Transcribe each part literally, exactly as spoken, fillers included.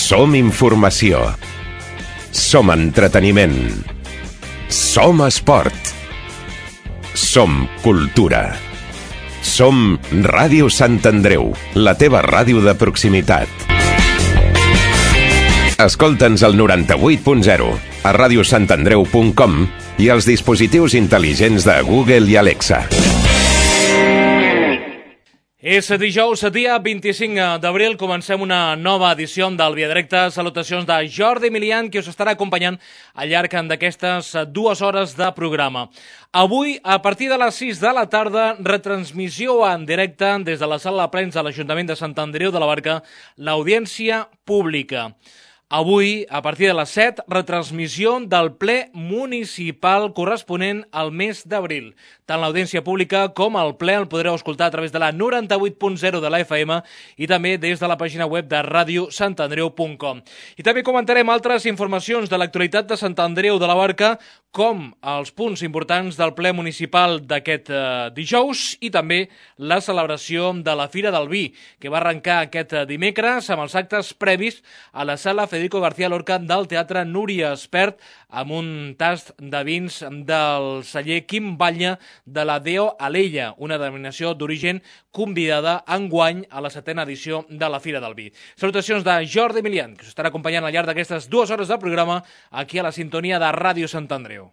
Som informació. Som entreteniment. Som esport. Som cultura. Som Ràdio Sant Andreu, la teva ràdio de proximitat. Escolta'ns al noranta-vuit punt zero, a ràdio sant andreu punt com i als dispositius intel·ligents de Google i Alexa. És dijous, dia vint-i-cinc d'abril, comencem una nova edició del Via Directa. Salutacions de Jordi Milian, que us estarà acompanyant al llarg d'aquestes dues hores de programa. Avui, a partir de les sis de la tarda, retransmissió en directe des de la sala de plens de l'Ajuntament de Sant Andreu de la Barca, l'audiència pública. Avui, a partir de les set, retransmissió del ple municipal corresponent al mes d'abril. Tant l'audiència pública com el ple el podreu escoltar a través de la noranta-vuit punt zero de la F M i també des de la pàgina web de ràdio sant andreu punt com. I també comentarem altres informacions de l'actualitat de Sant Andreu de la Barca, com els punts importants del ple municipal d'aquest eh, dijous i també la celebració de la Fira del Vi, que va arrencar aquest dimecres amb els actes previs a la sala Federico García Lorca del Teatre Núria Espert, amb un tast de vins del celler Quim Batlle de la Deo Alella, una denominació d'origen convidada enguany a la setena edició de la Fira del Vi. Salutacions de Jordi Milian, que us estarà acompanyant al llarg d'aquestes dues hores de programa aquí a la sintonia de Ràdio Sant Andreu.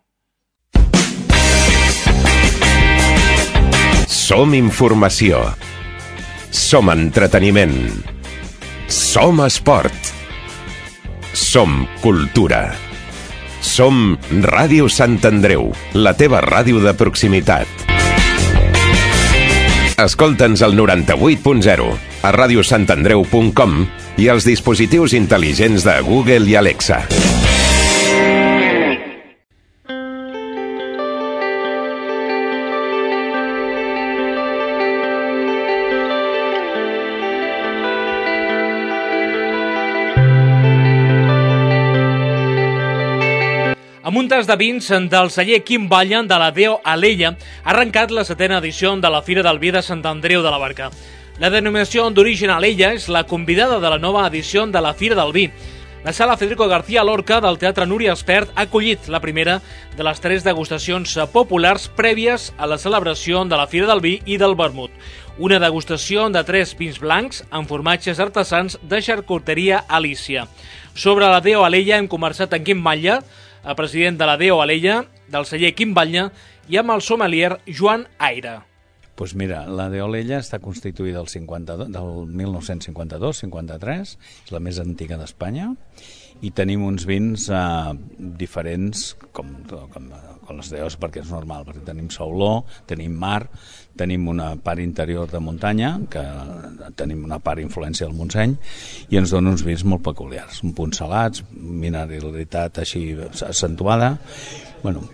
Som informació. Som entreteniment. Som esport. Som cultura. Som Ràdio Sant Andreu, la teva ràdio de proximitat. Escolta'ns al noranta-vuit punt zero, a ràdio sant andreu punt com i als dispositius intel·ligents de Google i Alexa. Amb un tas de vins del celler Quim Batlle de la Deo Alella ha arrencat la setena edició de la Fira del Vi de Sant Andreu de la Barca. La denominació d'origen Alella és la convidada de la nova edició de la Fira del Vi. La sala Federico García Lorca del Teatre Núria Espert ha acollit la primera de les tres degustacions populars prèvies a la celebració de la Fira del Vi i del vermut. Una degustació de tres vins blancs amb formatges artesans de xarcuteria Alícia. Sobre la Deo Alella hem conversat amb Quim Batlle, el president de la Deo Alella, del celler Quim Batlle, i amb el sommelier Joan Aire. Pues mira, la Deo Alella està constituïda del, cinquanta-dos, del mil nou-cents cinquanta-dos cinquanta-tres, és la més antiga d'Espanya, i tenim uns vins eh, diferents, com, com, com les Deos, perquè és normal, perquè tenim sauló, tenim mar, tenim una part interior de muntanya, que tenim una part influència del Montseny, i ens dona uns vins molt peculiars, un punt salats, mineralitat així accentuada, bueno,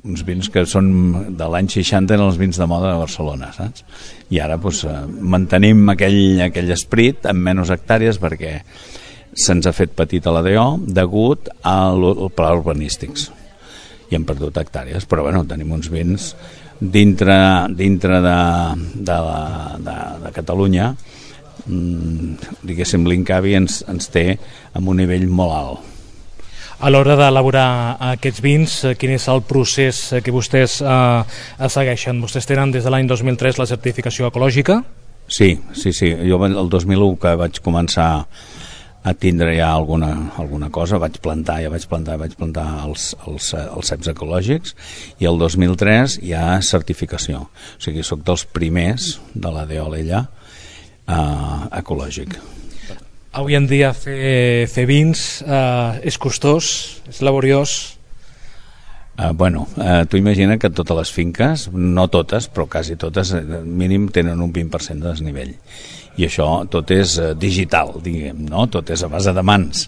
uns vins que són de l'any seixanta, eren els vins de moda de Barcelona, saps? I ara doncs, mantenim aquell, aquell esprit amb menys hectàrees perquè se'ns ha fet petit a la Deo degut al pla urbanístics i hem perdut hectàrees, però bueno, tenim uns vins dintre, dintre de, de, la, de, de Catalunya, mm, diguéssim, l'Incavi ens, ens té amb un nivell molt alt. A l'hora d'elaborar aquests vins, quin és el procés que vostès eh, segueixen? Vostès tenen des de l'any dos mil tres la certificació ecològica? Sí, sí, sí. Jo el dos mil u que vaig començar a tindre ja alguna, alguna cosa, vaig plantar, ja vaig plantar, vaig plantar els, els, els ceps ecològics, i el dos mil tres hi ha certificació. O sigui, soc dels primers de la Deo Alella eh, ecològic. Avui en dia fer, fer vins eh, és costós, és laboriós. Uh, bueno, uh, tu imagina que totes les finques, no totes, però quasi totes, mínim tenen un vint per cent de desnivell. I això tot és uh, digital, diguem, no? Tot és a base de mans.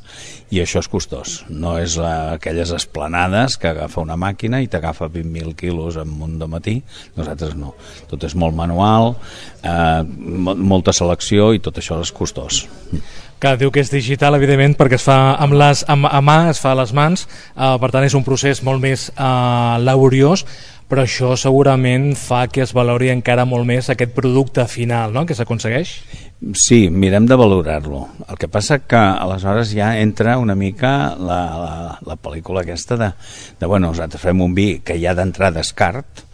I això és costós. No és uh, aquelles esplanades que agafa una màquina i t'agafa vint mil quilos en un dematí. Nosaltres no. Tot és molt manual, uh, molta selecció i tot això és costós. Que diu que és digital, evidentment, perquè es fa amb les, amb, a mà, es fa a les mans, eh, per tant és un procés molt més eh, laboriós, però això segurament fa que es valori encara molt més aquest producte final, no?, que s'aconsegueix. Sí, mirem de valorar-lo. El que passa que aleshores ja entra una mica la, la, la pel·lícula aquesta de, de, bueno, nosaltres fem un vi que ja d'entrar descart,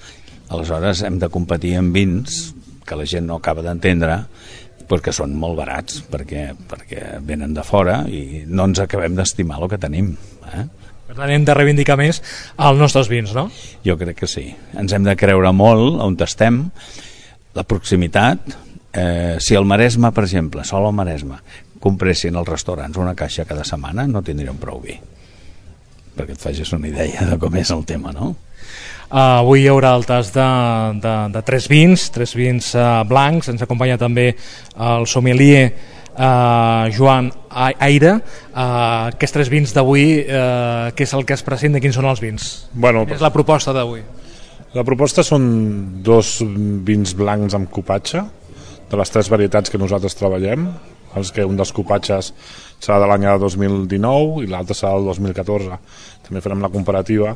aleshores hem de competir amb vins que la gent no acaba d'entendre, perquè són molt barats, perquè, perquè venen de fora i no ens acabem d'estimar el que tenim, eh? Per tant, hem de reivindicar més els nostres vins, no? Jo crec que sí. Ens hem de creure molt on estem, la proximitat. Eh, si al Maresme, per exemple, sol al Maresme, compressin als restaurants una caixa cada setmana, no tindríem prou vi. Perquè et facis una idea de com és el tema, no? Uh, avui hi haurà el tas de, de, de tres vins, tres vins uh, blancs. Ens acompanya també el sommelier uh, Joan Aire. Uh, aquests tres vins d'avui, uh, què és el que es presenta? Quins són els vins? Bueno, Quina és la proposta d'avui? La proposta són dos vins blancs amb cupatge, de les tres varietats que nosaltres treballem. Els que un dels cupatges serà de l'any dos mil dinou i l'altre serà del dos mil catorze. També farem la comparativa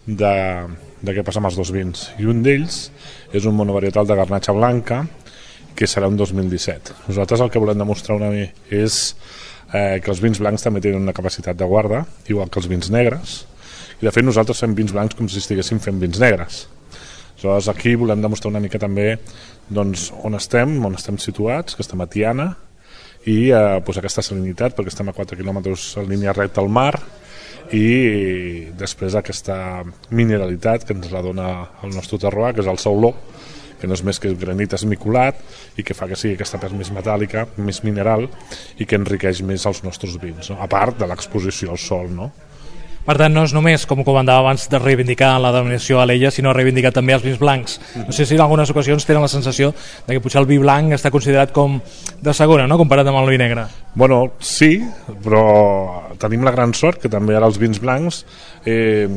de, de què passa amb els dos vins. I un d'ells és un monovarietal de garnatxa blanca, que serà un dos mil disset. Nosaltres el que volem demostrar una mica és eh, que els vins blancs també tenen una capacitat de guarda, igual que els vins negres, i de fet nosaltres fem vins blancs com si estiguéssim fent vins negres. Aleshores aquí volem demostrar una mica també doncs, on estem, on estem situats, que estem a Tiana, i eh, pues aquesta salinitat, perquè estem a quatre quilòmetres en línia recta al mar, i després aquesta mineralitat que ens la dona el nostre terroir, que és el sauló, que no és més que granit esmicolat i que fa que sigui aquesta pell més metàl·lica, més mineral, i que enriqueix més els nostres vins, no? A part de l'exposició al sol, no? Per tant, no és només, com comentava abans, de reivindicar la denominació Alella, sinó reivindicar també els vins blancs. No sé si en algunes ocasions tenen la sensació de que potser el vi blanc està considerat com de segona, no?, comparat amb el vi negre. Bueno, sí, però tenim la gran sort que també ara els vins blancs eh,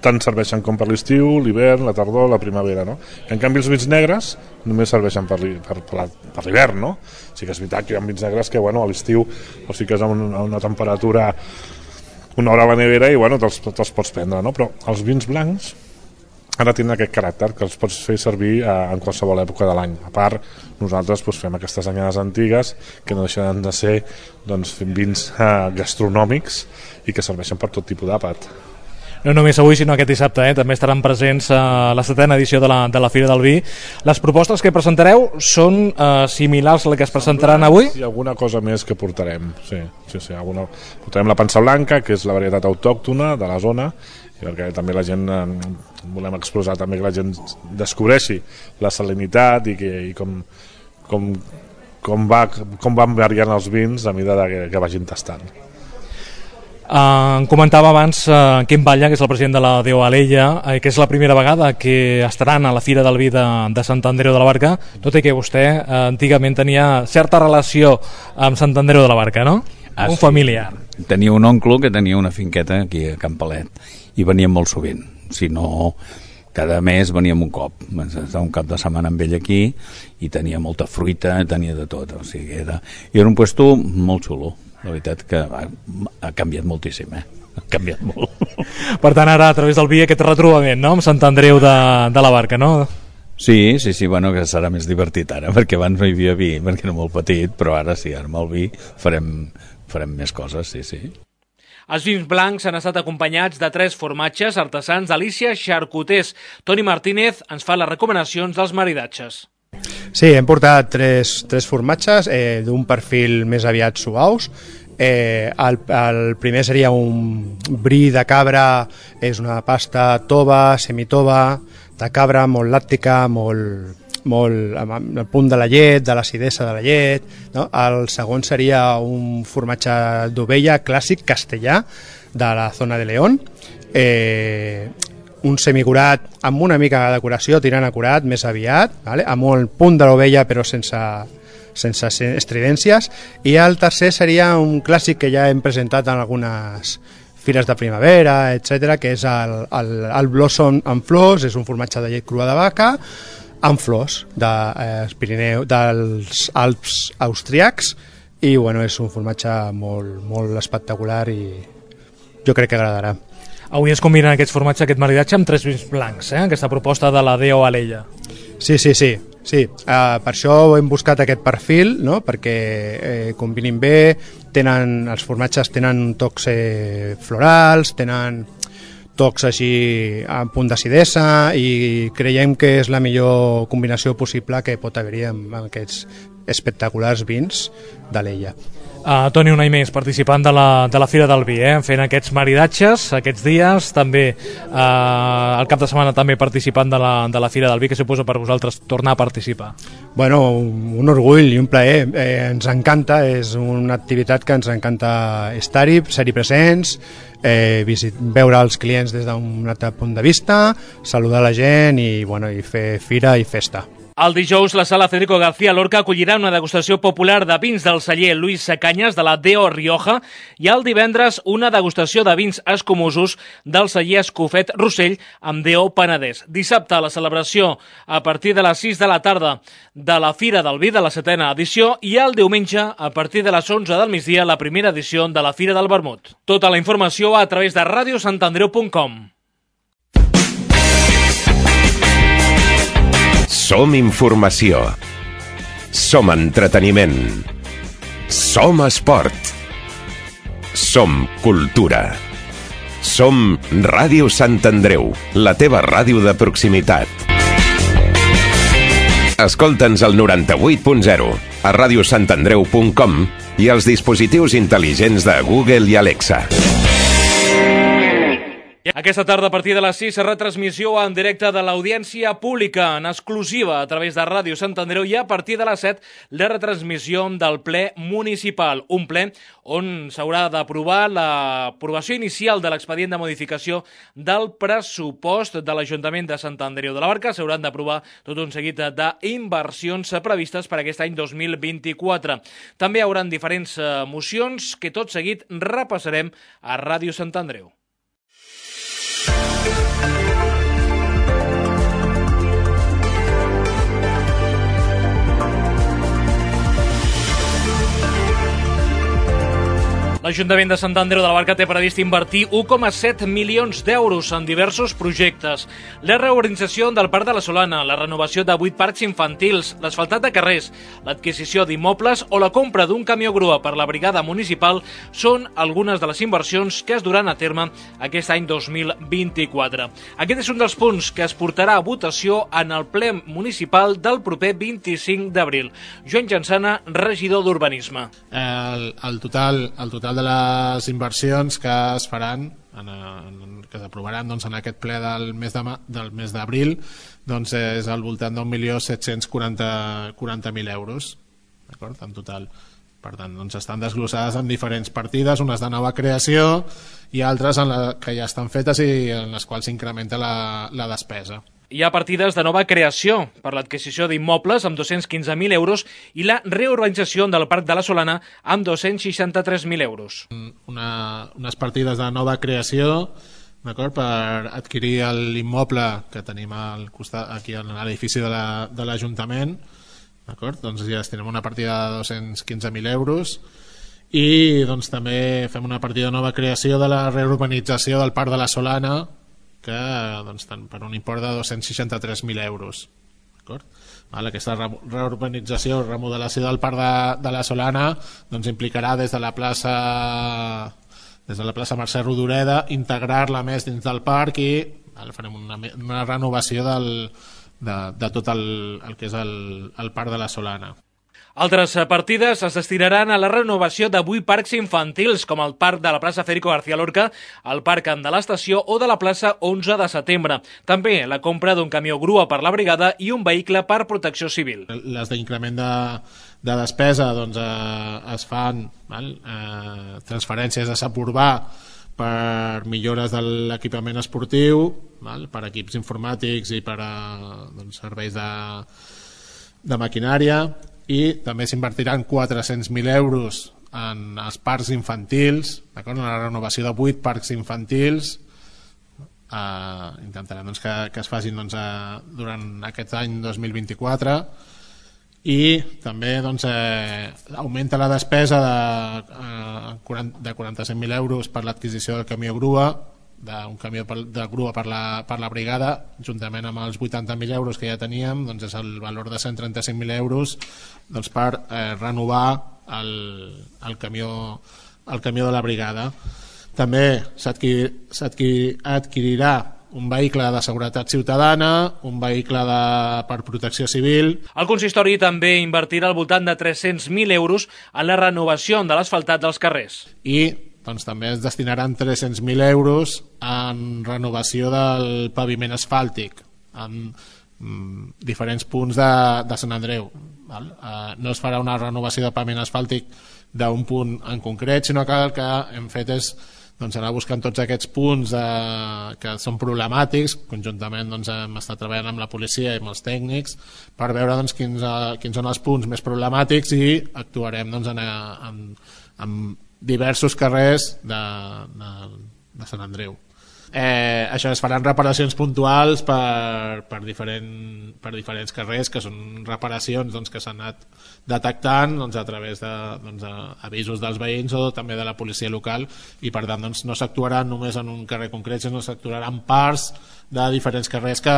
tant serveixen com per l'estiu, l'hivern, la tardor, la primavera, no? En canvi els vins negres només serveixen per l'hivern, no? Sí que és veritat que hi ha vins negres que, bueno, a l'estiu o sí que és a una, a una temperatura una hora a la nevera i bueno, te'ls, te'ls pots prendre, no? Però els vins blancs ara tenen aquest caràcter que els pots fer servir eh, en qualsevol època de l'any. A part, nosaltres doncs, fem aquestes anyades antigues que no deixen de ser doncs, vins eh, gastronòmics i que serveixen per tot tipus d'àpat. No només avui, sinó aquest dissabte, eh? També estaran presents a la setena edició de la, de la Fira del Vi. Les propostes que presentareu són eh, similars a les que es presentaran avui? Sí, alguna cosa més que portarem, sí. sí, sí alguna... Portarem la pansa blanca, que és la varietat autòctona de la zona, i perquè també la gent, eh, volem exposar també que la gent descobreixi la salinitat i, que, i com, com, com, va, com van variant els vins a mesura que, que vagin tastant. Uh, em comentava abans uh, Quim Batlle, que és el president de la D O Alella, uh, que és la primera vegada que estaran a la Fira del Vi de, de Sant Andreu de la Barca, tot i que vostè uh, antigament tenia certa relació amb Sant Andreu de la Barca, no? Ah, un sí. familiar. Tenia un oncle que tenia una finqueta aquí a Campalet i veníem molt sovint, si no cada mes veníem un cop, estava un cap de setmana amb ell aquí i tenia molta fruita, tenia de tot, o sigui, era, era un puesto molt xulo. La veritat que ha, ha canviat moltíssim, eh? Ha canviat molt. Per tant, ara, a través del vi, aquest retrobament, no?, amb Sant Andreu de, de la Barca, no? Sí, sí, sí, bueno, que serà més divertit ara, perquè abans no hi havia vi, perquè era molt petit, però ara sí, ara amb el vi farem, farem més coses, sí, sí. Els vins blancs han estat acompanyats de tres formatges artesans d'Alícia Xarcuters. Toni Martínez ens fa les recomanacions dels maridatges. Sí, hem portat tres, tres formatges eh, d'un perfil més aviat suaus. Eh, el, el primer seria un brie de cabra, és una pasta tova, semitova, de cabra, molt làctica, molt, molt amb el punt de la llet, de l'acidesa de la llet, no? El segon seria un formatge d'ovella clàssic castellà de la zona de León, eh, un semicurat amb una mica de decoració, tirant a curat, més aviat, vale? Amb el punt de l'ovella però sense, sense estridències, i el tercer seria un clàssic que ja hem presentat en algunes fires de primavera, etcètera, que és el, el, el Blossom amb flors, és un formatge de llet crua de vaca amb flors de, eh, Pirineu, dels Alps austríacs, i bueno, és un formatge molt, molt espectacular i jo crec que agradarà. Avui es combinen aquests formatges, aquest maridatge amb tres vins blancs, eh? Aquesta proposta de la Deo Alella. Sí, sí, sí. sí. Uh, per això hem buscat aquest perfil, no? Perquè eh, combinin bé, tenen, els formatges tenen tocs eh, florals, tenen tocs així a punt d'acidesa i creiem que és la millor combinació possible que pot haver-hi amb, amb aquests espectaculars vins d'Alella. Uh, Toni, un any més participant de la, de la Fira del Vi, eh? Fent aquests maridatges aquests dies, també uh, el cap de setmana també participant de la, de la Fira del Vi, que suposa per vosaltres tornar a participar. Bueno, un orgull i un plaer, eh, ens encanta, és una activitat que ens encanta estar-hi, ser-hi presents, eh, visit, veure els clients des d'un altre punt de vista, saludar la gent i, bueno, i fer fira i festa. El dijous, la sala Federico García Lorca acollirà una degustació popular de vins del celler Luis Canyes de la Deo Rioja i el divendres una degustació de vins escumosos del celler Escofet Rossell amb Deo Penedès. Dissabte, la celebració a partir de les sis de la tarda de la Fira del Vi de la setena edició i el diumenge, a partir de les onze del migdia, la primera edició de la Fira del Vermut. Tota la informació a través de radio sant andreu punt com. Som informació. Som entreteniment. Som esport. Som cultura. Som Ràdio Sant Andreu, la teva ràdio de proximitat. Escolta'ns al noranta-vuit punt zero, a radio sant andreu punt com i als dispositius intel·ligents de Google i Alexa. Aquesta tarda, a partir de les sis, retransmissió en directe de l'audiència pública en exclusiva a través de Ràdio Sant Andreu i a partir de les set, la retransmissió del ple municipal. Un ple on s'haurà d'aprovar l'aprovació inicial de l'expedient de modificació del pressupost de l'Ajuntament de Sant Andreu de la Barca. S'hauran d'aprovar tot un seguit d'inversions previstes per aquest any dos mil vint-i-quatre. També hi haurà diferents mocions que tot seguit repassarem a Ràdio Sant Andreu. L'Ajuntament de Sant Andreu de la Barca té previst invertir u coma set milions d'euros en diversos projectes. La reorganització del Parc de la Solana, la renovació de vuit parcs infantils, l'asfaltat de carrers, l'adquisició d'immobles o la compra d'un camió grua per la brigada municipal són algunes de les inversions que es duran a terme aquest any dos mil vint-i-quatre. Aquest és un dels punts que es portarà a votació en el ple municipal del proper vint-i-cinc d'abril. Joan Jansana, regidor d'Urbanisme. El, el total, el total de les inversions que es faran en, en, que s'aprovaran doncs, en aquest ple del mes de, del mes d'abril doncs és al voltant d'un milió set-cents quaranta mil euros, d'acord, en total. Per tant, doncs estan desglossades en diferents partides, unes de nova creació i altres en la, que ja estan fetes i en les quals s'incrementa la, la despesa. Hi ha partides de nova creació per l'adquisició d'immobles amb dos-cents quinze mil euros i la reurbanització del Parc de la Solana amb dos-cents seixanta-tres mil euros. Una, unes partides de nova creació, d'acord, per adquirir l'immoble que tenim al costat, aquí a l'edifici de l'Ajuntament, d'acord, doncs ja tenim una partida de dos-cents quinze mil euros i doncs també fem una partida de nova creació de la reurbanització del Parc de la Solana, que doncs, per un import de dos-cents seixanta-tres mil euros. Vale, aquesta reurbanització o remodelació del Parc de, de la Solana doncs, implicarà des de la plaça des de la plaça Mercè Rodoreda integrar-la més dins del parc i vale, farem una, una renovació del, de, de tot el, el que és el, el Parc de la Solana. Altres partides es destinaran a la renovació de vuit parcs infantils, com el parc de la plaça Federico García Lorca, el parc de l'estació o de la plaça onze de setembre. També la compra d'un camió grua per la brigada i un vehicle per protecció civil. Les d'increment de, de despesa doncs, eh, es fan val? Eh, transferències a SAP Urbà per millores de l'equipament esportiu, val? Per equips informàtics i per a, doncs, serveis de, de maquinària, i també s'invertiran quatre-cents mil euros en els parcs infantils, en la renovació de vuit parcs infantils. Eh, intentarem doncs, que, que es facin doncs, eh, durant aquest any dos mil vint-i-quatre i també doncs, eh, augmenta la despesa de, eh, de quaranta-set mil euros per l'adquisició del camió grua, d'un camió de grua per la, per la brigada, juntament amb els vuitanta mil euros que ja teníem, doncs és el valor de cent trenta-cinc mil euros doncs per eh, renovar el, el, camió, el camió de la brigada. També s'adquirirà un vehicle de seguretat ciutadana, un vehicle de, per protecció civil. El consistori també invertirà al voltant de tres-cents mil euros en la renovació de l'asfaltat dels carrers. I doncs, també es destinaran tres-cents mil euros en renovació del paviment asfàltic en mm, diferents punts de, de Sant Andreu. Val? Uh, no es farà una renovació de paviment asfàltic d'un punt en concret, sinó que el que hem fet és doncs, anar buscant tots aquests punts eh, que són problemàtics. Conjuntament doncs, hem estat treballant amb la policia i amb els tècnics per veure doncs, quins, uh, quins són els punts més problemàtics i actuarem doncs, en, en, en diversos carrers de, de, de Sant Andreu. Eh, això es faran reparacions puntuals per, per, diferent, per diferents carrers, que són reparacions doncs, que s'han anat detectant doncs, a través d'avisos de, doncs, dels veïns o també de la policia local, i per tant doncs, no s'actuarà només en un carrer concret, sinó s'actuarà en parts de diferents carrers que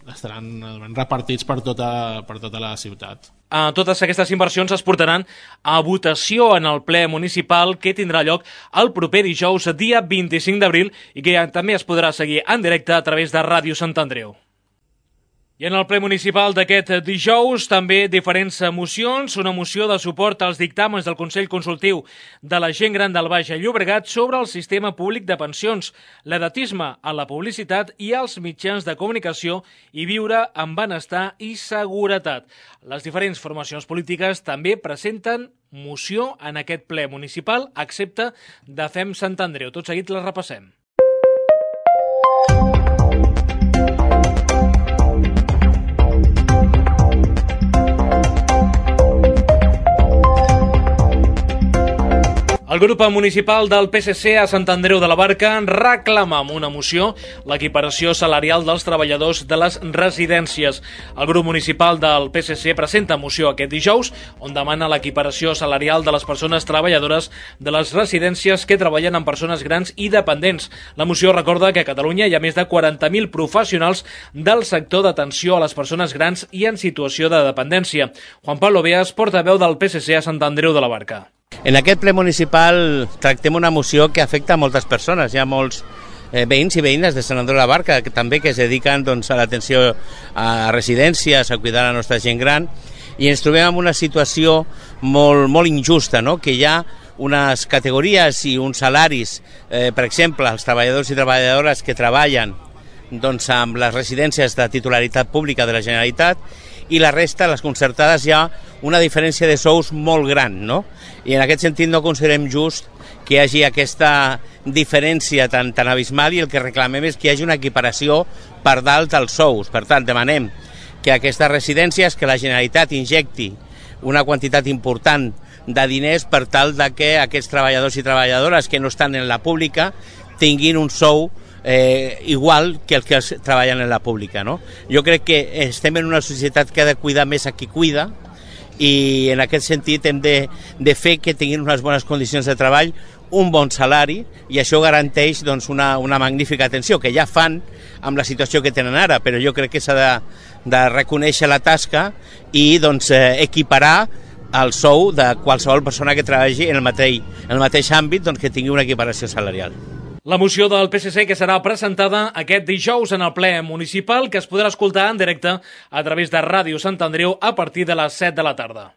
estaran repartits per tota, per tota la ciutat. Uh, totes aquestes inversions es portaran a votació en el ple municipal que tindrà lloc el proper dijous, dia vint-i-cinc d'abril, i que ja també es podrà seguir en directe a través de Ràdio Sant Andreu. I en el ple municipal d'aquest dijous també diferents mocions, una moció de suport als dictàmens del Consell Consultiu de la Gent Gran del Baix Llobregat sobre el sistema públic de pensions, l'edatisme a la publicitat i als mitjans de comunicació i viure amb benestar i seguretat. Les diferents formacions polítiques també presenten moció en aquest ple municipal, excepte de Fem Sant Andreu. Tot seguit les repassem. El grup municipal del P S C a Sant Andreu de la Barca reclama amb una moció l'equiparació salarial dels treballadors de les residències. El grup municipal del P S C presenta moció aquest dijous on demana l'equiparació salarial de les persones treballadores de les residències que treballen amb persones grans i dependents. La moció recorda que a Catalunya hi ha més de quaranta mil professionals del sector d'atenció a les persones grans i en situació de dependència. Juan Pablo Beas, portaveu del P S C a Sant Andreu de la Barca. En aquest ple municipal tractem una moció que afecta a moltes persones. Hi ha molts eh, veïns i veïnes de Sant Andreu de la Barca que també que es dediquen doncs, a l'atenció a residències, a cuidar la nostra gent gran, i ens trobem en una situació molt, molt injusta, no? Que hi ha unes categories i uns salaris, eh, per exemple, els treballadors i treballadores que treballen doncs, amb les residències de titularitat pública de la Generalitat, i la resta, les concertades, hi ha una diferència de sous molt gran, no? I en aquest sentit no considerem just que hi hagi aquesta diferència tan, tan abismal, i el que reclamem és que hi hagi una equiparació per dalt dels sous. Per tant, demanem que aquestes residències, que la Generalitat injecti una quantitat important de diners per tal de que aquests treballadors i treballadores que no estan en la pública tinguin un sou Eh, igual que els que treballen en la pública, no? Jo crec que estem en una societat que ha de cuidar més a qui cuida, i en aquest sentit hem de, de fer que tinguin unes bones condicions de treball, un bon salari, i això garanteix doncs, una, una magnífica atenció, que ja fan amb la situació que tenen ara, però jo crec que s'ha de, de reconèixer la tasca i doncs, eh, equiparar el sou de qualsevol persona que treballi en el mateix, en el mateix àmbit, doncs, que tingui una equiparació salarial. La moció del P S C que serà presentada aquest dijous en el ple municipal, que es podrà escoltar en directe a través de Ràdio Sant Andreu a partir de les set de la tarda.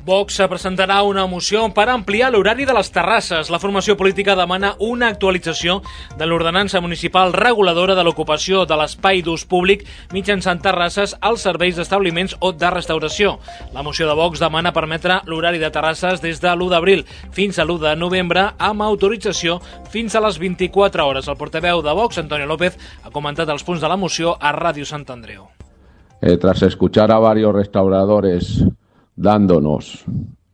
Vox presentarà una moció per ampliar l'horari de les terrasses. La formació política demana una actualització de l'ordenança municipal reguladora de l'ocupació de l'espai d'ús públic mitjançant terrasses als serveis d'establiments o de restauració. La moció de Vox demana permetre l'horari de terrasses des de l'u d'abril fins a l'u de novembre amb autorització fins a les vint-i-quatre hores. El portaveu de Vox, Antonio López, ha comentat els punts de la moció a Ràdio Sant Andreu. Eh, tras escuchar a varios restauradores dándonos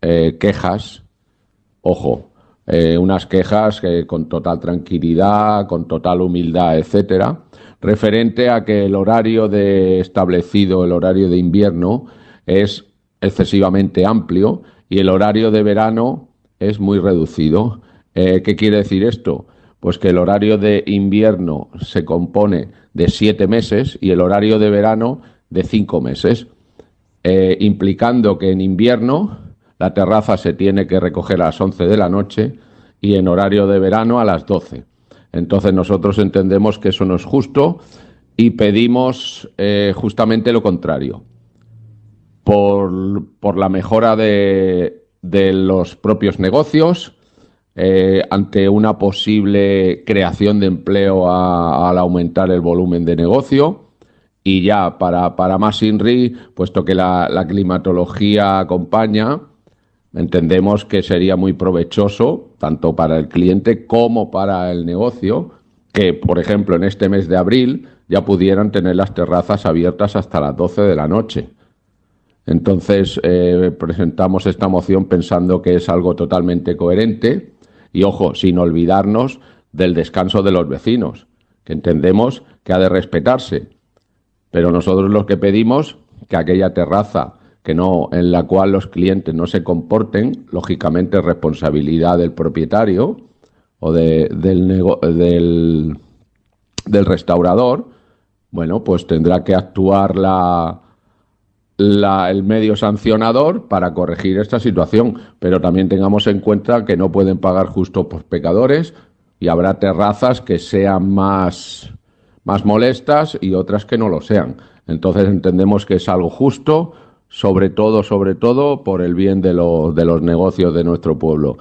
eh, quejas, ojo, eh, unas quejas que con total tranquilidad, con total humildad, etcétera, referente a que el horario de establecido, el horario de invierno, es excesivamente amplio y el horario de verano es muy reducido. Eh, ¿Qué quiere decir esto? Pues que el horario de invierno se compone de siete meses y el horario de verano de cinco meses, eh, implicando que en invierno la terraza se tiene que recoger a las once de la noche y en horario de verano a las doce. Entonces nosotros entendemos que eso no es justo y pedimos eh, justamente lo contrario. Por, por la mejora de, de los propios negocios, eh, ante una posible creación de empleo a, al aumentar el volumen de negocio, y ya para, para más INRI, puesto que la, la climatología acompaña, entendemos que sería muy provechoso, tanto para el cliente como para el negocio, que, por ejemplo, en este mes de abril ya pudieran tener las terrazas abiertas hasta las doce de la noche. Entonces, eh, presentamos esta moción pensando que es algo totalmente coherente y, ojo, sin olvidarnos del descanso de los vecinos, que entendemos que ha de respetarse. Pero nosotros lo que pedimos que aquella terraza que no, en la cual los clientes no se comporten, lógicamente es responsabilidad del propietario o de, del, nego, del, del restaurador, bueno, pues tendrá que actuar la, la, el medio sancionador para corregir esta situación. Pero también tengamos en cuenta que no pueden pagar justo por pecadores y habrá terrazas que sean más, más molestas y otras que no lo sean. Entonces entendemos que es algo justo, sobre todo, sobre todo, por el bien de, lo, de los negocios de nuestro pueblo.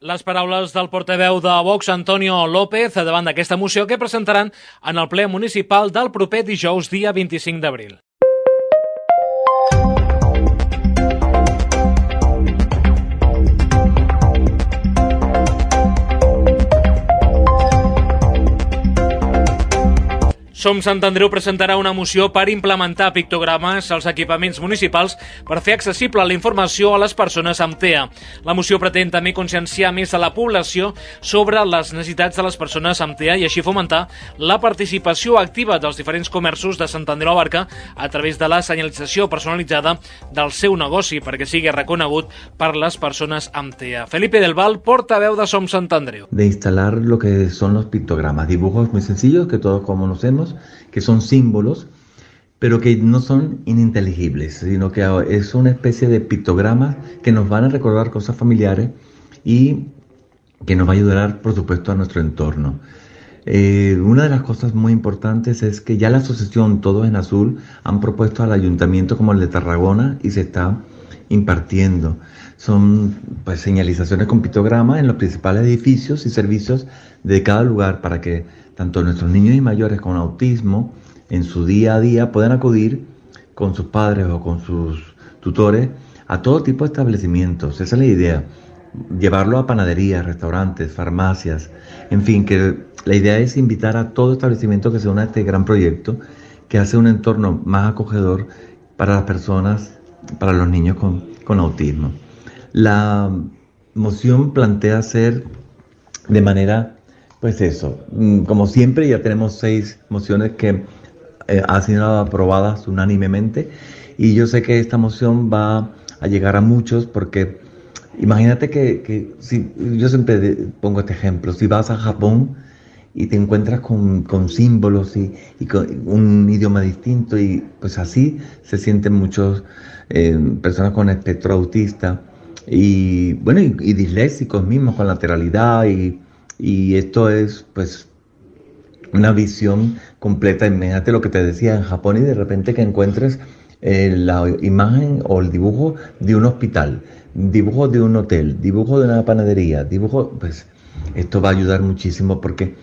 Les paraules del portaveu de Vox, Antonio López, davant d'aquesta moció que presentaran en el ple municipal del proper dijous, dia vint-i-cinc d'abril. Som Sant Andreu presentarà una moció per implementar pictogrames als equipaments municipals per fer accessible la informació a les persones amb T E A. La moció pretén també conscienciar més a la població sobre les necessitats de les persones amb T E A i així fomentar la participació activa dels diferents comerços de Sant Andreu Abarca a través de la senyalització personalitzada del seu negoci perquè sigui reconegut per les persones amb T E A. Felipe del Val, portaveu de Som Sant Andreu. De instalar lo que son los pictogramas, dibujos muy sencillos que todos conocemos, que son símbolos, pero que no son ininteligibles, sino que es una especie de pictogramas que nos van a recordar cosas familiares y que nos va a ayudar, por supuesto, a nuestro entorno. Eh, una de las cosas muy importantes es que ya la asociación Todos en Azul han propuesto al ayuntamiento como el de Tarragona y se está impartiendo. Son pues señalizaciones con pictogramas en los principales edificios y servicios de cada lugar para que tanto nuestros niños y mayores con autismo en su día a día puedan acudir con sus padres o con sus tutores a todo tipo de establecimientos. Esa es la idea, llevarlo a panaderías, restaurantes, farmacias, en fin, que la idea es invitar a todo establecimiento que se una a este gran proyecto que hace un entorno más acogedor para las personas, para los niños con, con autismo. La moción plantea hacer de manera, pues eso, como siempre ya tenemos seis mociones que eh, han sido aprobadas unánimemente y yo sé que esta moción va a llegar a muchos porque imagínate que, que si, yo siempre pongo este ejemplo, si vas a Japón y te encuentras con, con símbolos y, y con un idioma distinto y pues así se sienten muchos eh, personas con espectro autista y bueno y, y disléxicos mismos con lateralidad y, y esto es pues una visión completa. Imagínate lo que te decía en Japón y de repente que encuentres eh, la imagen o el dibujo de un hospital, dibujo de un hotel, dibujo de una panadería, dibujo, pues esto va a ayudar muchísimo porque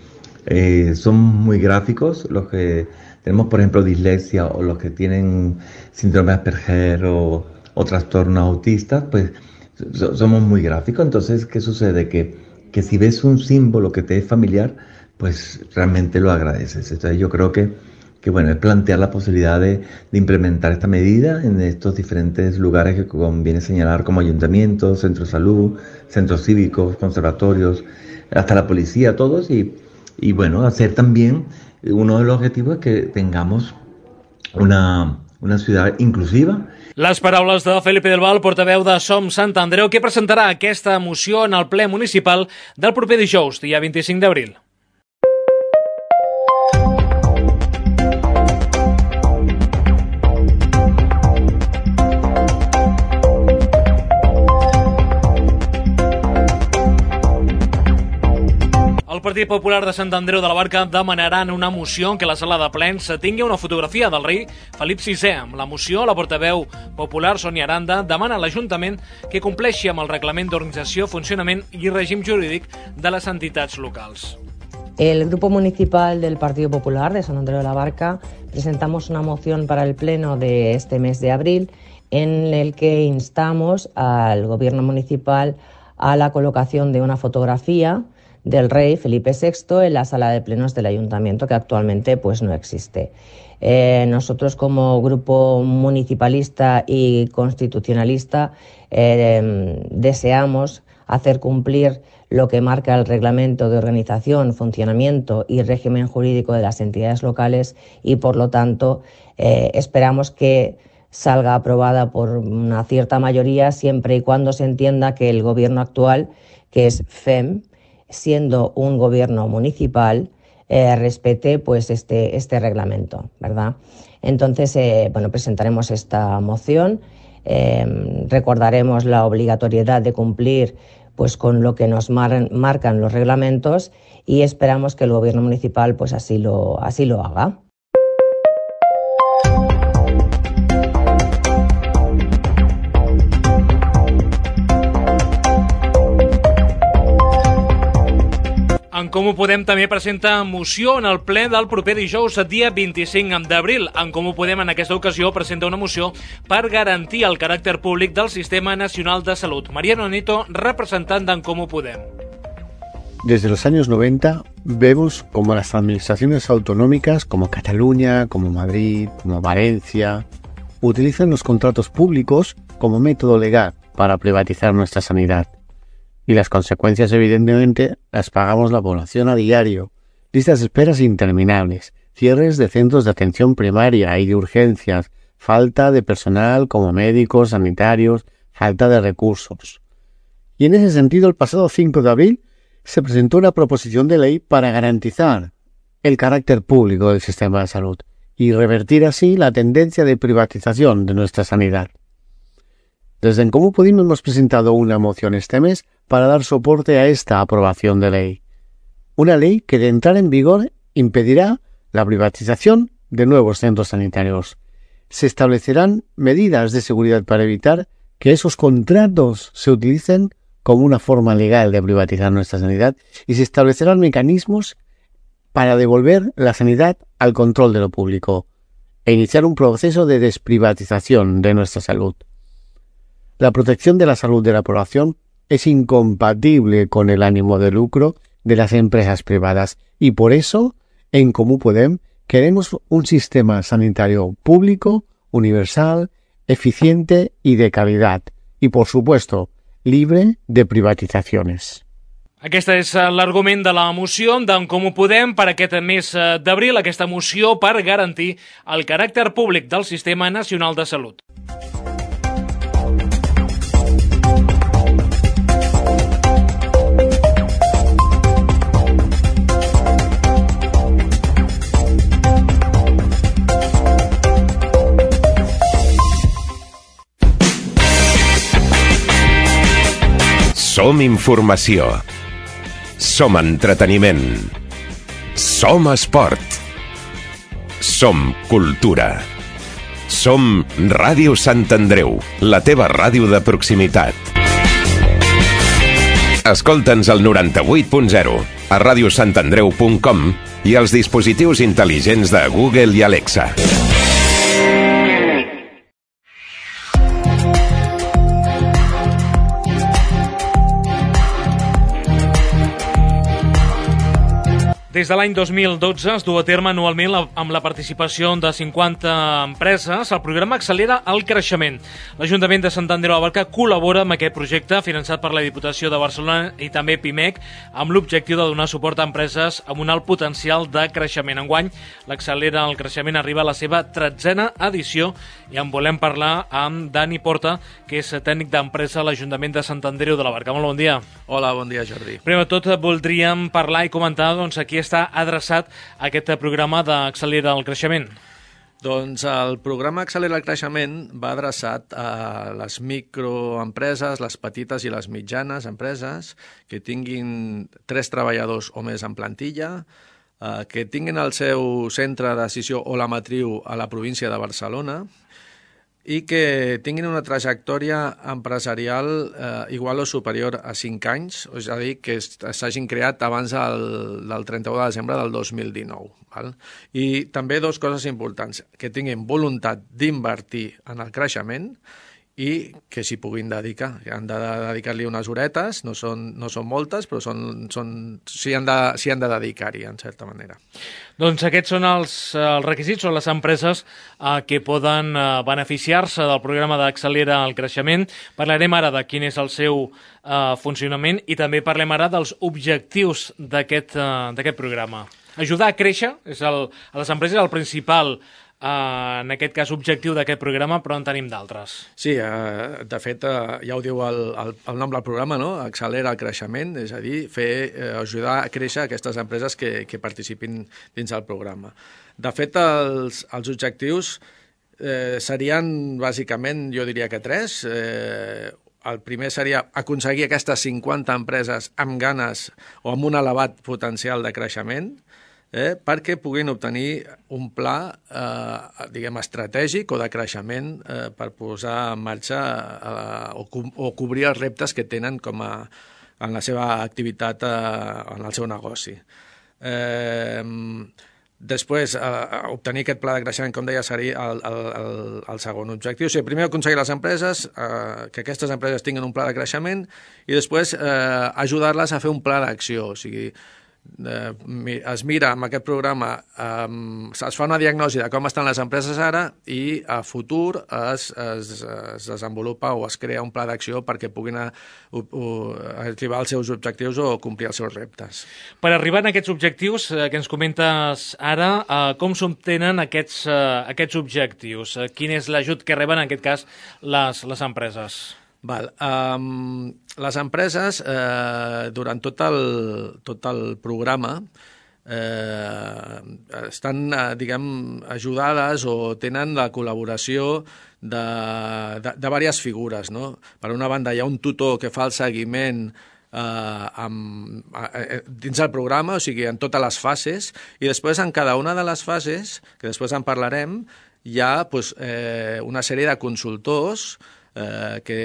eh, son muy gráficos los que tenemos, por ejemplo, dislexia o los que tienen síndrome de Asperger o, o trastornos autistas, pues so, somos muy gráficos. Entonces, ¿qué sucede? Que, que si ves un símbolo que te es familiar, pues realmente lo agradeces. Entonces yo creo que, que bueno, es plantear la posibilidad de, de implementar esta medida en estos diferentes lugares que conviene señalar como ayuntamientos, centros de salud, centros cívicos, conservatorios, hasta la policía, todos, y, y bueno, hacer también uno de los objetivos es que tengamos una, una ciudad inclusiva. Les paraules de Felipe del Val, portaveu de Som Sant Andreu, que presentarà aquesta moció en el ple municipal del proper dijous, dia vint-i-cinc d'abril. El Partit Popular de Sant Andreu de la Barca demanaran una moció en què la sala de plens tingui una fotografia del rei Felip sisè. Amb la moció, la portaveu popular Sònia Aranda demana a l'Ajuntament que compleixi amb el reglament d'organització, funcionament i règim jurídic de les entitats locals. El Grupo Municipal del Partido Popular de San Andreu de la Barca presentamos una moción para el pleno de este mes de abril en el que instamos al Gobierno municipal a la colocación de una fotografía del rey Felipe sexto en la sala de plenos del ayuntamiento, que actualmente pues no existe. Eh, nosotros como grupo municipalista y constitucionalista eh, deseamos hacer cumplir lo que marca el reglamento de organización, funcionamiento y régimen jurídico de las entidades locales y por lo tanto eh, esperamos que salga aprobada por una cierta mayoría siempre y cuando se entienda que el gobierno actual, que es F E M, siendo un gobierno municipal, eh, respete pues este, este reglamento, ¿verdad? Entonces, eh, bueno, presentaremos esta moción, eh, recordaremos la obligatoriedad de cumplir pues con lo que nos mar- marcan los reglamentos y esperamos que el gobierno municipal pues así lo, así lo haga. En Comú Podem també presenta moció en el ple del proper dijous, dia vint-i-cinc d'abril. En Comú Podem, en aquesta ocasió, presenta una moció per garantir el caràcter públic del Sistema Nacional de Salut. Mariano Nieto, representant d'en Comú Podem. Desde los años noventa vemos como las administraciones autonómicas, como Cataluña, como Madrid, como Valencia, utilizan los contratos públicos como método legal para privatizar nuestra sanidad. Y las consecuencias, evidentemente, las pagamos la población a diario. Listas de esperas interminables, cierres de centros de atención primaria y de urgencias, falta de personal como médicos, sanitarios, falta de recursos. Y en ese sentido, el pasado cinco de abril se presentó una proposición de ley para garantizar el carácter público del sistema de salud y revertir así la tendencia de privatización de nuestra sanidad. Desde En Comú Podem hemos presentado una moción este mes para dar soporte a esta aprobación de ley. Una ley que de entrar en vigor impedirá la privatización de nuevos centros sanitarios. Se establecerán medidas de seguridad para evitar que esos contratos se utilicen como una forma legal de privatizar nuestra sanidad y se establecerán mecanismos para devolver la sanidad al control de lo público e iniciar un proceso de desprivatización de nuestra salud. La protección de la salud de la población es incompatible con el ánimo de lucro de las empresas privadas y por eso, en Comú Podem, queremos un sistema sanitario público, universal, eficiente y de calidad y, por supuesto, libre de privatizaciones. Aquest és l'argument de la moció d'en Comú Podem per aquest mes d'abril, aquesta moció per garantir el caràcter públic del Sistema Nacional de Salut. Som informació. Som entreteniment. Som esport. Som cultura. Som Ràdio Sant Andreu, la teva ràdio de proximitat. Escolta'ns al noranta-vuit punt zero, a ràdio sant andreu punt com i als dispositius intel·ligents de Google i Alexa. Des de l'any dos mil dotze es du a terme anualment amb la participació de cinquanta empreses. El programa accelera el creixement. L'Ajuntament de Sant Andreu de la Barca col·labora amb aquest projecte finançat per la Diputació de Barcelona i també Pimec amb l'objectiu de donar suport a empreses amb un alt potencial de creixement. Enguany, l'Accelera el creixement arriba a la seva tretzena edició i en volem parlar amb Dani Porta, que és tècnic d'empresa a l'Ajuntament de Sant Andreu de la Barca. Molt bon dia. Hola, bon dia, Jordi. Primer de tot, voldríem parlar i comentar doncs, aquí està adreçat aquest programa d'Accelera el creixement. Doncs el programa Accelera el creixement va adreçat a les microempreses, les petites i les mitjanes empreses que tinguin tres treballadors o més en plantilla, eh, que tinguin el seu centre de decisió o la matriu a la província de Barcelona i que tinguin una trajectòria empresarial eh, igual o superior a cinc anys, és a dir, que s'hagin creat abans del, del trenta-u de desembre del dos mil dinou. Val? I també dues coses importants, que tinguin voluntat d'invertir en el creixement i que s'hi puguin dedicar. Han de dedicar-li unes horetes, no són, no són moltes, però són, són, s'hi han de, s'hi han de dedicar-hi, en certa manera. Doncs aquests són els, els requisits, són les empreses eh, que poden eh, beneficiar-se del programa d'Accelera el creixement. Parlarem ara de quin és el seu eh, funcionament i també parlem ara dels objectius d'aquest eh, d'aquest programa. Ajudar a créixer és el, a les empreses el principal Uh, en aquest cas, objectiu d'aquest programa, però en tenim d'altres. Sí, uh, de fet, uh, ja ho diu el, el, el nom del programa, no? Accelera el creixement, és a dir, fer, uh, ajudar a créixer aquestes empreses que, que participin dins del programa. De fet, els, els objectius eh, serien, bàsicament, jo diria que tres. Eh, el primer seria aconseguir aquestes cinquanta empreses amb ganes o amb un elevat potencial de creixement, Eh, perquè puguin obtenir un pla eh, diguem, estratègic o de creixement eh, per posar en marxa eh, o, co o cobrir els reptes que tenen com a, en la seva activitat, eh, en el seu negoci. Eh, després, eh, obtenir aquest pla de creixement, com deia, seria el, el, el, el segon objectiu. O sigui, primer aconseguir les empreses, eh, que aquestes empreses tinguin un pla de creixement i després eh, ajudar-les a fer un pla d'acció. O sigui, Eh, es mira amb aquest programa, eh, es fa una diagnosi de com estan les empreses ara i a futur es, es, es desenvolupa o es crea un pla d'acció perquè puguin a, a, a arribar als seus objectius o complir els seus reptes. Per arribar a aquests objectius eh, que ens comentes ara, eh, com s'obtenen aquests, eh, aquests objectius? Eh, quin és l'ajut que reben en aquest cas les, les empreses? Val. Um, les empreses, eh, durant tot el, tot el programa, eh, estan, eh, diguem, ajudades o tenen la col·laboració de, de, de diverses figures, no? Per una banda, hi ha un tutor que fa el seguiment eh, amb, eh, dins el programa, o sigui, en totes les fases, i després en cada una de les fases, que després en parlarem, hi ha pues, eh, una sèrie de consultors Eh, que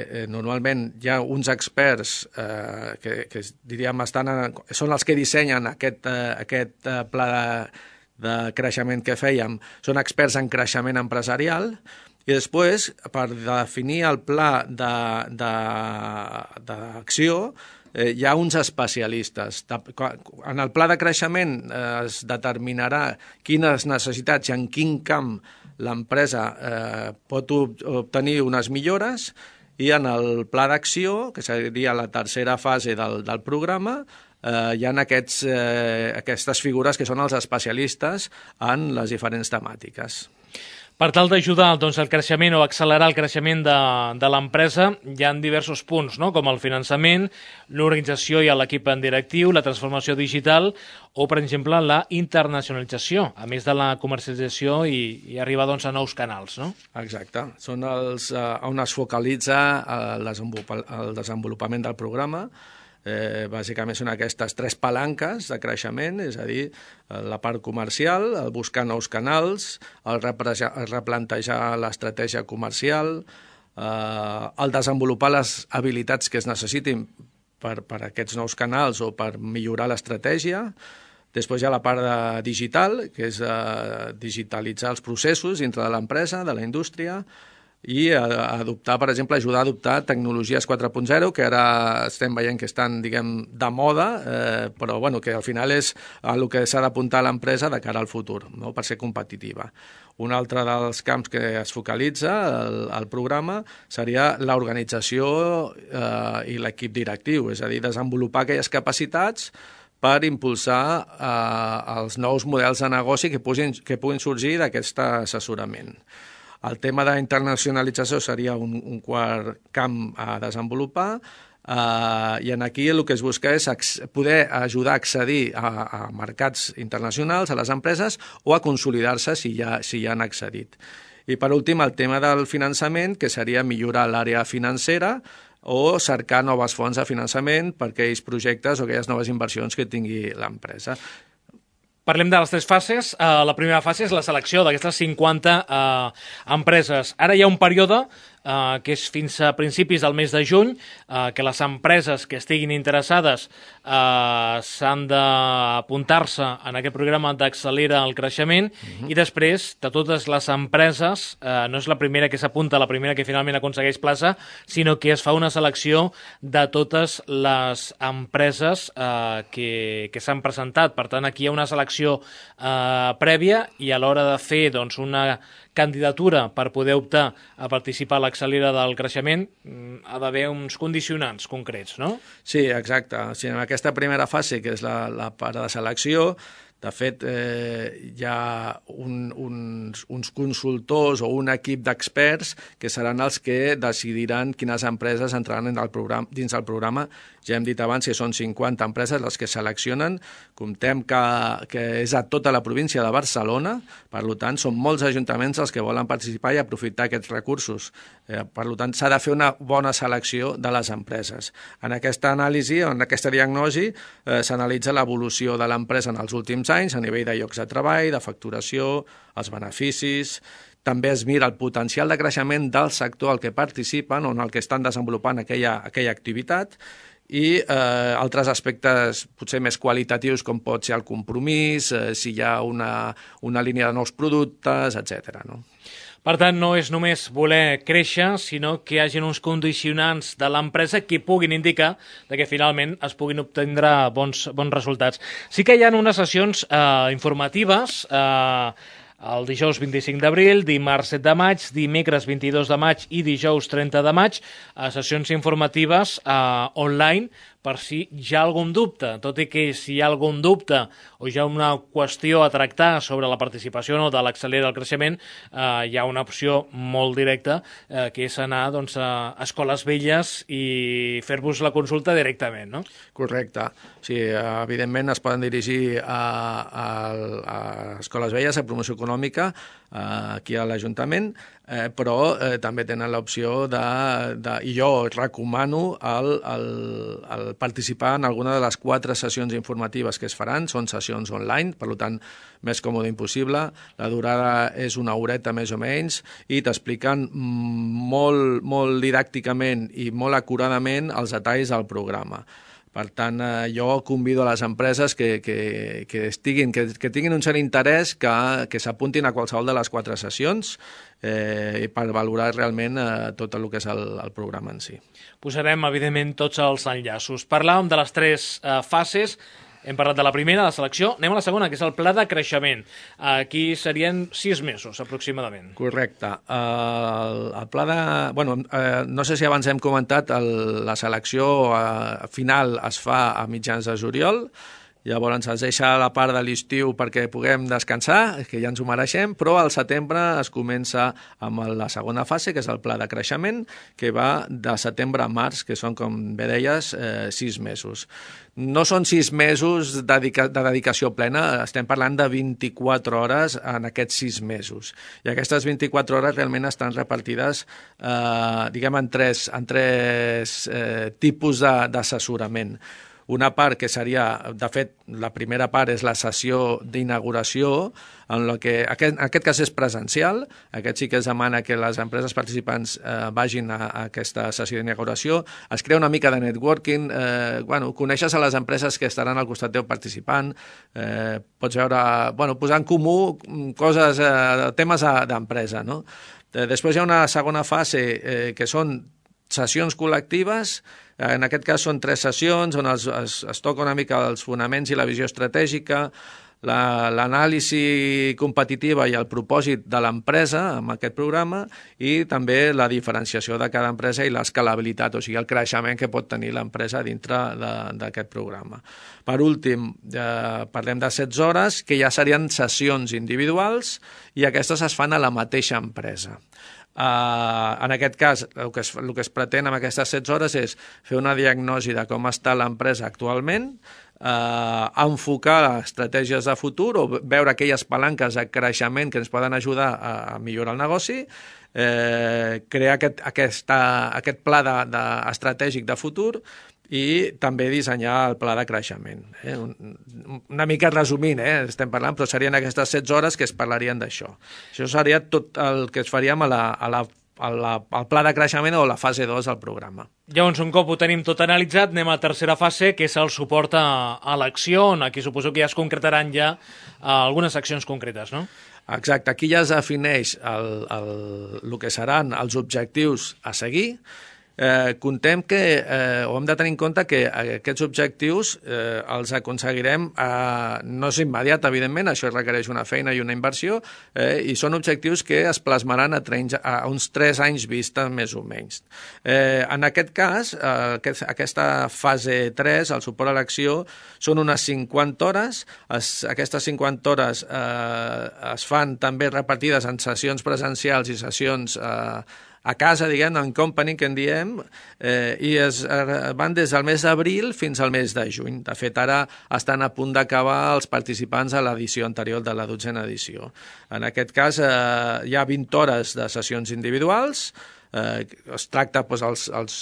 eh, normalment hi ha uns experts eh, que, que diríem estan en, són els que dissenyen aquest, eh, aquest eh, pla de, de creixement que fèiem, són experts en creixement empresarial i després per definir el pla d'acció eh, hi ha uns especialistes. En el pla de creixement eh, es determinarà quines necessitats i en quin camp l'empresa eh, pot obtenir unes millores i en el pla d'acció, que seria la tercera fase del, del programa, eh, hi ha aquests, eh, aquestes figures que són els especialistes en les diferents temàtiques. Per tal d'ajudar doncs, el creixement o accelerar el creixement de, de l'empresa, hi ha diversos punts, no? Com el finançament, l'organització i l'equip en directiu, la transformació digital o, per exemple, la internacionalització, a més de la comercialització i, i arribar doncs, a nous canals. No? Exacte. Són els, eh, on es focalitza el, el desenvolupament del programa. Eh, bàsicament són aquestes tres palanques de creixement, és a dir, la part comercial, el buscar nous canals, el, el replantejar l'estratègia comercial, eh, el desenvolupar les habilitats que es necessitin per, per aquests nous canals o per millorar l'estratègia. Després hi ha la part de digital, que és eh, digitalitzar els processos dintre de l'empresa, de la indústria, i adoptar, per exemple, ajudar a adoptar tecnologies quatre punt zero, que ara estem veient que estan, diguem, de moda, eh, però bueno, que al final és el que s'ha d'apuntar a l'empresa de cara al futur, no?, per ser competitiva. Un altre dels camps que es focalitza el, el programa seria l'organització eh, i l'equip directiu, és a dir, desenvolupar aquelles capacitats per impulsar eh, els nous models de negoci que puguin, que puguin sorgir d'aquest assessorament. El tema d'internacionalització seria un, un quart camp a desenvolupar, Uh, i en aquí el que es busca és poder ajudar a accedir a, a mercats internacionals, a les empreses, o a consolidar-se si ja, si ja han accedit. I per últim, el tema del finançament, que seria millorar l'àrea financera o cercar noves fonts de finançament per aquells projectes o aquelles noves inversions que tingui l'empresa. Parlem de les tres fases. Uh, la primera fase és la selecció d'aquestes cinquanta uh, empreses. Ara hi ha un període Uh, que és fins a principis del mes de juny, uh, que les empreses que estiguin interessades uh, s'han d'apuntar-se en aquest programa d'Accelera el Creixement, uh-huh. i després de totes les empreses, uh, no és la primera que s'apunta, la primera que finalment aconsegueix plaça, sinó que es fa una selecció de totes les empreses uh, que, que s'han presentat. Per tant, aquí hi ha una selecció uh, prèvia, i a l'hora de fer doncs, una candidatura per poder optar a participar a l'Accelera del Creixement ha d'haver uns condicionants concrets, no? Sí, exacte. O sigui, en aquesta primera fase, que és la, la part de selecció, de fet, eh, hi ha un, uns, uns consultors o un equip d'experts que seran els que decidiran quines empreses entraran en el programa, dins del programa. Ja hem dit abans que són cinquanta empreses les que seleccionen. Comptem que, que és a tota la província de Barcelona, per tant, són molts ajuntaments els que volen participar i aprofitar aquests recursos. Eh, per tant, s'ha de fer una bona selecció de les empreses. En aquesta anàlisi, en aquesta diagnosi, eh, s'analitza l'evolució de l'empresa en els últims anys a nivell de llocs de treball, de facturació, els beneficis. També es mira el potencial de creixement del sector al que participen o en el que estan desenvolupant aquella, aquella activitat, i eh, altres aspectes potser més qualitatius, com pot ser el compromís, eh, si hi ha una, una línia de nous productes, etcètera, no? Per tant, no és només voler créixer, sinó que hi hagi uns condicionants de l'empresa que puguin indicar que finalment es puguin obtindre bons, bons resultats. Sí que hi ha unes sessions eh, informatives, eh, el dijous vint-i-cinc d'abril, dimarts set de maig, dimecres vint-i-dos de maig i dijous trenta de maig, eh, sessions informatives eh, online, per si hi ha algun dubte, tot i que si hi ha algun dubte o hi ha una qüestió a tractar sobre la participació no, de l'Accelera del Creixement, eh, hi ha una opció molt directa, eh, que és anar doncs, a escoles velles i fer-vos la consulta directament, no? Correcte. Sí, evidentment es poden dirigir a, a, a escoles velles, a promoció econòmica, aquí a l'Ajuntament, eh, però eh, també tenen l'opció de, de... I jo recomano el, el, el participar en alguna de les quatre sessions informatives que es faran. Són sessions online, per tant, més còmode impossible. La durada és una horeta més o menys i t'expliquen molt, molt didàcticament i molt acuradament els detalls del programa. Per tant, eh, jo convido a les empreses que, que, que, estiguin, que, que tinguin un cert interès que, que s'apuntin a qualsevol de les quatre sessions eh, per valorar realment eh, tot el que és el, el programa en si. Posarem, evidentment, tots els enllaços. Parlàvem de les tres eh, fases. Hem parlat de la primera, la selecció. Anem a la segona, que és el pla de creixement. Aquí serien sis mesos, aproximadament. Correcte. El, el pla de... Bueno, eh, no sé si abans hem comentat, el, la selecció eh, final es fa a mitjans de juliol, llavors ens deixa la part de l'estiu perquè puguem descansar, que ja ens ho mereixem, però al setembre es comença amb la segona fase, que és el pla de creixement, que va de setembre a març, que són, com bé deies, eh, sis mesos. No són sis mesos de, dedica de dedicació plena, estem parlant de vint-i-quatre hores en aquests sis mesos. I aquestes vint-i-quatre hores realment estan repartides eh, diguem, en tres, en tres eh, tipus d'assessorament. Una part que seria, de fet, la primera part és la sessió d'inauguració, en la que aquest, en aquest cas és presencial, aquest sí que es demana que les empreses participants eh, vagin a, a aquesta sessió d'inauguració, es crea una mica de networking, eh, bueno, coneixes a les empreses que estaran al costat teu participant, eh, pots veure, bueno, posar en comú coses, eh, temes d'empresa, no? Després hi ha una segona fase eh, que són sessions col·lectives. En aquest cas són tres sessions on es, es, es toca una mica els fonaments i la visió estratègica, l'anàlisi competitiva i el propòsit de l'empresa amb aquest programa i també la diferenciació de cada empresa i l'escalabilitat, o sigui, el creixement que pot tenir l'empresa dintre d'aquest programa. Per últim, eh, parlem de setze hores, que ja serien sessions individuals i aquestes es fan a la mateixa empresa. Uh, en aquest cas, el que, es, el que es pretén amb aquestes setze hores és fer una diagnosi de com està l'empresa actualment, uh, enfocar estratègies de futur o veure aquelles palanques de creixement que ens poden ajudar a, a millorar el negoci, eh, crear aquest, aquesta, aquest pla de, de, estratègic de futur i també dissenyar el pla de creixement. Eh? Una mica resumint, eh? estem parlant, però serien aquestes setze hores que es parlarien d'això. Això seria tot el que es faríem a la, a la, a la, al pla de creixement o la fase dos del programa. Llavors, un cop ho tenim tot analitzat, anem a la tercera fase, que és el suport a, a l'acció, on aquí suposo que ja es concretaran ja uh, algunes accions concretes, no? Exacte, aquí ja es defineix el, el, el que seran els objectius a seguir. Eh, contem que, eh, o hem de tenir en compte que aquests objectius eh, els aconseguirem, eh, no és immediat, evidentment, això requereix una feina i una inversió, eh, i són objectius que es plasmaran a, trenys, a uns tres anys vista, més o menys. Eh, en aquest cas, eh, aquest, aquesta fase tres, el suport a l'acció, són unes cinquanta hores. Es, aquestes cinquanta hores eh, es fan també repartides en sessions presencials i sessions eh, a casa, diguem, en company, que en diem, eh, i es eh, van des del mes d'abril fins al mes de juny. De fet, ara estan a punt d'acabar els participants a l'edició anterior de la dotzena edició. En aquest cas, eh, hi ha vint hores de sessions individuals, eh, es tracta doncs, els, els,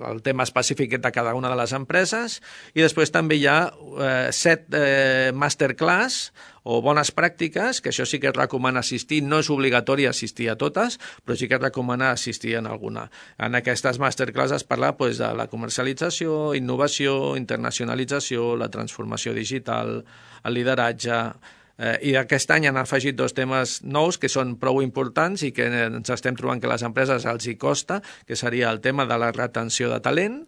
el tema específic de cada una de les empreses, i després també hi ha eh, set eh, masterclass o bones pràctiques, que això sí que es recomana assistir, no és obligatori assistir a totes, però sí que es recomana assistir en alguna. En aquestes masterclass es parla doncs, de la comercialització, innovació, internacionalització, la transformació digital, el lideratge. Eh, I aquest any han afegit dos temes nous que són prou importants i que ens estem trobant que a les empreses els hi costa, que seria el tema de la retenció de talent,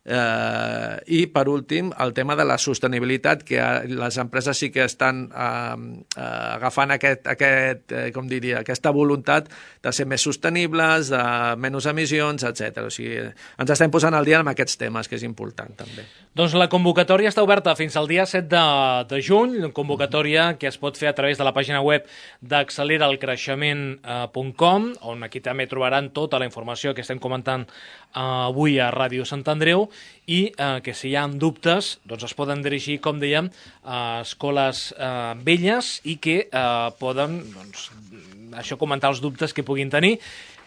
Eh, i per últim el tema de la sostenibilitat, que les empreses sí que estan eh, eh, agafant aquest, aquest, eh, com diria, aquesta voluntat de ser més sostenibles, de menys emissions, etcètera. O sigui, ens estem posant al dia amb aquests temes, que és important també. Doncs la convocatòria està oberta fins al dia set de, de juny, una convocatòria que es pot fer a través de la pàgina web d'accelera el creixement punt com, on aquí també trobaran tota la informació que estem comentant eh, avui a Ràdio Sant Andreu, i eh, que si hi ha dubtes doncs es poden dirigir, com dèiem, a escoles eh, velles i que eh, poden doncs, això comentar els dubtes que puguin tenir.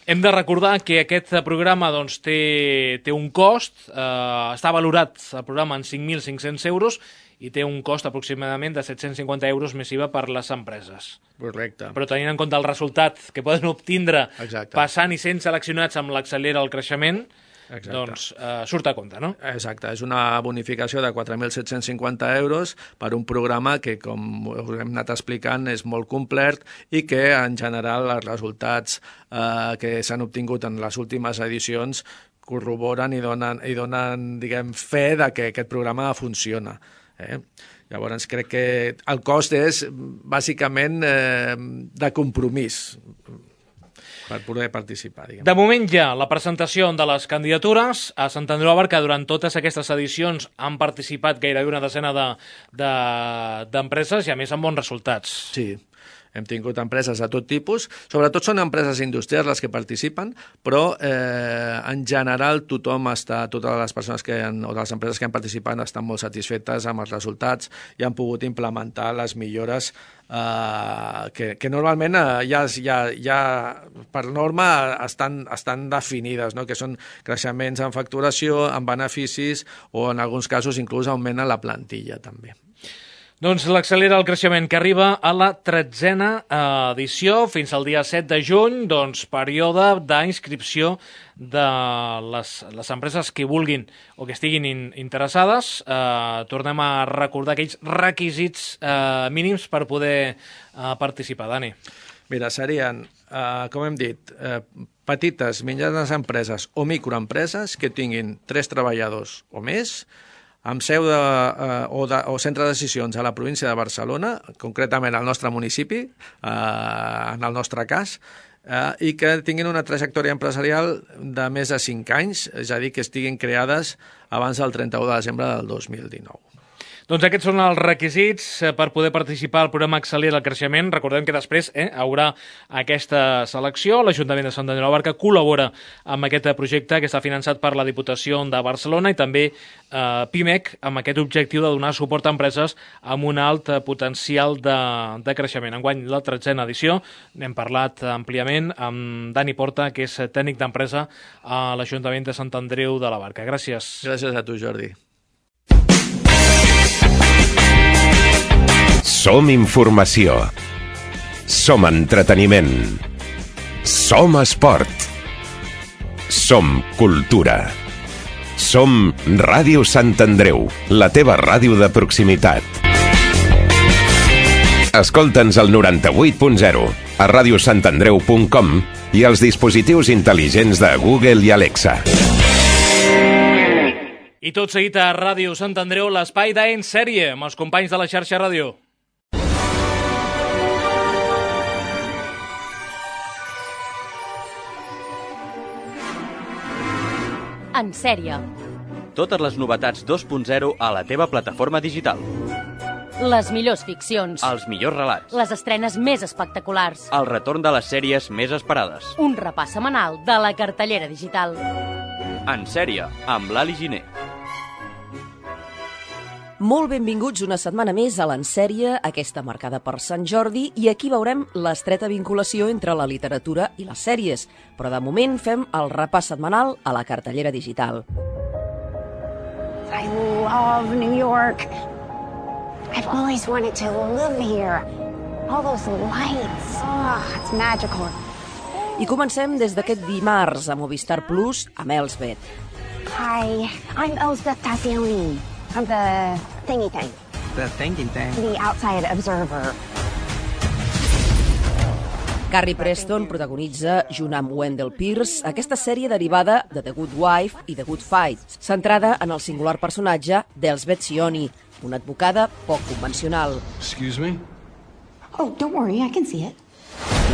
Hem de recordar que aquest programa doncs, té, té un cost, eh, està valorat el programa en cinc mil cinc-cents euros i té un cost aproximadament de set-cents cinquanta euros més I V A per les empreses. Correcte. Però tenint en compte el resultat que poden obtindre Exacte. Passant i sent seleccionats amb l'accelera el creixement, Exacte. doncs eh, surt a compte, no? Exacte, és una bonificació de quatre mil set-cents cinquanta euros per un programa que, com us hem anat explicant, és molt complet i que, en general, els resultats eh, que s'han obtingut en les últimes edicions corroboren i donen, i donen diguem, fe de que aquest programa funciona. Eh? Llavors, crec que el cost és, bàsicament, eh, de compromís per poder participar. Diguem. De moment ja la presentació de les candidatures a Sant Andreu de la Barca. Durant totes aquestes edicions han participat gairebé una desena d'empreses de, de, i a més amb bons resultats. Sí, hem tingut empreses de tot tipus, sobretot són empreses industrials les que participen, però eh, en general tothom està, totes les persones que han, o les empreses que han participat estan molt satisfetes amb els resultats i han pogut implementar les millores eh, que, que normalment eh, ja, ja, ja per norma estan, estan definides, no? Que són creixements en facturació, en beneficis o en alguns casos inclús augmenta la plantilla també. Doncs l'accelera el creixement, que arriba a la tretzena edició fins al dia set de juny, doncs període d'inscripció de les, les empreses que vulguin o que estiguin in, interessades. Eh, tornem a recordar aquells requisits eh, mínims per poder eh, participar, Dani. Mira, serien, eh, com hem dit, eh, petites, mitjanes empreses o microempreses que tinguin tres treballadors o més, amb seu de, eh, o, de, o centre de decisions a la província de Barcelona, concretament al nostre municipi, eh, en el nostre cas, eh, i que tinguin una trajectòria empresarial de més de cinc anys, és a dir, que estiguin creades abans del trenta-u de desembre del dos mil dinou. Doncs aquests són els requisits per poder participar al programa Accelera el Creixement. Recordem que després eh, haurà aquesta selecció. L'Ajuntament de Sant Andreu de la Barca col·labora amb aquest projecte que està finançat per la Diputació de Barcelona i també eh, PIMEC amb aquest objectiu de donar suport a empreses amb un alt potencial de, de creixement. Enguany, la tretzena edició, n'hem parlat àmpliament amb Dani Porta, que és tècnic d'empresa a l'Ajuntament de Sant Andreu de la Barca. Gràcies. Gràcies a tu, Jordi. Som informació. Som entreteniment. Som esport. Som cultura. Som Ràdio Sant Andreu, la teva ràdio de proximitat. Escolta'ns al noranta-vuit punt zero, a ràdio sant andreu punt com i als dispositius intel·ligents de Google i Alexa. I tot seguit a Ràdio Sant Andreu, l'espai d'En Sèrie, amb els companys de la xarxa ràdio. En sèrie. Totes les novetats dos punt zero a la teva plataforma digital. Les millors ficcions. Els millors relats. Les estrenes més espectaculars. El retorn de les sèries més esperades. Un repàs setmanal de la cartellera digital. En sèrie, amb l'Ali Giner. Molt benvinguts una setmana més a l'Ensèrie, aquesta marcada per Sant Jordi, i aquí veurem l'estreta vinculació entre la literatura i les sèries. Però de moment fem el repàs setmanal a la cartellera digital. I love New York. I've always wanted to live here. All those lights. Oh, it's magical. I comencem des d'aquest dimarts a Movistar Plus amb Elsbeth. Hi, I'm Elsbeth Tassioni. From the thingy thing. The thingy thing? The Outside Observer. Carrie Preston protagonitza, junt amb Wendell Pierce, aquesta sèrie derivada de The Good Wife i The Good Fight, centrada en el singular personatge d'Elsbeth Sioni, una advocada poc convencional. Excuse me? Oh, don't worry, I can see it.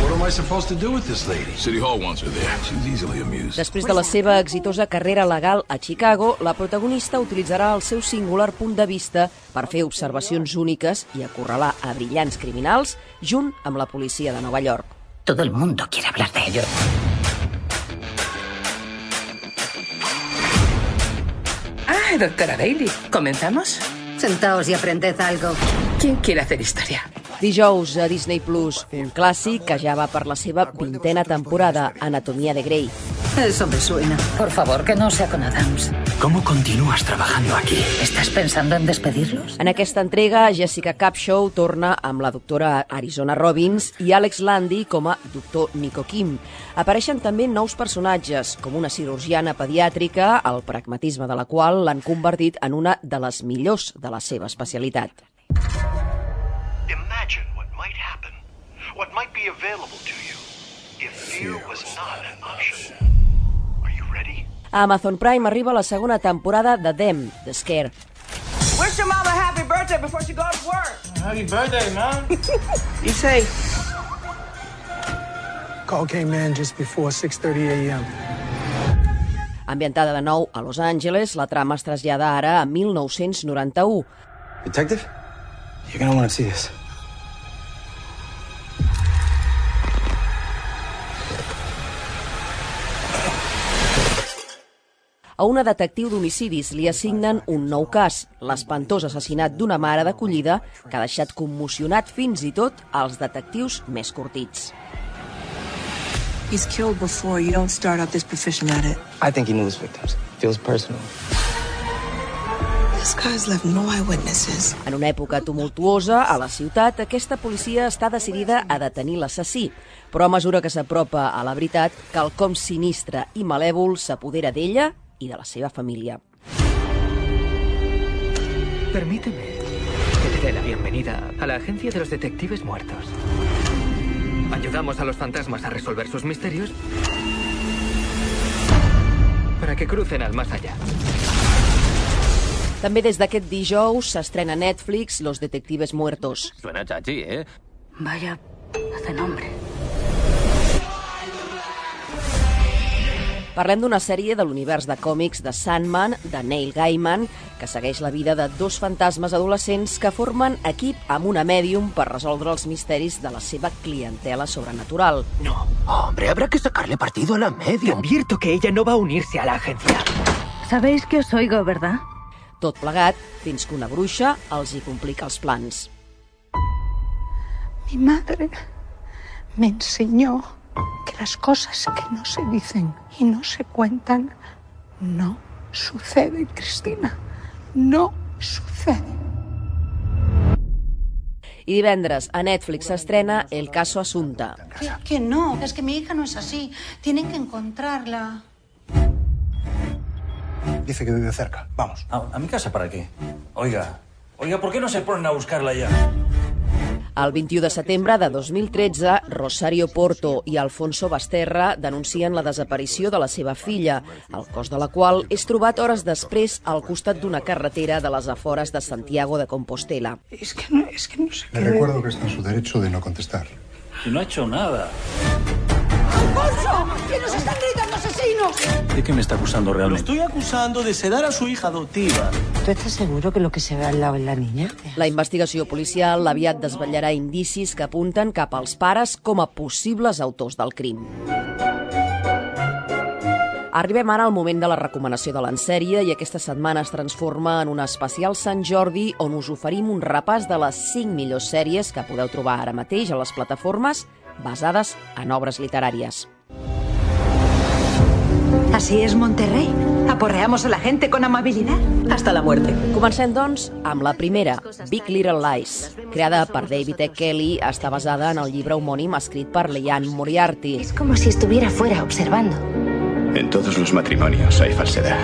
What am I supposed to do with this lady? City Hall wants her there. She's easily amused. Després de la seva exitosa carrera legal a Chicago, la protagonista utilitzarà el seu singular punt de vista per fer observacions úniques i acorralar a brillants criminals junt amb la policia de Nova York. Todo el mundo quiere hablar de ello. Ah, doctora Bailey, ¿comenzamos? Sentaos y aprended algo. ¿Quién quiere hacer historia? Dijous a Disney Plus, un clàssic que ja va per la seva vintena temporada, Anatomía de Grey. Eso me suena. Por favor, que no sea con Adams. ¿Cómo continúas trabajando aquí? ¿Estás pensando en despedirlos? En aquesta entrega, Jessica Capshaw torna amb la doctora Arizona Robbins i Alex Landy com a doctor Nico Kim. Apareixen també nous personatges, com una cirurgiana pediàtrica, el pragmatisme de la qual l'han convertit en una de les millors de la seva especialitat. Imagine what might happen, what might be available to you if fear was not an option. Are you ready? A Amazon Prime arriba la segona temporada de Them, The Scare. Wish your mama happy birthday before she goes to work. Happy birthday, Mom. Be safe. Call came in just before six thirty a m Ambientada de nou a Los Angeles, la trama es trasllada ara a mil nou-cents noranta-u. Detective? You're gonna want to see this. A una detectiu d'homicidis li assignen un nou cas, l'espantós assassinat d'una mare d'acollida que ha deixat commocionat fins i tot als detectius més curtits. He's killed before. You don't start out this profession at it. I think he knew his victims. Feels personal. This guy's left no eyewitnesses. En una època tumultuosa, a la ciutat, aquesta policia està decidida a detenir l'assassí, però a mesura que s'apropa a la veritat, quelcom sinistre i malèvol s'apodera d'ella i de la seva família. Permíteme que te dé la bienvenida a la agencia de los detectives muertos. Ayudamos a los fantasmas a resolver sus misterios para que crucen al más allá. També des d'aquest dijous s'estrena a Netflix Los Detectives Muertos. Suena chachi, ¿eh? Vaya, hace nombre. Parlem d'una sèrie de l'univers de còmics de Sandman, de Neil Gaiman, que segueix la vida de dos fantasmes adolescents que formen equip amb una mèdium per resoldre els misteris de la seva clientela sobrenatural. No, hombre, habrá que sacarle partido a la medium. Te advierto que ella no va a unirse a la agencia. Sabéis que os oigo, ¿verdad? Tot plegat, fins que una bruixa els hi complica els plans. Mi madre me enseñó que las cosas que no se dicen y no se cuentan no suceden, Cristina. No suceden. I divendres a Netflix s'estrena El caso Asunta. Que, que no, es que mi hija no es así. Tienen que encontrarla. Dice que vive cerca. Vamos. ¿A, a mi casa para qué? Oiga, oiga, ¿por qué no se ponen a buscarla ya? El vint-i-u de setembre de dos mil tretze, Rosario Porto i Alfonso Basterra denuncien la desaparició de la seva filla, el cos de la qual és trobat hores després al costat d'una carretera de les afores de Santiago de Compostela. Es que no, es que no sé qué... Le recuerdo que está en su derecho de no contestar. Y no ha hecho nada. ¡Alfonso! ¡Que nos están gritando asesinos! ¿De qué me está acusando realmente? Lo estoy acusando de sedar a su hija adoptiva. ¿Tú estás seguro que lo que se ve al lado es la niña? La investigació policial aviat desvetllarà indicis que apunten cap als pares com a possibles autors del crim. Arribem ara al moment de la recomanació de l'ensèrie i aquesta setmana es transforma en un especial Sant Jordi on us oferim un repàs de les cinc millors sèries que podeu trobar ara mateix a les plataformes basades en obres literàries. Así es Monterrey. Aporreamos a la gente con amabilidad hasta la muerte. Comencem, doncs, amb la primera, Big Little Lies. Creada per David E. Kelly, està basada en el llibre homònim escrit per Liane Moriarty. Es como si estuviera fuera observando. En todos los matrimonios hay falsedad,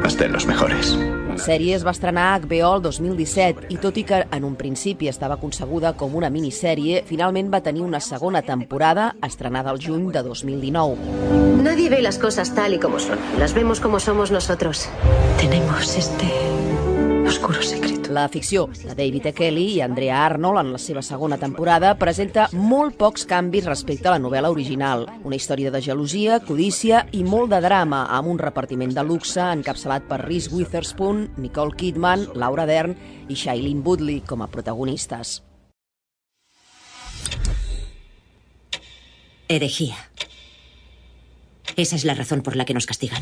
hasta en los mejores. La sèrie es va estrenar a H B O el dos mil disset i tot i que en un principi estava concebuda com una minissèrie, finalment va tenir una segona temporada estrenada al juny de dos mil dinou. Nadie ve las cosas tal y como son. Las vemos como somos nosotros. Tenemos este oscuro secreto. La ficció de David E. Kelly i Andrea Arnold en la seva segona temporada presenta molt pocs canvis respecte a la novel·la original. Una història de gelosia, codícia i molt de drama, amb un repartiment de luxe encapçalat per Reese Witherspoon, Nicole Kidman, Laura Dern i Shailene Woodley com a protagonistes. Herejía. Esa es la razón por la que nos castigan.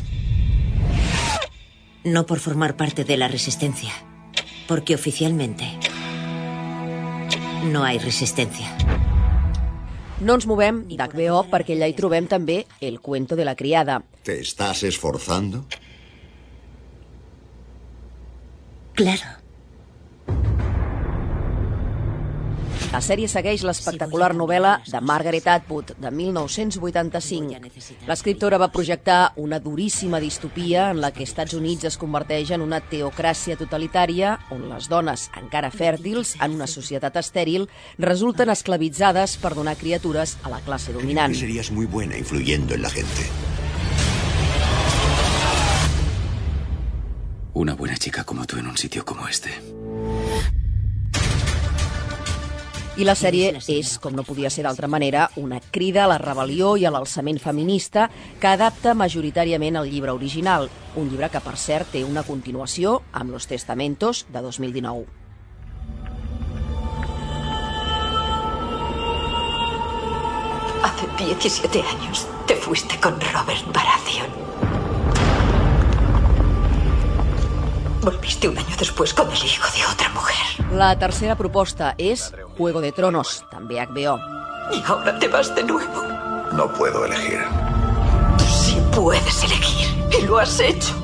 No por formar parte de la resistencia, porque oficialmente no hay resistencia. No ens movem d'H B O perquè allà hi trobem també El cuento de la criada. ¿Te estás esforzando? Claro. La sèrie segueix l'espectacular novel·la de Margaret Atwood, de mil nou-cents vuitanta-cinc. L'escriptora va projectar una duríssima distopia en la que Estats Units es converteix en una teocràcia totalitària on les dones, encara fèrtils, en una societat estèril, resulten esclavitzades per donar criatures a la classe dominant. Creo que serías muy buena influyendo en la gente. Una buena chica como tú en un sitio como este. I la sèrie és, com no podia ser d'altra manera, una crida a la rebel·lió i a l'alçament feminista que adapta majoritàriament el llibre original, un llibre que, per cert, té una continuació amb Los Testamentos, de dos mil dinou. Hace diecisiete años te fuiste con Robert Baratheon. Volviste un año después con el hijo de otra mujer. La tercera proposta és Juego de Tronos, també H B O. Y ahora te vas de nuevo. No puedo elegir. Sí puedes elegir, y lo has hecho.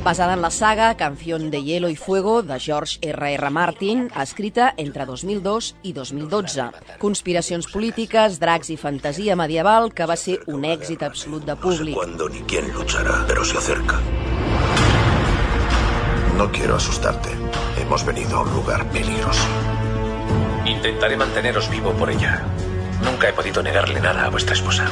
Basada en la saga Canción de Hielo y Fuego de George R R Martin, escrita entre dos mil dos i dos mil dotze. Conspiracions polítiques, dracs i fantasia medieval que va ser un èxit absolut de públic. No sé cuándo ni quién luchará, pero se acerca. No quiero asustarte. Hemos venido a un lugar peligroso. Y Intentaré manteneros vivo por ella. Nunca he podido negarle nada a vuestra esposa.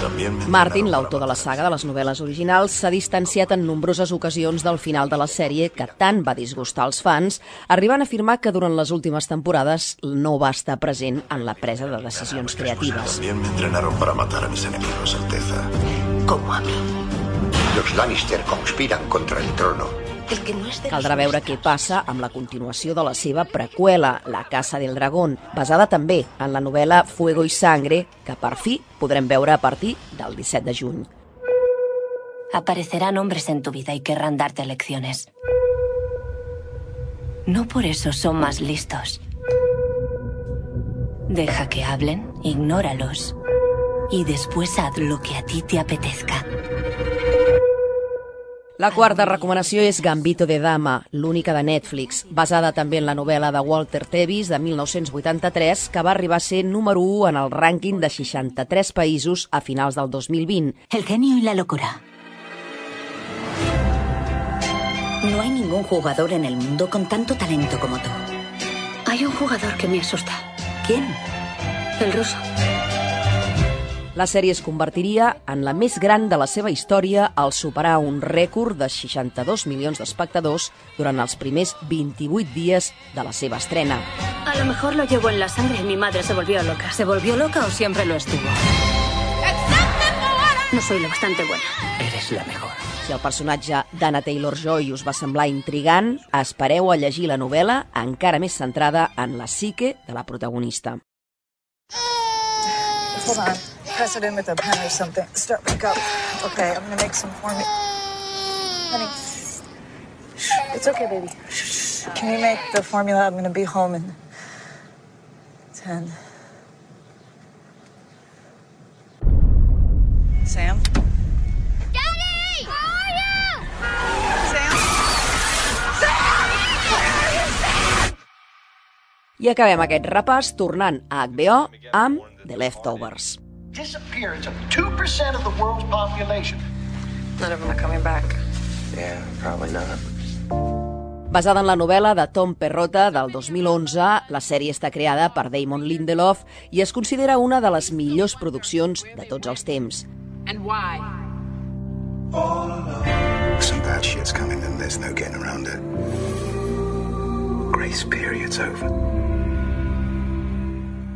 Martin, l'autor de la saga de les novel·les originals, s'ha distanciat en nombroses ocasions del final de la sèrie que tant va disgustar als fans, arribant a afirmar que durant les últimes temporades no va estar present en la presa de decisions creatives. También me entrenaron para matar a mis enemigos, Alteza. Como a mí. Los Lannister conspiran contra el trono. El que no es de Caldrà veure què passa amb la continuació de la seva preqüela, La Casa del Dragón, basada també en la novel·la Fuego y Sangre, que per fi podrem veure a partir del disset de juny. Aparecerán hombres en tu vida y querrán darte lecciones. No por eso son más listos. Deja que hablen, ignóralos. Y después haz lo que a ti te apetezca. La quarta recomanació és Gambito de Dama, l'única de Netflix, basada també en la novel·la de Walter Tevis de mil nou-cents vuitanta-tres, que va arribar a ser número u en el rànquing de seixanta-tres països a finals del dos mil vint. El genio y la locura. No hay ningún jugador en el mundo con tanto talento como tú. Hay un jugador que me asusta. ¿Quién? El ruso. La sèrie es convertiria en la més gran de la seva història al superar un rècord de seixanta-dos milions d'espectadors durant els primers vint-i-vuit dies de la seva estrena. A lo mejor lo llevo en la sangre. Mi madre se volvió loca. ¿Se volvió loca o siempre lo estuvo? No soy lo bastante buena. Eres la mejor. Si el personatge d'Anna Taylor-Joy us va semblar intrigant, espereu a llegir la novel·la encara més centrada en la psique de la protagonista. Hold on. Press it in with a pen or something. Start back up. Okay, I'm gonna make some for me. Honey. It's okay, baby. Can you make the formula? I'm gonna be home in ten. Sam? Daddy! Where are you? Sam? I acabem aquest repàs tornant a H B O amb The Leftovers. Disappearance of two percent of the world's population. None of them are coming back. Yeah, probably not. Basada en la novel·la de Tom Perrotta del dos mil onze, la sèrie està creada per Damon Lindelof i es considera una de les millors produccions de tots els temps. And why? Some bad shit's coming and there's no getting around it. Grace period's over.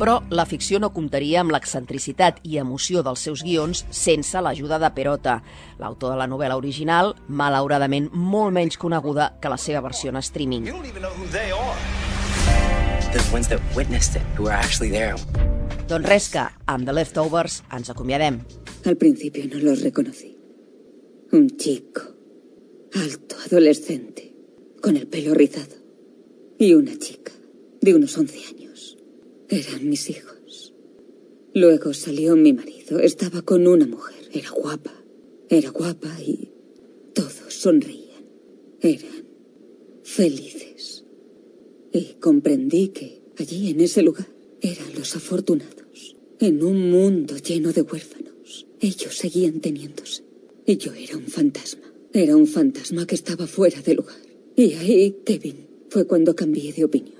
Però la ficció no comptaria amb l'excentricitat i emoció dels seus guions sense l'ajuda de Perrotta, l'autor de la novel·la original, malauradament molt menys coneguda que la seva versió en streaming. Doncs res que, amb The Leftovers, ens acomiadem. Al principio no los reconocí. Un chico, alto, adolescente, con el pelo rizado. Y una chica, de unos once años. Eran mis hijos. Luego salió mi marido. Estaba con una mujer. Era guapa. Era guapa y todos sonreían. Eran felices. Y comprendí que allí, en ese lugar, eran los afortunados. En un mundo lleno de huérfanos. Ellos seguían teniéndose. Y yo era un fantasma. Era un fantasma que estaba fuera de lugar. Y ahí, Kevin, fue cuando cambié de opinión.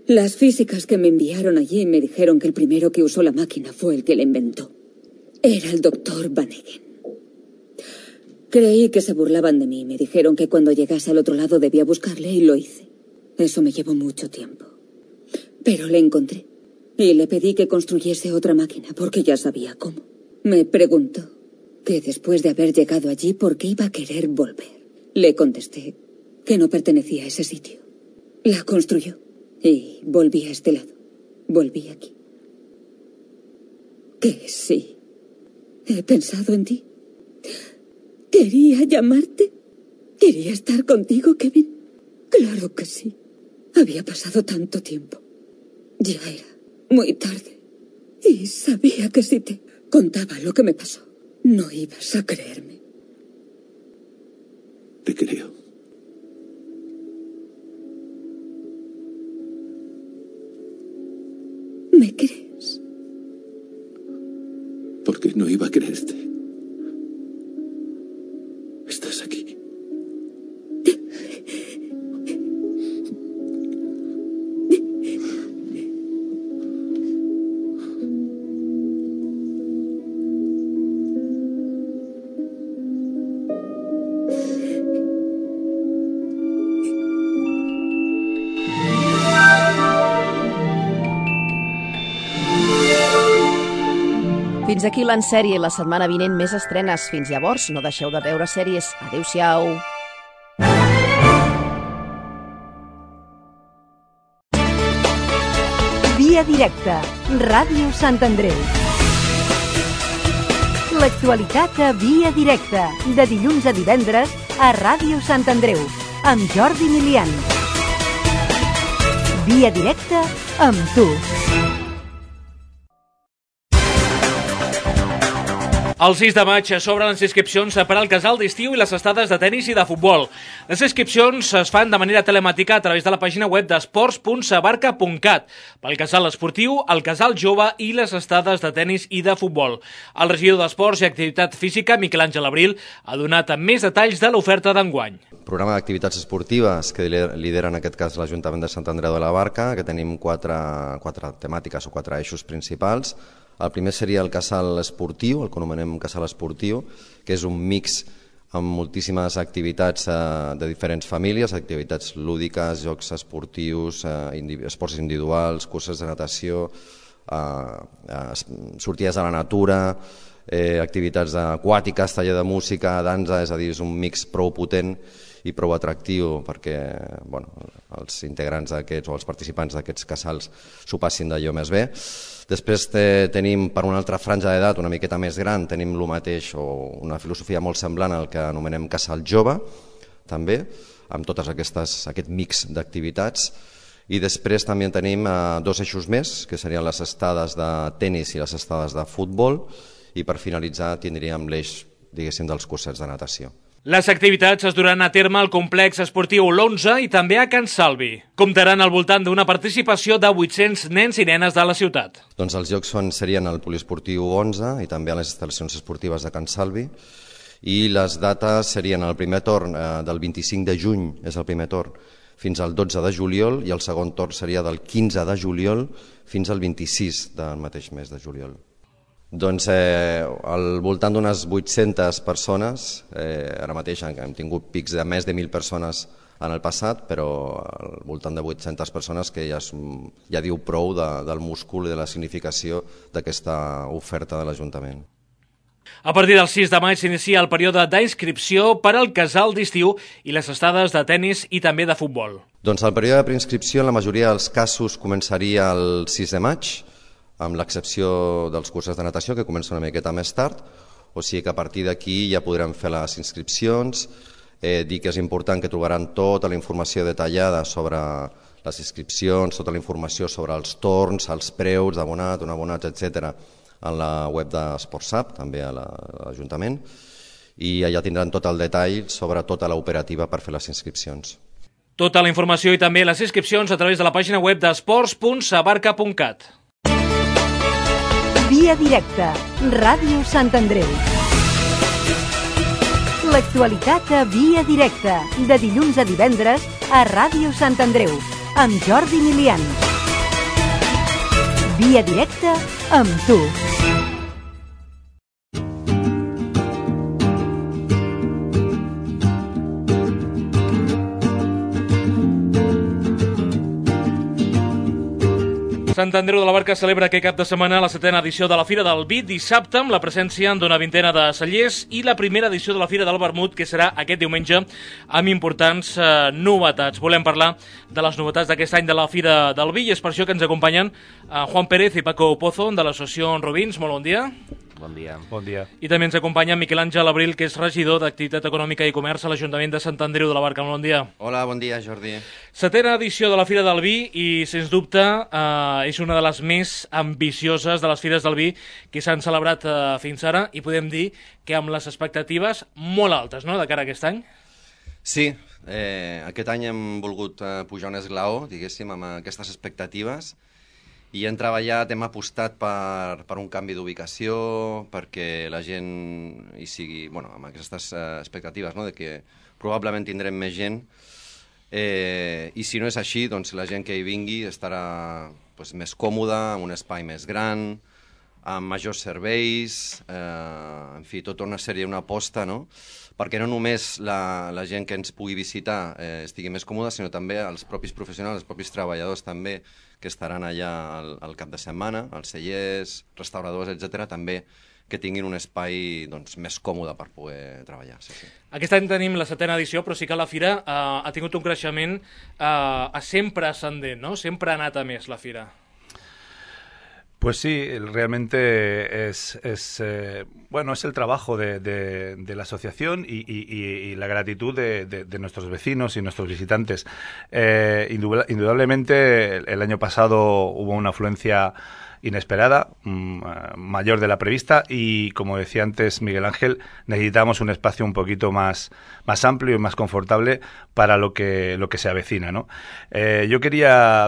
Las físicas que me enviaron allí me dijeron que el primero que usó la máquina fue el que la inventó. Era el doctor Van Eggen. Creí que se burlaban de mí. Me dijeron que cuando llegase al otro lado debía buscarle y lo hice. Eso me llevó mucho tiempo. Pero le encontré y le pedí que construyese otra máquina porque ya sabía cómo. Me preguntó que después de haber llegado allí, ¿por qué iba a querer volver? Le contesté que no pertenecía a ese sitio. La construyó. Y volví a este lado. Volví aquí. Que sí. He pensado en ti. Quería llamarte. Quería estar contigo, Kevin. Claro que sí. Había pasado tanto tiempo. Ya era muy tarde. Y sabía que si te contaba lo que me pasó, no ibas a creerme. Te creo. ¿Me crees? ¿Por qué no iba a creerte? Estás aquí. Fins aquí l'Ensèrie i la setmana vinent més estrenes. Fins llavors, no deixeu de veure sèries. Adéu-siau. Via directa, Ràdio Sant Andreu. L'actualitat a Via directa, de dilluns a divendres a Ràdio Sant Andreu, amb Jordi Milian. Via directa amb tu. El sis de maig s'obren les inscripcions per al casal d'estiu i les estades de tennis i de futbol. Les inscripcions es fan de manera telemàtica a través de la pàgina web d'esports punt sabarca punt cat pel casal esportiu, el casal jove i les estades de tennis i de futbol. El regidor d'Esports i Activitat Física, Miquel Àngel Abril, ha donat més detalls de l'oferta d'enguany. Programa d'activitats esportives que lidera en aquest cas l'Ajuntament de Sant Andreu de la Barca, que tenim quatre, quatre temàtiques o quatre eixos principals. El primer seria el casal esportiu, el que anomenem casal esportiu, que és un mix amb moltíssimes activitats eh, de diferents famílies, activitats lúdiques, jocs esportius, eh, esports individuals, curses de natació, eh, eh, sortides a la natura, eh, activitats aquàtiques, taller de música, dansa, és a dir, és un mix prou potent i prou atractiu perquè bueno, els integrants d'aquests o els participants d'aquests casals s'ho passin d'allò més bé. Després te, tenim per una altra franja d'edat una miqueta més gran, tenim el mateix o una filosofia molt semblant al que anomenem casal jove, també, amb totes aquestes, aquest mix d'activitats. I després també tenim eh, dos eixos més, que serien les estades de tennis i les estades de futbol, i per finalitzar tindríem l'eix, diguéssim, dels cursets de natació. Les activitats es duran a terme al complex esportiu l'onze i també a Can Salvi. Comptaran al voltant d'una participació de vuit-cents nens i nenes de la ciutat. Doncs els jocs són, serien al poliesportiu onze i també a les instal·lacions esportives de Can Salvi, i les dates serien el primer torn eh, del vint-i-cinc de juny, és el primer torn, fins al dotze de juliol, i el segon torn seria del quinze de juliol fins al vint-i-sis del mateix mes de juliol. Doncs eh, al voltant d'unes vuit-centes persones, eh, ara mateix hem tingut pics de més de mil persones en el passat, però al voltant de vuit-centes persones que ja, és, ja diu prou de, del múscul i de la significació d'aquesta oferta de l'Ajuntament. A partir del sis de maig s'inicia el període d'inscripció per al casal d'estiu i les estades de tennis i també de futbol. Doncs el període de preinscripció en la majoria dels casos començaria el sis de maig, amb l'excepció dels cursos de natació, que comença una miqueta més tard, o sigui que a partir d'aquí ja podrem fer les inscripcions, eh, dir que és important que trobaran tota la informació detallada sobre les inscripcions, tota la informació sobre els torns, els preus d'abonat, un abonat, etcètera, en la web d'Esportsap, també a l'Ajuntament, i allà tindran tot el detall sobre tota l'operativa per fer les inscripcions. Tota la informació i també les inscripcions a través de la pàgina web d'esports punt sabarca punt cat. Via directa, Ràdio Sant Andreu. L'actualitat a Via directa, de dilluns a divendres a Ràdio Sant Andreu, amb Jordi Milian. Via directa amb tu. Sant Andreu de la Barca celebra aquest cap de setmana la setena edició de la Fira del Vi, dissabte amb la presència d'una vintena de cellers, i la primera edició de la Fira del Vermut, que serà aquest diumenge amb importants eh, novetats. Volem parlar de les novetats d'aquest any de la Fira del Vi i és per això que ens acompanyen eh, Juan Pérez i Paco Pozo de l'associació Robins. Molt bon dia. Bon dia. Bon dia. I també ens acompanya Miquel Àngel Abril, que és regidor d'Activitat Econòmica i Comerç a l'Ajuntament de Sant Andreu de la Barca. Molt bon dia. Hola, bon dia, Jordi. Setena edició de la Fira del Vi i, sens dubte, eh, és una de les més ambicioses de les Fires del Vi que s'han celebrat eh, fins ara, i podem dir que amb les expectatives molt altes, no?, de cara a aquest any. Sí, eh, aquest any hem volgut eh, pujar un esglaó, diguéssim, amb aquestes expectatives, i hem treballat, hem apostat per, per un canvi d'ubicació, perquè la gent hi sigui, bueno, amb aquestes eh, expectatives, no?, de que probablement tindrem més gent, eh, i si no és així, doncs la gent que hi vingui estarà pues, més còmoda, amb un espai més gran, amb majors serveis, eh, en fi, tota una sèrie, una aposta, no?, perquè no només la, la gent que ens pugui visitar eh, estigui més còmoda, sinó també els propis professionals, els propis treballadors també, que estaran allà al, al cap de setmana, els cellers, restauradors, etcètera, també que tinguin un espai doncs, més còmode per poder treballar. Sí, sí. Aquest any tenim la setena edició, però sí que la Fira eh, ha tingut un creixement eh, sempre ascendent, no? Sempre ha anat a més la Fira. Pues sí, realmente es, es eh, bueno, es el trabajo de, de, de la asociación y, y, y la gratitud de, de, de nuestros vecinos y nuestros visitantes. Eh, indudablemente el, el año pasado hubo una afluencia inesperada, mmm, mayor de la prevista, y como decía antes Miguel Ángel, necesitamos un espacio un poquito más, más amplio y más confortable para lo que, lo que se avecina, ¿no? Eh, yo quería,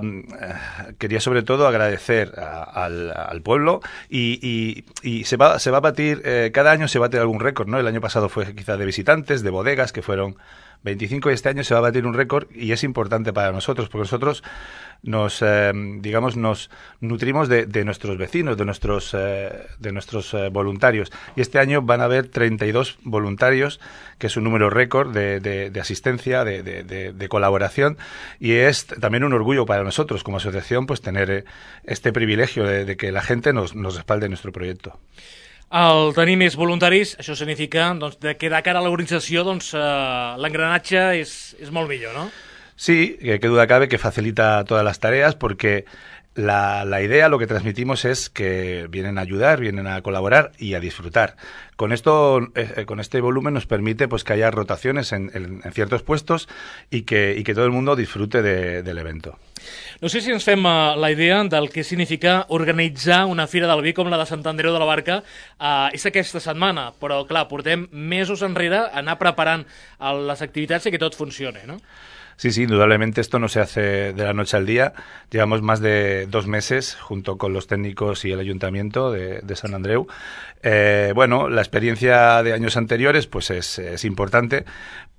quería sobre todo agradecer a, al, al pueblo y, y, y se va, se va a batir, eh, cada año se bate algún récord, ¿no? El año pasado fue quizá de visitantes, de bodegas, que fueron veinticinco, y este año se va a batir un récord, y es importante para nosotros, porque nosotros nos, eh, digamos, nos nutrimos de, de nuestros vecinos, de nuestros, eh, de nuestros eh, voluntarios. Y este año van a haber treinta y dos voluntarios, que es un número récord de, de, de asistencia, de, de, de, de colaboración, y es también un orgullo para nosotros como asociación pues tener eh, este privilegio de, de que la gente nos, nos respalde en nuestro proyecto. Al tenir més voluntaris, això significa doncs, que de cara a l'organització doncs, eh, l'engranatge és, és molt millor, ¿no? Sí, que, que duda cabe que facilita todas las tareas, porque la, la idea, lo que transmitimos es que vienen a ayudar, vienen a colaborar y a disfrutar. Con esto, eh, con este volumen nos permite pues que haya rotaciones en, en, en ciertos puestos y que, y que todo el mundo disfrute de, del evento. No sé si ens fem uh, la idea del que significa organitzar una Fira del Vi com la de Sant Andreu de la Barca. Uh, és aquesta setmana, però clar, portem mesos enrere a anar preparant uh, les activitats i que tot funcione, no? Sí, sí, indudablemente esto no se hace de la noche al día. Llevamos más de dos meses junto con los técnicos y el ayuntamiento de, de San Andreu. Eh, bueno, la experiencia de años anteriores pues es, es importante,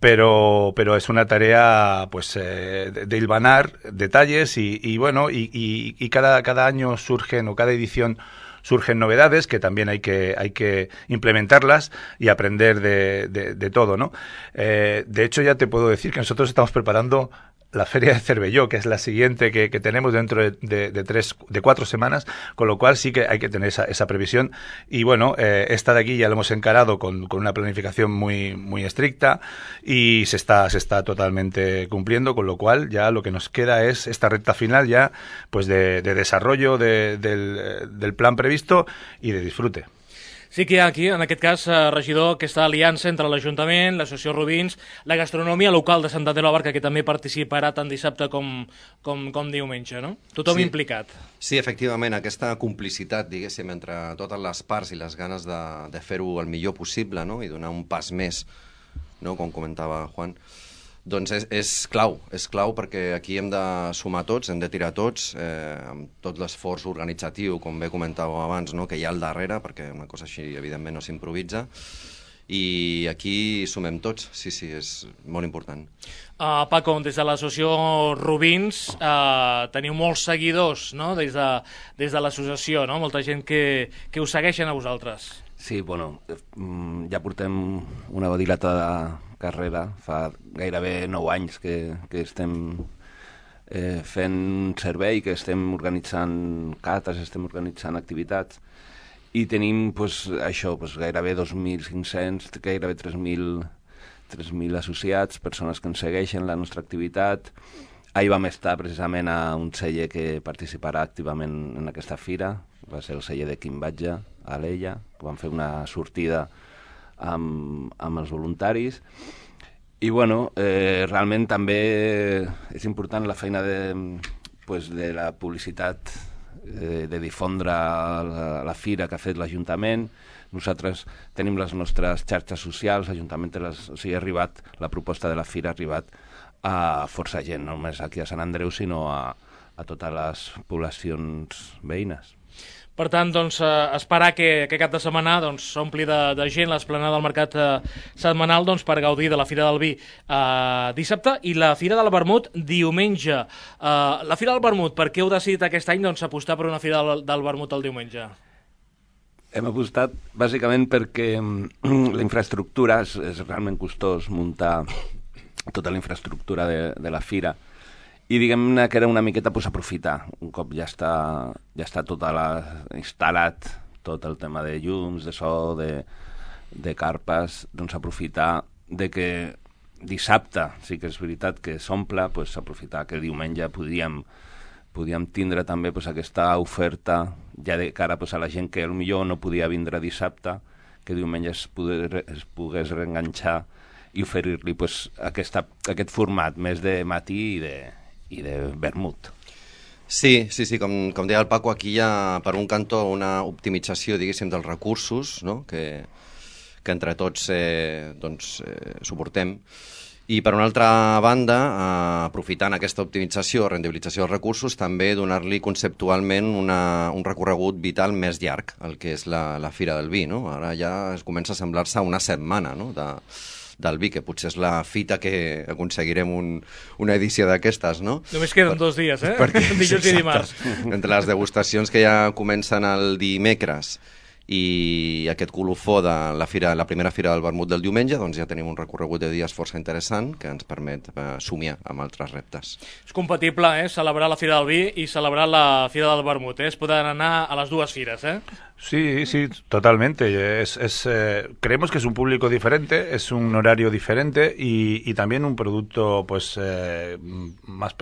pero, pero es una tarea pues eh, de, de hilvanar detalles y, y bueno, y, y, y cada, cada año surgen, o cada edición surgen novedades que también hay que, hay que implementarlas y aprender de, de, de todo, ¿no? Eh, de hecho, ya te puedo decir que nosotros estamos preparando la Feria de Cervelló, que es la siguiente que, que tenemos dentro de, de, de tres, de cuatro semanas, con lo cual sí que hay que tener esa, esa previsión. Y bueno, eh, esta de aquí ya lo hemos encarado con, con una planificación muy, muy estricta y se está, se está totalmente cumpliendo, con lo cual ya lo que nos queda es esta recta final ya pues de, de desarrollo de, del, del plan previsto y de disfrute. Sí que hi ha aquí, en aquest cas, eh, regidor, aquesta aliança entre l'Ajuntament, l'Associació Rubins, la gastronomia local de Sant Andreu de la Barca, que també participarà tant dissabte com, com, com diumenge, no? Tothom sí. implicat. Sí, efectivament, aquesta complicitat, diguéssim, entre totes les parts i les ganes de, de fer-ho el millor possible, no?, i donar un pas més, no?, com comentava Juan, doncs és, és clau, és clau perquè aquí hem de sumar tots, hem de tirar tots, eh, amb tot l'esforç organitzatiu, com bé comentàveu abans, no?, que hi ha al darrere, perquè una cosa així, evidentment, no s'improvisa, i aquí sumem tots, sí, sí, és molt important. Uh, Paco, des de l'associació Rubins uh, teniu molts seguidors, no?, des de, des de l'associació, no?, molta gent que, que us segueixen a vosaltres. Sí, bueno, ja portem una dilatada carrera, fa gairebé nou anys que, que estem eh, fent un servei, que estem organitzant cates, estem organitzant activitats, i tenim pues, això, pues, gairebé dos mil cinc-cents, gairebé tres mil associats, persones que ens segueixen la nostra activitat. Ahir vam estar precisament a un celler que participarà activament en aquesta fira, va ser el celler de Quim Batlle, a l'Ella, que vam fer una sortida amb, amb els voluntaris. I bueno, eh, realment també és important la feina de, pues, de la publicitat, eh, de difondre la, la fira que ha fet l'Ajuntament. Nosaltres tenim les nostres xarxes socials, l'Ajuntament té les, o sigui, ha arribat, la proposta de la fira ha arribat a força gent, no només aquí a Sant Andreu, sinó a, a totes les poblacions veïnes. Per tant, doncs, eh, esperar que, que cap de setmana doncs, s'ompli de, de gent l'esplanada del mercat eh, setmanal doncs, per gaudir de la Fira del Vi eh, dissabte i la Fira del Vermut diumenge. Eh, la Fira del Vermut, per què heu decidit aquest any doncs, apostar per una Fira del, del Vermut el diumenge? Hem apostat bàsicament perquè la infraestructura és, és realment costós muntar tota la infraestructura de, de la fira, i diguem-ne que era una miqueta pues, aprofitar. Un cop ja està, ja està tot la, instal·lat tot el tema de llums, de so, de, de carpes, doncs aprofitar de que dissabte sí que és veritat que s'omple, pues, aprofitar que diumenge podíem, podíem tindre també pues, aquesta oferta ja de cara pues, a la gent que potser no podia vindre dissabte, que diumenge es, poder, es pogués reenganxar i oferir-li pues, aquesta, aquest format més de matí i de, i de vermut. Sí, sí, sí, com, com deia el Paco, aquí hi ha per un cantó una optimització, diguéssim, dels recursos, no? que, que entre tots eh, doncs, eh, suportem. I per una altra banda, eh, aprofitant aquesta optimització, rendibilització dels recursos, també donar-li conceptualment una, un recorregut vital més llarg, el que és la, la Fira del Vi. No? Ara ja es comença a semblar-se a una setmana, no? de, del vi, que potser és la fita que aconseguirem un, una edició d'aquestes, no? Només queden per, dos dies, eh? Perquè, dijous i dimarts. Entre les degustacions que ja comencen el dimecres i aquest colofó de la, fira, la primera fira del vermut del diumenge, doncs ja tenim un recorregut de dies força interessant que ens permet eh, somiar amb altres reptes. És compatible, eh? Celebrar la Fira del Vi i celebrar la Fira del Vermut, eh? Es poden anar a les dues fires, eh? Sí, sí, totalmente. Es, es, eh, creemos que es un público diferente, es un horario diferente y, y también un producto, pues, eh, más,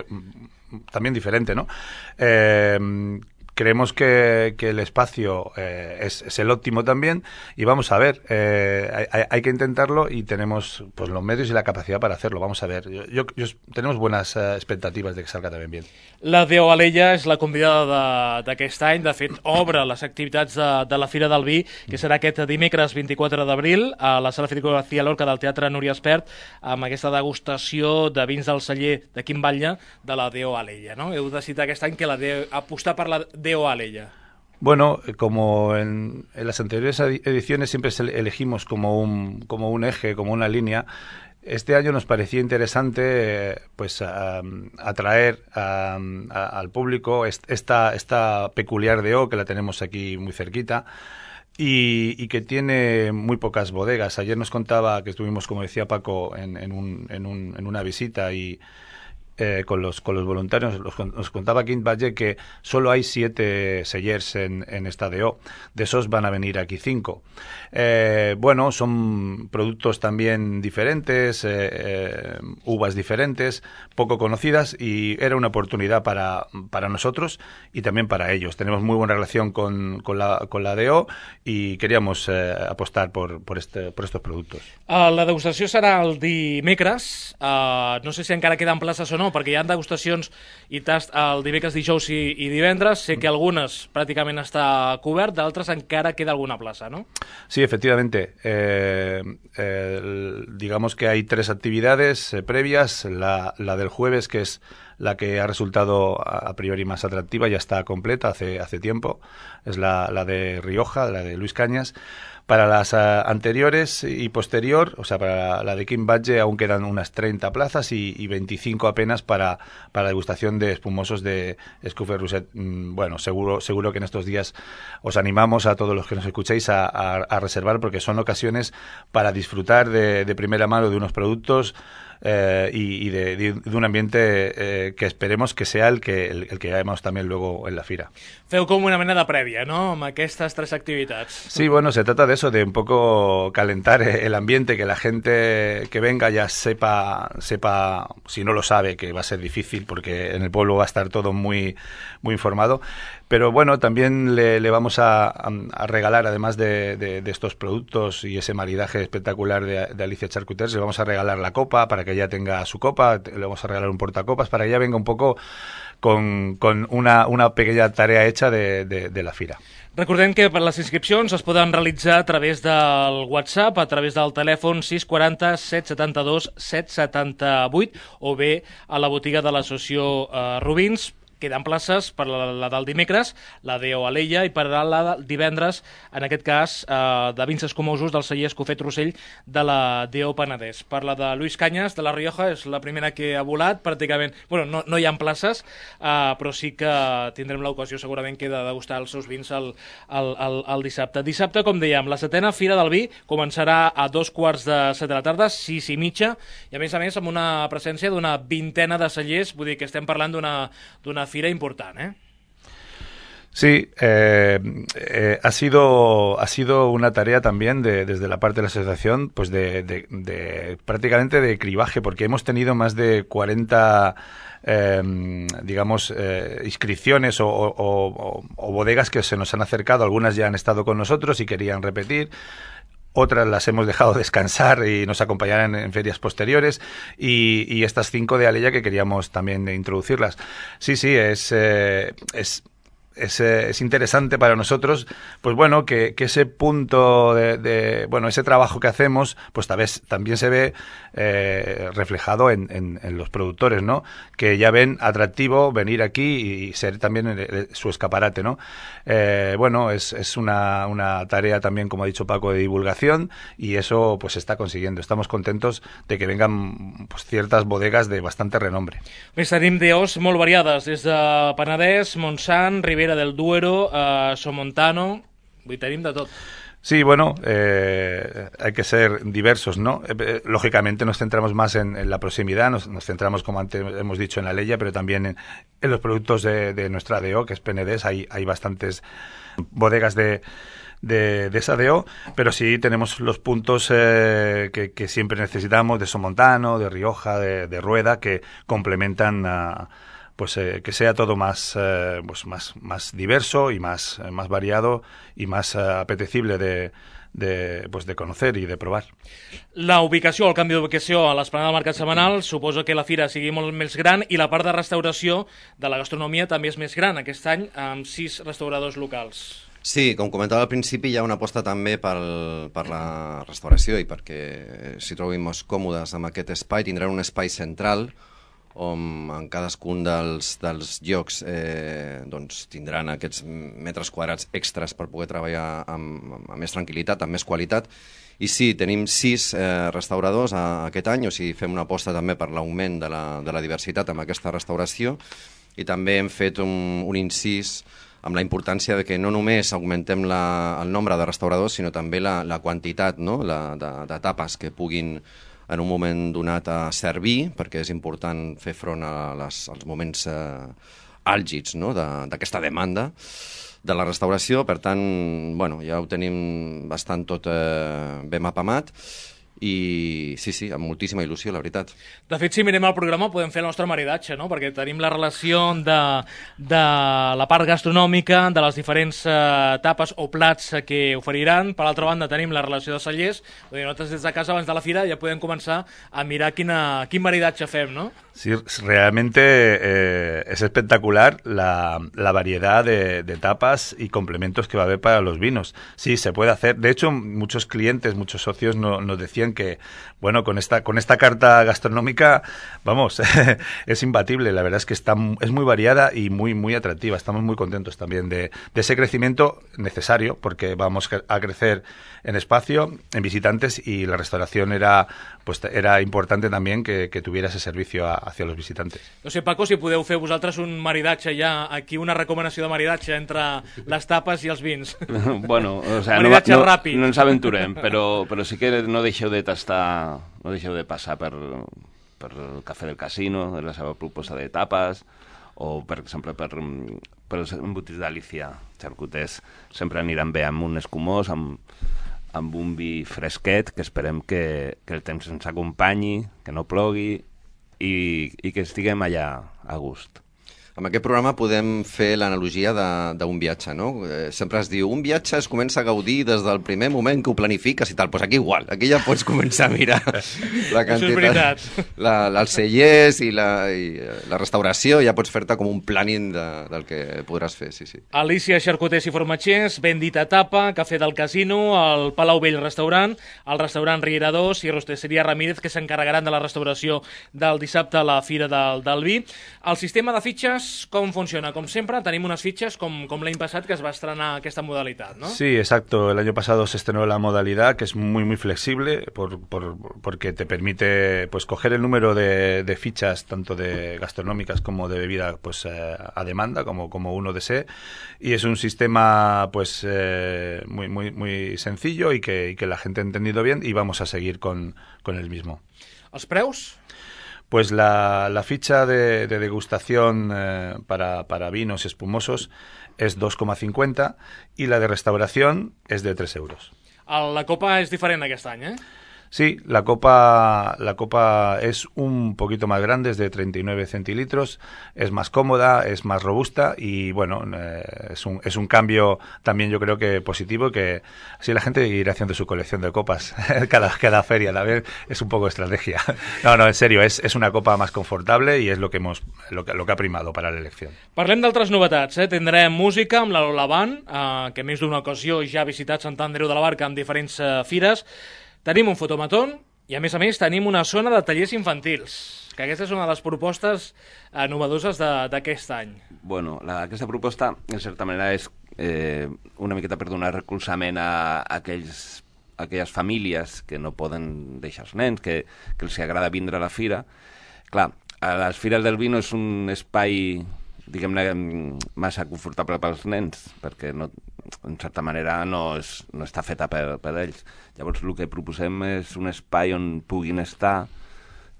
también diferente, ¿no? Eh, Creemos que, que el espacio eh, es, es el óptimo también y vamos a ver, eh, hay, hay que intentarlo y tenemos pues los medios y la capacidad para hacerlo, vamos a ver. Yo, yo, yo, tenemos buenas uh, expectativas de que salga también bien. La Deo Alella és la convidada d'aquest any, de fet obre les activitats de, de la Fira del Vi, que serà aquest dimecres vint-i-quatre d'abril a la Sala Federico García Lorca del Teatre Núria Espert, amb aquesta degustació de vins del celler de Quim Batlle de la Deo Alella, no? Heu decidit aquest any que la Deo, apostar per la Deo Alella. Bueno, como en, en las anteriores ediciones siempre elegimos como un, como un eje, como una línea, este año nos parecía interesante eh, pues a, atraer a, a, al público esta, esta peculiar D O que la tenemos aquí muy cerquita y, y que tiene muy pocas bodegas. Ayer nos contaba que estuvimos, como decía Paco, en, en, un, en, un, en una visita y Eh, con los con los voluntarios, los, nos contaba Quim Batlle que solo hay siete sellers en, en esta D O, de esos van a venir aquí cinco. Eh, bueno, son productos también diferentes, eh, eh, uvas diferentes, poco conocidas y era una oportunidad para, para nosotros y también para ellos. Tenemos muy buena relación con, con, la, con la D O y queríamos eh, apostar por, por, este, por estos productos. Uh, la degustació serà el dimecres, uh, no sé si encara queden places o no, perquè hi ha degustacions i tast el dimecres, dijous i, i divendres. Sé que algunes pràcticament està cobert, d'altres encara queda alguna plaça, ¿no? Sí, efectivamente. Eh, eh, digamos que hay tres actividades eh, previas. La, la del jueves, que es la que ha resultado a priori más atractiva, ya está completa hace, hace tiempo. Es la, la de Rioja, la de Luis Cañas. Para las uh, anteriores y posterior, o sea, para la de Quim Batlle aún quedan unas treinta plazas y, y veinticinco apenas para, para la degustación de espumosos de Escoffier Rousset. Mm, bueno, seguro, seguro que en estos días os animamos a todos los que nos escuchéis a, a, a reservar, porque son ocasiones para disfrutar de, de primera mano de unos productos eh, y, y de, de un ambiente eh, que esperemos que sea el que, el, el que veamos también luego en la fira. Feu com una mena de prèvia, ¿no?, amb aquestes tres activitats. Sí, bueno, se trata de eso, de un poco calentar el ambiente, que la gente que venga ya sepa, sepa, si no lo sabe, que va a ser difícil porque en el pueblo va a estar todo muy, muy informado. Pero bueno, también le, le vamos a, a regalar, además de, de, de estos productos y ese maridaje espectacular de, de Alicia Charcuters, le vamos a regalar la copa para que ella tenga su copa, le vamos a regalar un portacopas para que ella venga un poco con, con una, una pequeña tarea hecha de, de, de la fira. Recordem que per les inscripcions es poden realitzar a través del WhatsApp, a través del telèfon sis quaranta set setanta-dos set setanta-vuit o bé a la botiga de l'associació eh, Rubins. queden places per la, la del dimecres, la d'O Alella, i per la del divendres, en aquest cas, eh, de Vins Escumosos, del celler Escofet Rossell, de la d'O Penedès. Per la de Luis Cañas, de la Rioja, és la primera que ha volat, pràcticament, bueno, no, no hi ha places, eh, però sí que tindrem l'ocasió segurament que de degustar els seus vins el, el, el, el dissabte. Dissabte, com dèiem, la setena Fira del Vi començarà a dos quarts de set de la tarda, sis i mitja, i a més a més amb una presència d'una vintena de cellers, vull dir que estem parlant d'una fira important, ¿eh? Sí, eh, eh, ha sido ha sido una tarea también de, desde la parte de la asociación, pues de, de, de prácticamente de cribaje, porque hemos tenido más de cuarenta eh, digamos eh, inscripciones o, o, o, o bodegas que se nos han acercado. Algunas ya han estado con nosotros y querían repetir. Otras las hemos dejado descansar y nos acompañarán en ferias posteriores, y, y estas cinco de Alella que queríamos también introducirlas. Sí, sí, es eh, es Es, es interesante para nosotros, pues bueno, que, que ese punto de, de, bueno, ese trabajo que hacemos, pues tal vez también se ve eh, reflejado en, en, en los productores, ¿no? Que ya ven atractivo venir aquí y ser también el, el, su escaparate, ¿no? Eh, bueno, es, es una, una tarea también, como ha dicho Paco, de divulgación, y eso pues se está consiguiendo. Estamos contentos de que vengan pues ciertas bodegas de bastante renombre. Més tenim d'Os molt variades, des de Penedès, Montsant, Ribera del Duero, uh, Somontano, vull dir, tenim de tot. Sí, bueno, eh, hay que ser diversos, ¿no? Eh, lógicamente nos centramos más en, en la proximidad, nos, nos centramos, como antes hemos dicho, en la Alella, pero también en, en los productos de, de nuestra D O, que es Penedès. Hay, hay bastantes bodegas de, de, de esa D O, pero sí tenemos los puntos eh, que, que siempre necesitamos, de Somontano, de Rioja, de, de Rueda, que complementan a... pues eh, que sea todo más eh, pues más más diverso y más eh, más variado y más eh, apetecible de, de pues de conocer i de provar. La ubicació, el canvi d'ubicació a l'esplanada del Mercat Setmanal suposa que la fira sigui molt més gran, i la part de restauració de la gastronomia també és més gran, aquest any amb sis restauradors locals. Sí, com comentava al principi, hi ha una aposta també pel, per la restauració, i perquè s'hi trobin més còmodes amb aquest espai. Tindran un espai central on en cadascun dels, dels llocs eh, doncs tindran aquests metres quadrats extras per poder treballar amb, amb més tranquil·litat, amb més qualitat. I sí, tenim sis eh, restauradors a, aquest any, o sigui, fem una aposta també per l'augment de, la, de la diversitat amb aquesta restauració, i també hem fet un, un incís amb la importància de que no només augmentem la, el nombre de restauradors, sinó també la, la quantitat, no? la, de, de tapes que puguin en un moment donat a servir, perquè és important fer front a les, als moments eh, àlgids, no? d'aquesta de, demanda de la restauració. Per tant, bueno, ja ho tenim bastant tot eh, ben mapamat, i sí, sí, amb moltíssima il·lusió, la veritat. De fet, si mirem el programa podem fer el nostre maridatge, no? Perquè tenim la relació de, de la part gastronòmica, de les diferents uh, tapes o plats que oferiran. Per l'altra banda tenim la relació de cellers. Vull dir, nosaltres des de casa abans de la fira ja podem començar a mirar quina, quin maridatge fem, no? Sí, realmente eh, es espectacular la, la variedad de, de tapas y complementos que va a haber para los vinos. Sí, se puede hacer. De hecho, muchos clientes, muchos socios no, nos decían que, bueno, con esta con esta carta gastronómica, vamos, es imbatible. La verdad es que está es muy variada y muy muy atractiva. Estamos muy contentos también de, de ese crecimiento necesario, porque vamos a crecer en espacio, en visitantes, y la restauración era pues era importante también que, que tuviera ese servicio a, hacia los visitantes. No sé, Paco, si podeu fer vosaltres un maridatge ja, aquí una recomanació de maridatge entre les tapes i els vins. Bueno, o sea, maridatge no, no, ràpid. No ens aventurem, però, però sí que no deixeu de tastar, no deixeu de passar per, per el Cafè del Casino, de la seva proposta de tapes, o, per exemple, per, per els embotits d'Alícia, xarcuters, sempre aniran bé amb un escumós, amb, amb un vi fresquet, que esperem que, que el temps ens acompanyi, que no plogui, i, i que estiguem allà a gust. Amb aquest programa podem fer l'analogia d'un viatge, no? Eh, sempre es diu, un viatge es comença a gaudir des del primer moment que ho planifiques i tal. Doncs pues aquí igual, aquí ja pots començar a mirar la quantitat, la, la, els cellers i la, i la restauració, ja pots fer-te com un planning de, del que podràs fer, sí, sí. Alícia Xarcuters i Formatgers, Bendita Tapa, Cafè del Casino, el Palau Vell Restaurant, el restaurant Riera dos i Rosteseria Ramírez, que s'encarregaran de la restauració del dissabte a la Fira del, del Vi. El sistema de fitxes fitxes, com funciona? Com sempre, tenim unas fichas com, com l'any passat que es va estrenar aquesta modalitat, ¿no? Sí, exacto. El año pasado se estrenó la modalidad que es muy muy flexible por, por, porque te permite pues coger el número de, de fichas tanto de gastronómicas como de bebida pues eh, a demanda como, como uno desee, y es un sistema pues eh, muy muy muy sencillo y que, y que la gente ha entendido bien, y vamos a seguir con, con el mismo. ¿Els preus? Pues la, la ficha de, de degustación eh, para, para vinos espumosos es dos coma cincuenta y la de restauración es de tres euros. La copa és diferent aquest any, eh? Sí, la copa, la copa es un poquito más grande, es de treinta y nueve centilitros, es más cómoda, es más robusta y bueno, eh, es, un, es un cambio también yo creo que positivo, que así la gente irá haciendo su colección de copas cada, cada feria, también es un poco estrategia. No, no, en serio, es, es una copa más confortable y es lo que, hemos, lo que, lo que ha primado para la elección. Parlem d'altres novetats, eh? Tindrem música amb la Lola Band, eh, que més d'una ocasió ja ha visitat Sant Andreu de la Barca en diferents eh, fires. Tenim un fotomatón i, a més a més, tenim una zona de tallers infantils, que aquesta és una de les propostes eh, novedoses d'aquest any. Bueno, la, aquesta proposta, en certa manera, és eh, una miqueta per donar recolzament a, a aquells, a aquelles famílies que no poden deixar els nens, que, que els agrada vindre a la fira. Clar, a les fires del vino és un espai, diguem-ne, massa confortable pels nens, perquè no, en certa manera no, és, no està feta per, per ells. Llavors el que proposem és un espai on puguin estar,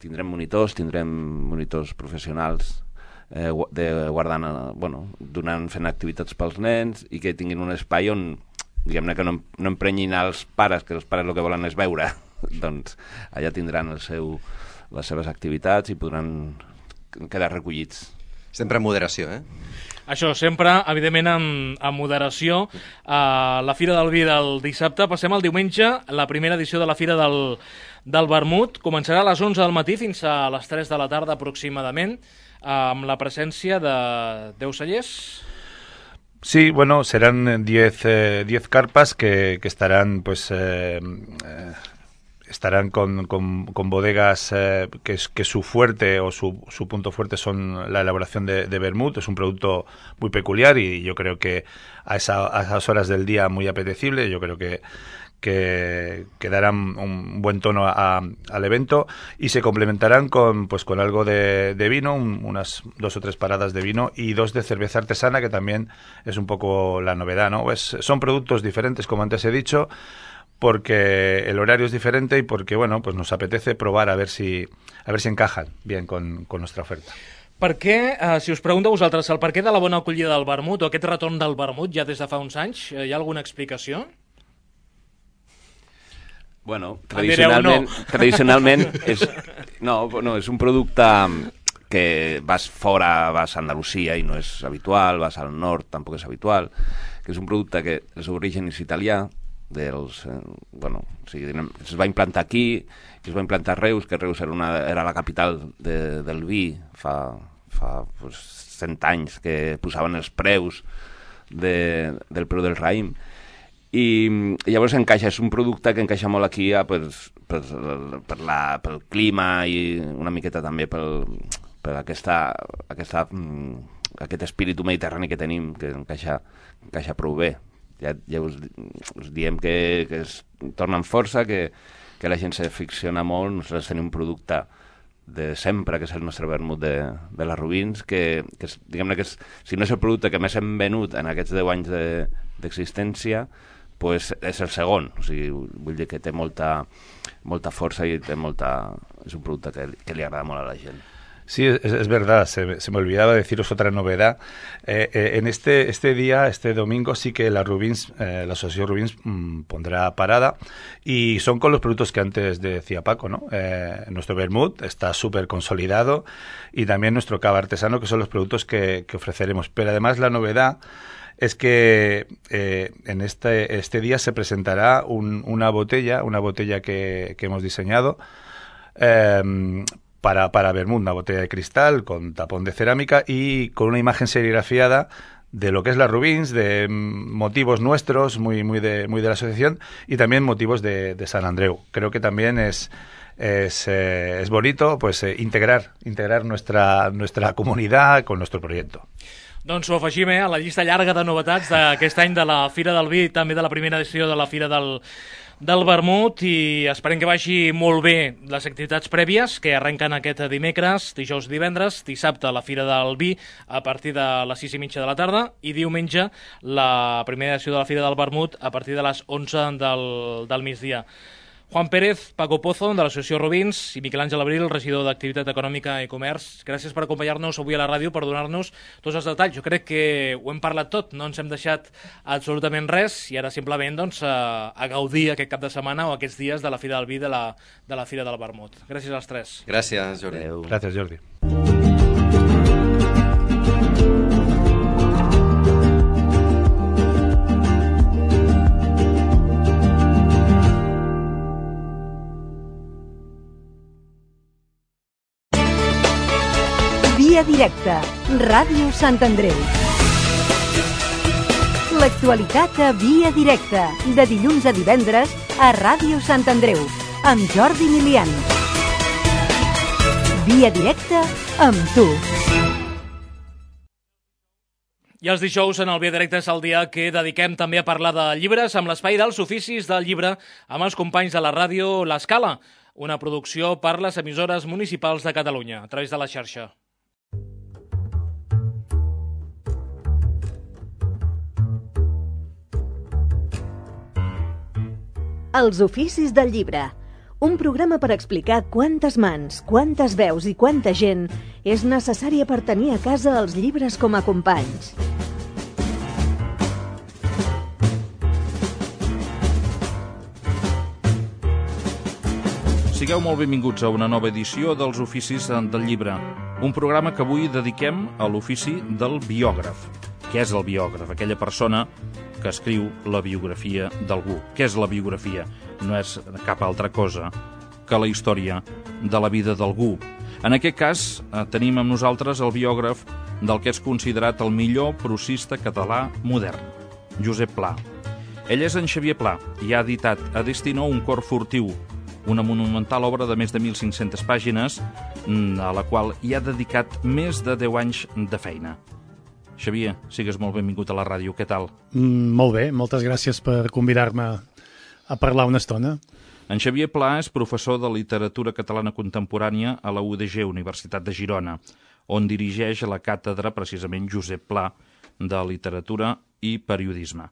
tindrem monitors, tindrem monitors professionals eh, de guardant, bueno, donant, fent activitats pels nens, i que tinguin un espai on, diguem-ne, que no, no emprenyin els pares, que els pares el que volen és veure. Doncs allà tindran el seu, les seves activitats i podran quedar recollits. Sempre en moderació, eh? Això, sempre, evidentment, amb, amb moderació. Uh, la Fira del Vi del dissabte. Passem al diumenge, la primera edició de la Fira del, del Vermut. Començarà a les onze del matí fins a les tres de la tarda aproximadament, uh, amb la presència de deu cellers. Sí, bueno, serán diez eh, carpas que, que estarán, pues... Eh, eh, estarán con, con, con bodegas eh, que, que su fuerte o su, su punto fuerte son la elaboración de, de vermut. Es un producto muy peculiar y yo creo que a, esa, a esas horas del día muy apetecible. Yo creo que, que, que darán un buen tono a, a, al evento, y se complementarán con, pues, con algo de, de vino, un, unas dos o tres paradas de vino y dos de cerveza artesana, que también es un poco la novedad, ¿no? Pues son productos diferentes, como antes he dicho, porque el horario es diferente y porque, bueno, pues nos apetece probar a ver si, a ver si encajan bien con, con nuestra oferta. Per què, eh, si us pregunto a vosaltres, el per què de la bona acollida del vermut, o aquest retorn del vermut ja des de fa uns anys, eh, hi ha alguna explicació? Bueno, tradicionalment, no. tradicionalment és, no, no, és un producte que vas fora, vas a Andalusia i no és habitual, vas al nord, tampoc és habitual, que és un producte que el seu origen és italià, dels, eh, bueno, o sigui, es va implantar aquí, es va implantar a Reus, que Reus era, una, era la capital de, del vi fa, fa pues, cent anys, que posaven els preus de, del preu del raïm, i, i llavors encaixa, és un producte que encaixa molt aquí a, per, per, per la, pel clima i una miqueta també pel, per aquesta, aquesta, aquest espíritu mediterrani que tenim, que encaixa, encaixa prou bé. Ja, ja us, us diem que, que es tornen força, que, que la gent se ficciona molt. Nosaltres tenim un producte de sempre, que és el nostre vermut de, de les Rubins, que, que és, diguem-ne que és, si no és el producte que més hem venut en aquests deu anys d'existència, de, pues és el segon. O sigui, vull dir que té molta, molta força i té molta, és un producte que, que li agrada molt a la gent. Sí, es, es verdad, se, se me olvidaba deciros otra novedad. Eh, eh, en este, este día, este domingo, sí que la Rubins, eh, la Asociación Rubins mmm, pondrá parada, y son con los productos que antes decía Paco, ¿no? Eh, nuestro vermut está súper consolidado, y también nuestro cava artesano, que son los productos que, que ofreceremos. Pero además la novedad es que eh, en este, este día se presentará un, una botella, una botella que, que hemos diseñado, eh, para, para vermut, una botella de cristal con tapón de cerámica y con una imagen serigrafiada de lo que es la Rubins, de motivos nuestros, muy, muy, de, muy de la asociación, y también motivos de, de Sant Andreu. Creo que también es, es, eh, es bonito pues eh, integrar, integrar nuestra, nuestra comunidad con nuestro proyecto. Doncs ho afegim, eh, a la llista llarga de novetats d'aquest any de la Fira del Vi i també de la primera edició de la Fira del, del Vermut, i esperem que vagi molt bé les activitats prèvies que arrenquen aquest dimecres, dijous i divendres, dissabte la Fira del Vi a partir de les sis i mitja de la tarda i diumenge la primera edició de la Fira del Vermut a partir de les onze del, del migdia. Juan Pérez, Paco Pozo, de l'Associació Robins, i Miquel Àngel Abril, regidor d'Activitat Econòmica i Comerç. Gràcies per acompanyar-nos avui a la ràdio, per donar-nos tots els detalls. Jo crec que ho hem parlat tot, no ens hem deixat absolutament res, i ara simplement doncs, a, a gaudir aquest cap de setmana o aquests dies de la Fira del Vi de la, de la Fira del Vermut. Gràcies als tres. Gràcies, Jordi. Adeu. Gràcies, Jordi. Via directa, Ràdio Sant Andreu. L'actualitat a Via directa, de dilluns a divendres a Ràdio Sant Andreu, amb Jordi Milian. Via directa amb tu. I els dijous en el Via Directe és el dia que dediquem també a parlar de llibres amb l'espai dels oficis del llibre amb els companys de la ràdio L'Escala, una producció per les emissores municipals de Catalunya, a través de la xarxa. Els oficis del llibre, un programa per explicar quantes mans, quantes veus i quanta gent és necessària per tenir a casa els llibres com a companys. Sigueu molt benvinguts a una nova edició dels Oficis del Llibre, un programa que avui dediquem a l'ofici del biògraf. Què és el biògraf? Aquella persona que escriu la biografia d'algú. Què és la biografia? No és cap altra cosa que la història de la vida d'algú. En aquest cas, tenim amb nosaltres el biògraf del que és considerat el millor prosista català modern, Josep Pla. Ell és en Xavier Pla i ha editat a Destino un cor furtiu, una monumental obra de més de mil cinc-centes pàgines, a la qual hi ha dedicat més de deu anys de feina. Xavier, sigues molt benvingut a la ràdio. Què tal? Mm, molt bé, moltes gràcies per convidar-me a parlar una estona. En Xavier Pla és professor de literatura catalana contemporània a la U D G, Universitat de Girona, on dirigeix la càtedra precisament Josep Pla de literatura i periodisme.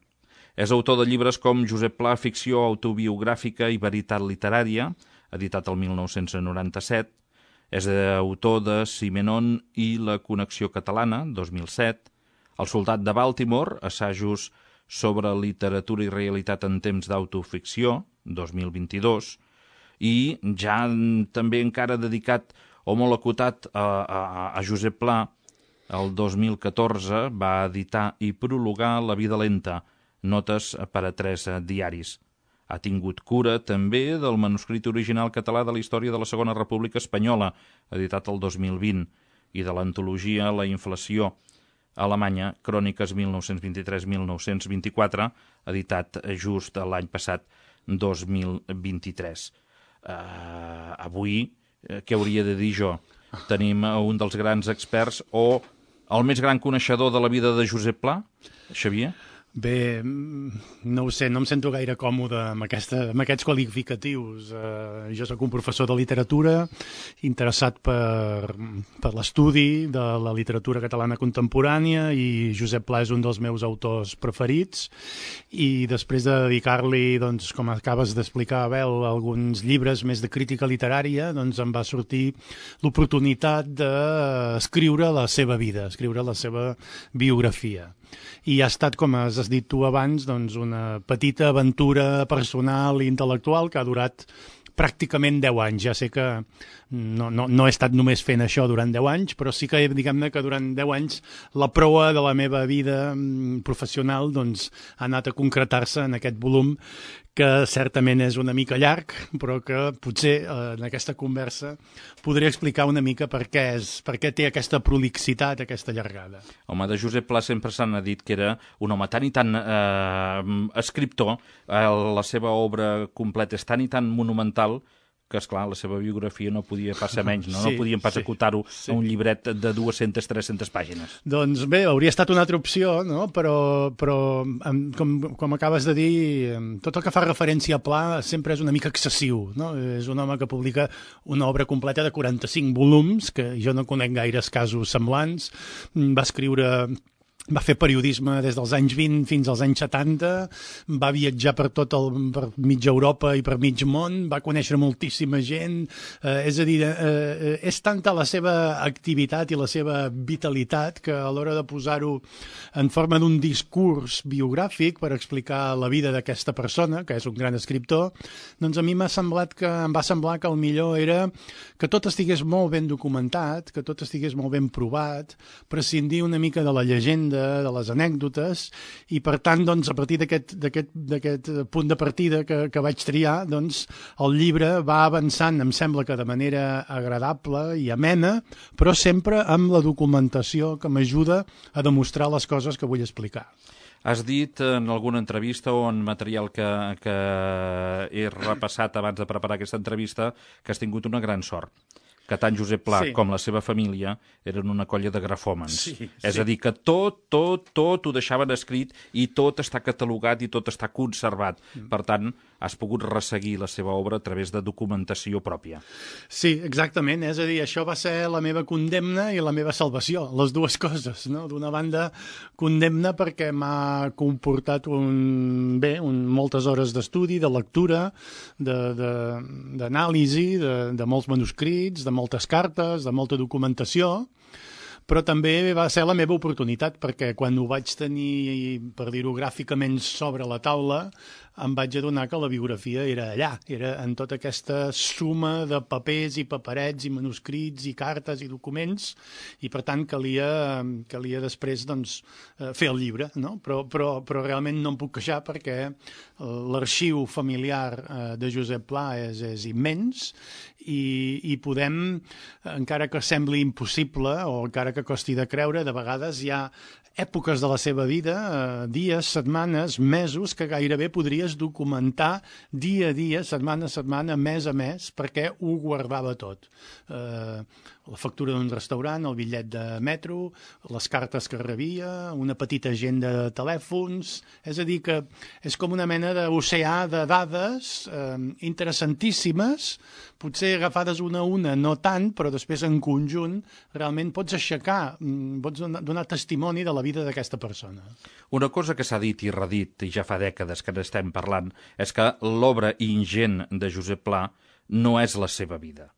És autor de llibres com Josep Pla, ficció autobiogràfica i veritat literària, editat el mil nou-cents noranta-set, és autor de Simenon i la connexió catalana, dos mil set, El soldat de Baltimore, assajos sobre literatura i realitat en temps d'autoficció, dos mil vint-i-dos, i ja també encara dedicat o molt acotat a, a, a Josep Pla, el dos mil catorze va editar i prologar La vida lenta, notes per a tres diaris. Ha tingut cura també del manuscrit original català de la història de la Segona República Espanyola, editat el dos mil vint, i de l'antologia La inflació alemanya, Cròniques mil nou-cents vint-i-tres a mil nou-cents vint-i-quatre, editat just l'any passat, dos mil vint-i-tres. Uh, avui, uh, què hauria de dir jo? Tenim un dels grans experts o el més gran coneixedor de la vida de Josep Pla, Xavier? Bé, no ho sé, no em sento gaire còmode amb, aquesta, amb aquests qualificatius. Uh, jo sóc un professor de literatura interessat per, per l'estudi de la literatura catalana contemporània i Josep Pla és un dels meus autors preferits i després de dedicar-li, doncs, com acabes d'explicar, Abel, alguns llibres més de crítica literària, doncs em va sortir l'oportunitat d'escriure la seva vida, escriure la seva biografia. I ha estat, com has dit tu abans, doncs una petita aventura personal i intel·lectual que ha durat pràcticament deu anys. Ja sé que no, no, no he estat només fent això durant deu anys, però sí que, diguem-ne, que durant deu anys la proa de la meva vida professional doncs, ha anat a concretar-se en aquest volum que certament és una mica llarg, però que potser eh, en aquesta conversa podré explicar una mica per què, és, per què té aquesta prolixitat, aquesta llargada. Home, de Josep Pla sempre s'han dit que era un home tan i tan eh, escriptor, eh, la seva obra completa és tan i tan monumental que, esclar, la seva biografia no podia passar menys, no? Sí, no podien pas sí, acotar-ho sí. a un llibret de dues-centes tres-centes pàgines. Doncs bé, hauria estat una altra opció, no? però, però com, com acabes de dir, tot el que fa referència a Pla sempre és una mica excessiu. No? És un home que publica una obra completa de quaranta-cinc volums, que jo no conec gaires casos semblants. Va escriure... Va fer periodisme des dels anys vint fins als anys setanta, va viatjar per tot el, per mitja Europa i per mig món, va conèixer moltíssima gent, eh, és a dir, eh, és tanta la seva activitat i la seva vitalitat que a l'hora de posar-ho en forma d'un discurs biogràfic per explicar la vida d'aquesta persona, que és un gran escriptor, doncs a mi m'ha semblat que, em va semblar que el millor era que tot estigués molt ben documentat, que tot estigués molt ben provat, prescindir una mica de la llegenda, de les anècdotes, i per tant, doncs, a partir d'aquest punt de partida que, que vaig triar, doncs, el llibre va avançant, em sembla que de manera agradable i amena, però sempre amb la documentació que m'ajuda a demostrar les coses que vull explicar. Has dit en alguna entrevista o en material que, que he repassat abans de preparar aquesta entrevista que has tingut una gran sort, que tant Josep Pla sí. com la seva família eren una colla de grafòmens. Sí, sí. És a dir, que tot, tot, tot ho deixaven escrit i tot està catalogat i tot està conservat. Mm. Per tant, has pogut resseguir la seva obra a través de documentació pròpia. Sí, exactament. És a dir, això va ser la meva condemna i la meva salvació, les dues coses. No? D'una banda, condemna perquè m'ha comportat un, bé, un, moltes hores d'estudi, de lectura, d'anàlisi, de, de, de, de molts manuscrits, de moltes cartes, de molta documentació, però també va ser la meva oportunitat, perquè quan ho vaig tenir, per dir-ho gràficament, sobre la taula, em vaig adonar que la biografia era allà, era en tota aquesta suma de papers i paperets i manuscrits i cartes i documents, i per tant calia, calia després doncs, fer el llibre, no? Però, però, però realment no em puc queixar perquè l'arxiu familiar de Josep Pla és, és immens i, i podem, encara que sembli impossible o encara que costi de creure, de vegades hi ha èpoques de la seva vida, eh, dies, setmanes, mesos, que gairebé podries documentar dia a dia, setmana a setmana, mes a mes, perquè ho guardava tot. Eh, la factura d'un restaurant, el bitllet de metro, les cartes que rebia, una petita agenda de telèfons... És a dir, que és com una mena d'oceà de dades eh, interessantíssimes, potser agafades una a una, no tant, però després en conjunt realment pots aixecar, pots donar testimoni de la vida d'aquesta persona. Una cosa que s'ha dit i redit, i ja fa dècades que n'estem parlant, és que l'obra ingent de Josep Pla no és la seva vida.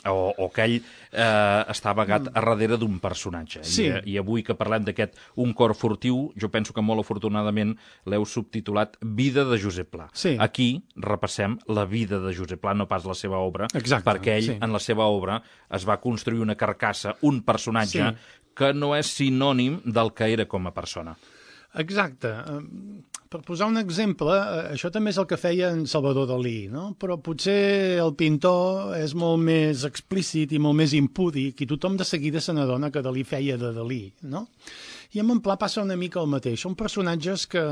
O, o que ell eh, està amagat a darrere d'un personatge. Sí. I, I avui que parlem d'aquest Un cor furtiu, jo penso que molt afortunadament l'heu subtitulat Vida de Josep Pla. Sí. Aquí repassem la vida de Josep Pla, no pas la seva obra, exacte, perquè ell, sí. en la seva obra, es va construir una carcassa, un personatge, sí. que no és sinònim del que era com a persona. Exacte. Per posar un exemple, això també és el que feia en Salvador Dalí, no? Però potser el pintor és molt més explícit i molt més impúdic i tothom de seguida se n'adona que Dalí feia de Dalí, no? I amb en Pla passa una mica el mateix. Són personatges que...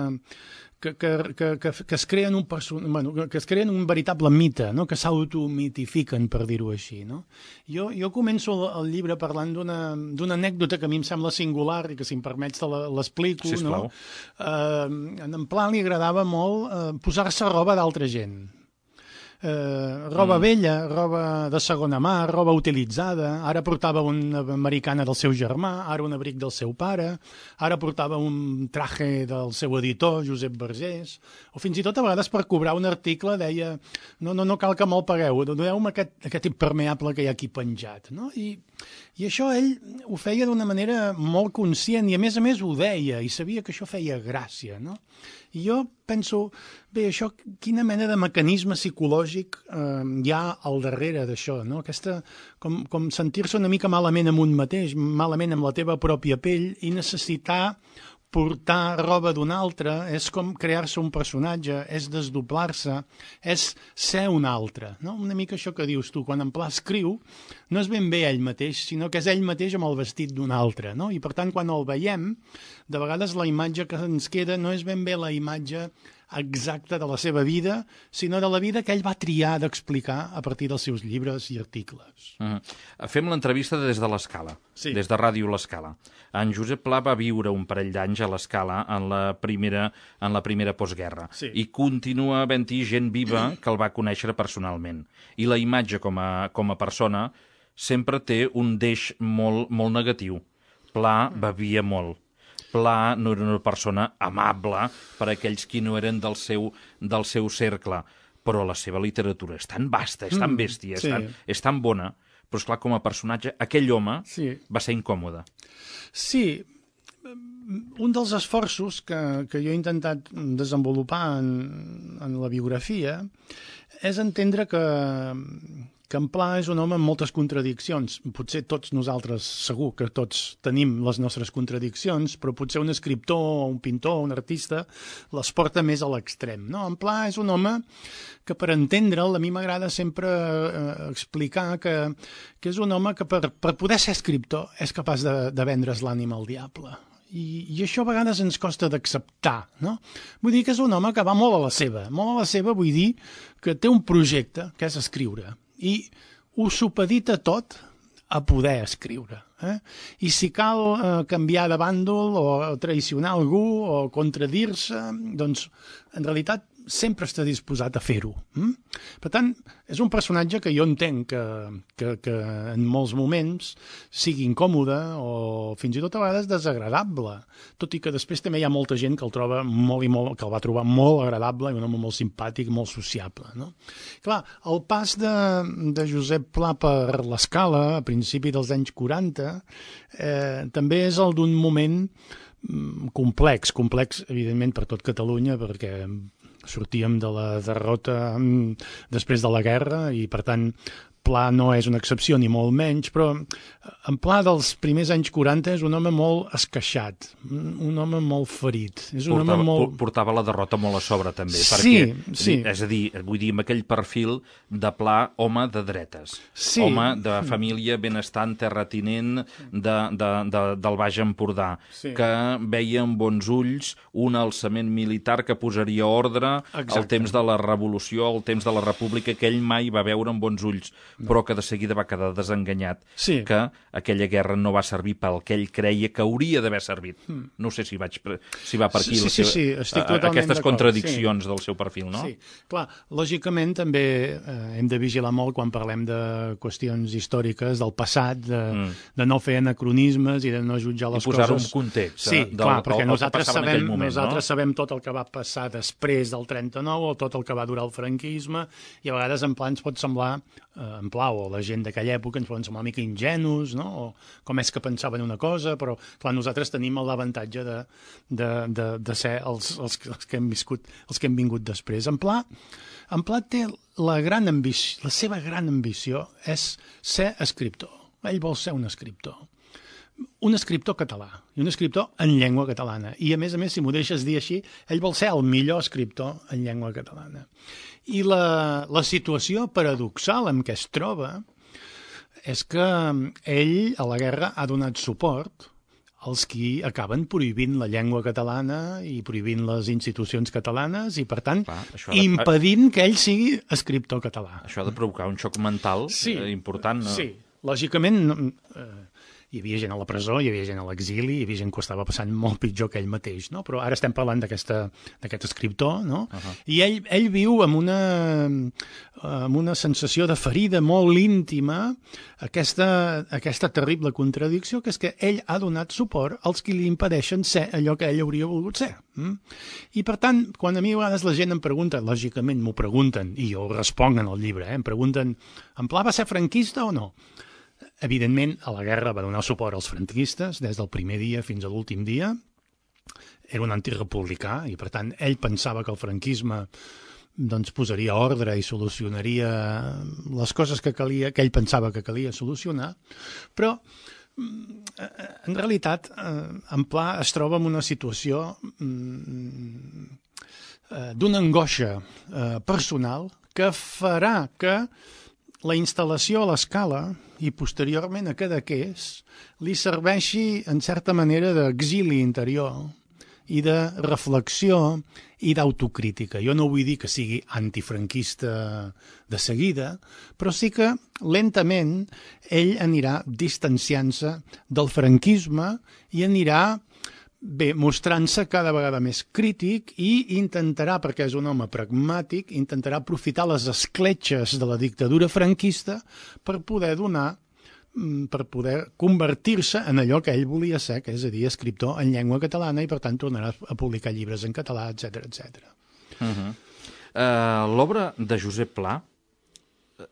Que, que, que, que, que, es creen un person... bueno, que es creen un veritable mite, no? Que s'automitifiquen, per dir-ho així. No? Jo, jo començo el, el llibre parlant d'una anècdota que a mi em sembla singular i que, si em permets, te l'explico. No? Eh, en Pla li agradava molt eh, posar-se roba d'altra gent. Eh, roba mm. vella, roba de segona mà, roba utilitzada. Ara portava una americana del seu germà, ara un abric del seu pare, ara portava un traje del seu editor, Josep Vergés, o fins i tot a vegades per cobrar un article deia no, no, no cal que me'l pagueu, doneu-me aquest, aquest impermeable que hi ha aquí penjat. No? I, I això ell ho feia d'una manera molt conscient i a més a més ho deia i sabia que això feia gràcia, no? I jo penso, bé, això, quina mena de mecanisme psicològic eh, hi ha al darrere d'això, no? Aquesta, com, com sentir-se una mica malament amb un mateix, malament amb la teva pròpia pell i necessitar portar roba d'un altre, és com crear-se un personatge, és desdoblar-se, és ser un altre. No? Una mica això que dius tu, quan en Pla escriu, no és ben bé ell mateix, sinó que és ell mateix amb el vestit d'un altre. No? I per tant, quan el veiem, de vegades la imatge que ens queda no és ben bé la imatge exacta de la seva vida, sinó de la vida que ell va triar d'explicar a partir dels seus llibres i articles. Mm. Fem l'entrevista des de l'Escala, sí. des de Ràdio l'Escala. En Josep Pla va viure un parell d'anys a l'Escala en la primera, en la primera postguerra sí. i continua havent-hi gent viva que el va conèixer personalment. I la imatge com a, com a persona sempre té un deix molt, molt negatiu. Pla bevia molt. Pla no era una persona amable per a aquells qui no eren del seu, del seu cercle, però la seva literatura és tan vasta, és tan bèstia, és, sí. tan, és tan bona, però esclar, com a personatge, aquell home sí. va ser incòmode. Sí, un dels esforços que, que jo he intentat desenvolupar en, en la biografia és entendre que, que en Pla és un home amb moltes contradiccions. Potser tots nosaltres, segur que tots tenim les nostres contradiccions, però potser un escriptor, un pintor, un artista, les porta més a l'extrem. No? En Pla és un home que, per entendre'l, a mi m'agrada sempre eh, explicar que, que és un home que per, per poder ser escriptor és capaç de, de vendre's l'ànima al diable. I, i això a vegades ens costa d'acceptar, no? Vull dir que és un home que va molt a la seva. Molt a la seva vull dir que té un projecte, que és escriure, i ho supedita tot a poder escriure. Eh? I si cal eh, canviar de bàndol o traicionar algú o contradir-se, doncs en realitat sempre està disposat a fer-ho. Mm? Per tant, és un personatge que jo entenc que, que, que en molts moments sigui incòmode o fins i tot a vegades desagradable, tot i que després també hi ha molta gent que el troba molt i molt, que el va trobar molt agradable i un home molt simpàtic, molt sociable. No? Clar, el pas de, de Josep Pla per l'Escala a principi dels anys quaranta eh, també és el d'un moment complex, complex evidentment per tot Catalunya, perquè sortíem de la derrota després de la guerra i, per tant, Pla no és una excepció, ni molt menys, però en Pla dels primers anys quaranta és un home molt esqueixat, un home molt ferit. És un portava, home molt... portava la derrota molt a sobre, també. Sí, perquè, sí. És a dir, vull dir, amb aquell perfil de Pla, home de dretes. Sí. Home de família benestant, terratinent de, de, de, del Baix Empordà, sí. que veia amb bons ulls un alçament militar que posaria ordre Exacte. al temps de la Revolució, al temps de la República, que ell mai va veure amb bons ulls, no. però que de seguida va quedar desenganyat, sí. que aquella guerra no va servir pel que ell creia que hauria d'haver servit. Mm. No sé si, vaig, si va per aquí sí, la sí, seva, sí, estic totalment aquestes d'acord. contradiccions sí. del seu perfil, no? Sí, clar, lògicament també eh, hem de vigilar molt quan parlem de qüestions històriques del passat, de, mm. de no fer anacronismes i de no jutjar les I posar-ho coses. en context. Sí, del, clar, perquè el, nosaltres, el sabem, moment, nosaltres no? sabem tot el que va passar després del trenta-nou o tot el que va durar el franquisme i a vegades en Pla ens pot semblar, eh, en Pla o la gent d'aquella època ens poden semblar una mica ingenus, no? O com és que pensaven una cosa, però clar, nosaltres tenim l'avantatge de, de, de, de ser els, els, els, que hem viscut, els que hem vingut després. En Pla, en Pla té la gran ambició, la seva gran ambició és ser escriptor. Ell vol ser un escriptor. Un escriptor català, i un escriptor en llengua catalana. I, a més a més, si m'ho deixes dir així, ell vol ser el millor escriptor en llengua catalana. I la, la situació paradoxal en què es troba és que ell, a la guerra, ha donat suport als qui acaben prohibint la llengua catalana i prohibint les institucions catalanes i, per tant, Clar, de... impedint que ell sigui escriptor català. Això ha de provocar un xoc mental sí, eh, important. No? Sí, lògicament... Eh, hi havia gent a la presó, hi havia gent a l'exili, hi havia gent que ho estava passant molt pitjor que ell mateix, no? Però ara estem parlant d'aquest escriptor, no? Uh -huh. I ell, ell viu amb una, amb una sensació de ferida molt íntima, aquesta, aquesta terrible contradicció, que és que ell ha donat suport als qui li impedeixen ser allò que ell hauria volgut ser. Mm? I, per tant, quan a mi a vegades la gent em pregunta, lògicament m'ho pregunten, i jo ho responc en el llibre, eh? Em pregunten, en Pla va ser franquista o no? Evidentment, a la guerra va donar suport als franquistes des del primer dia fins a l'últim dia. Era un antirepublicà i, per tant, ell pensava que el franquisme doncs, posaria ordre i solucionaria les coses que, calia, que ell pensava que calia solucionar. Però, en realitat, en Pla es troba en una situació d'una angoixa personal que farà que la instal·lació a l'Escala i posteriorment a Cadaqués li serveixi en certa manera d'exili interior i de reflexió i d'autocrítica. Jo no vull dir que sigui antifranquista de seguida, però sí que lentament ell anirà distanciant-se del franquisme i anirà bé, mostrant-se cada vegada més crític i intentarà, perquè és un home pragmàtic, intentarà aprofitar les escletxes de la dictadura franquista per poder donar, per poder convertir-se en allò que ell volia ser, que és a dir, escriptor en llengua catalana i per tant tornarà a publicar llibres en català, etcètera, etcètera. Uh-huh. uh, L'obra de Josep Pla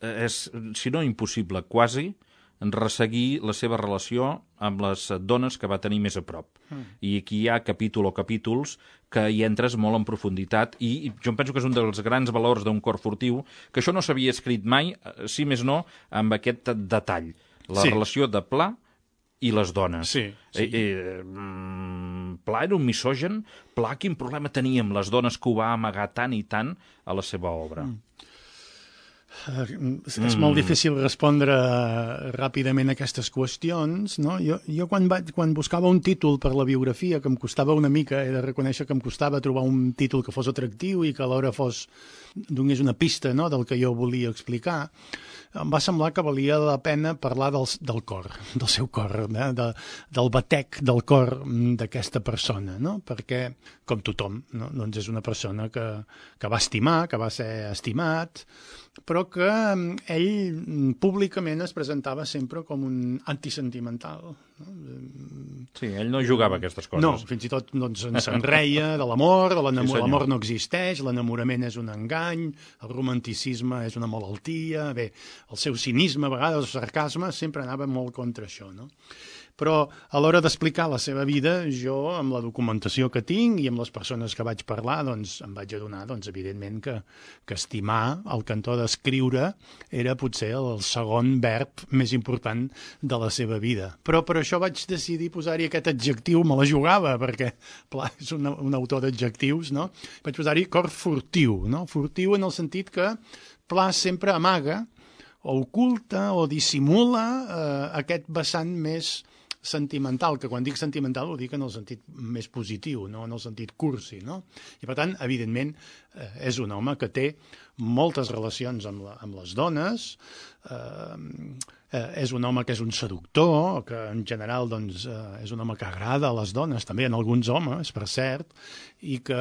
és, si no impossible, quasi resseguir la seva relació amb les dones que va tenir més a prop. Mm. I aquí hi ha capítol o capítols que hi entres molt en profunditat i jo em penso que és un dels grans valors d'un cor furtiu, que això no s'havia escrit mai, si més no, amb aquest detall. La sí. relació de Pla i les dones. Sí, sí. Eh, eh, Pla era un misògen? Pla quin problema tenia amb les dones que ho va amagar tant i tant a la seva obra? Mm. Uh, és mm. molt difícil respondre ràpidament a aquestes qüestions, no? Jo, jo quan, vaig, quan buscava un títol per la biografia, que em costava una mica, he de reconèixer que em costava trobar un títol que fos atractiu i que alhora fos, donés una pista, no?, del que jo volia explicar, em va semblar que valia la pena parlar del, del cor, del seu cor, eh? de, del batec del cor d'aquesta persona, no? Perquè, com tothom, no? Doncs és una persona que, que va estimar, que va ser estimat, però que ell públicament es presentava sempre com un antisentimental. No? Sí, ell no jugava aquestes coses. No, fins i tot doncs, se'n reia de l'amor, de l'amor, sí, l'amor no existeix, l'enamorament és un engany, el romanticisme és una malaltia, bé, el seu cinisme, a vegades, el sarcasme, sempre anava molt contra això, no? Però a l'hora d'explicar la seva vida, jo, amb la documentació que tinc i amb les persones que vaig parlar, doncs em vaig adonar, doncs, evidentment, que, que estimar, el cantó d'escriure, era potser el segon verb més important de la seva vida. Però per això vaig decidir posar-hi aquest adjectiu, me la jugava, perquè, Pla és un, un autor d'adjectius, no? Vaig posar-hi cor furtiu, no? Furtiu en el sentit que Pla sempre amaga, o oculta, o dissimula eh, aquest vessant més sentimental, que quan dic sentimental ho dic en el sentit més positiu, no en el sentit cursi, no? I per tant, evidentment, eh, és un home que té moltes relacions amb, la, amb les dones, eh, eh, és un home que és un seductor, que en general doncs, eh, és un home que agrada a les dones, també en alguns homes, per cert, i que,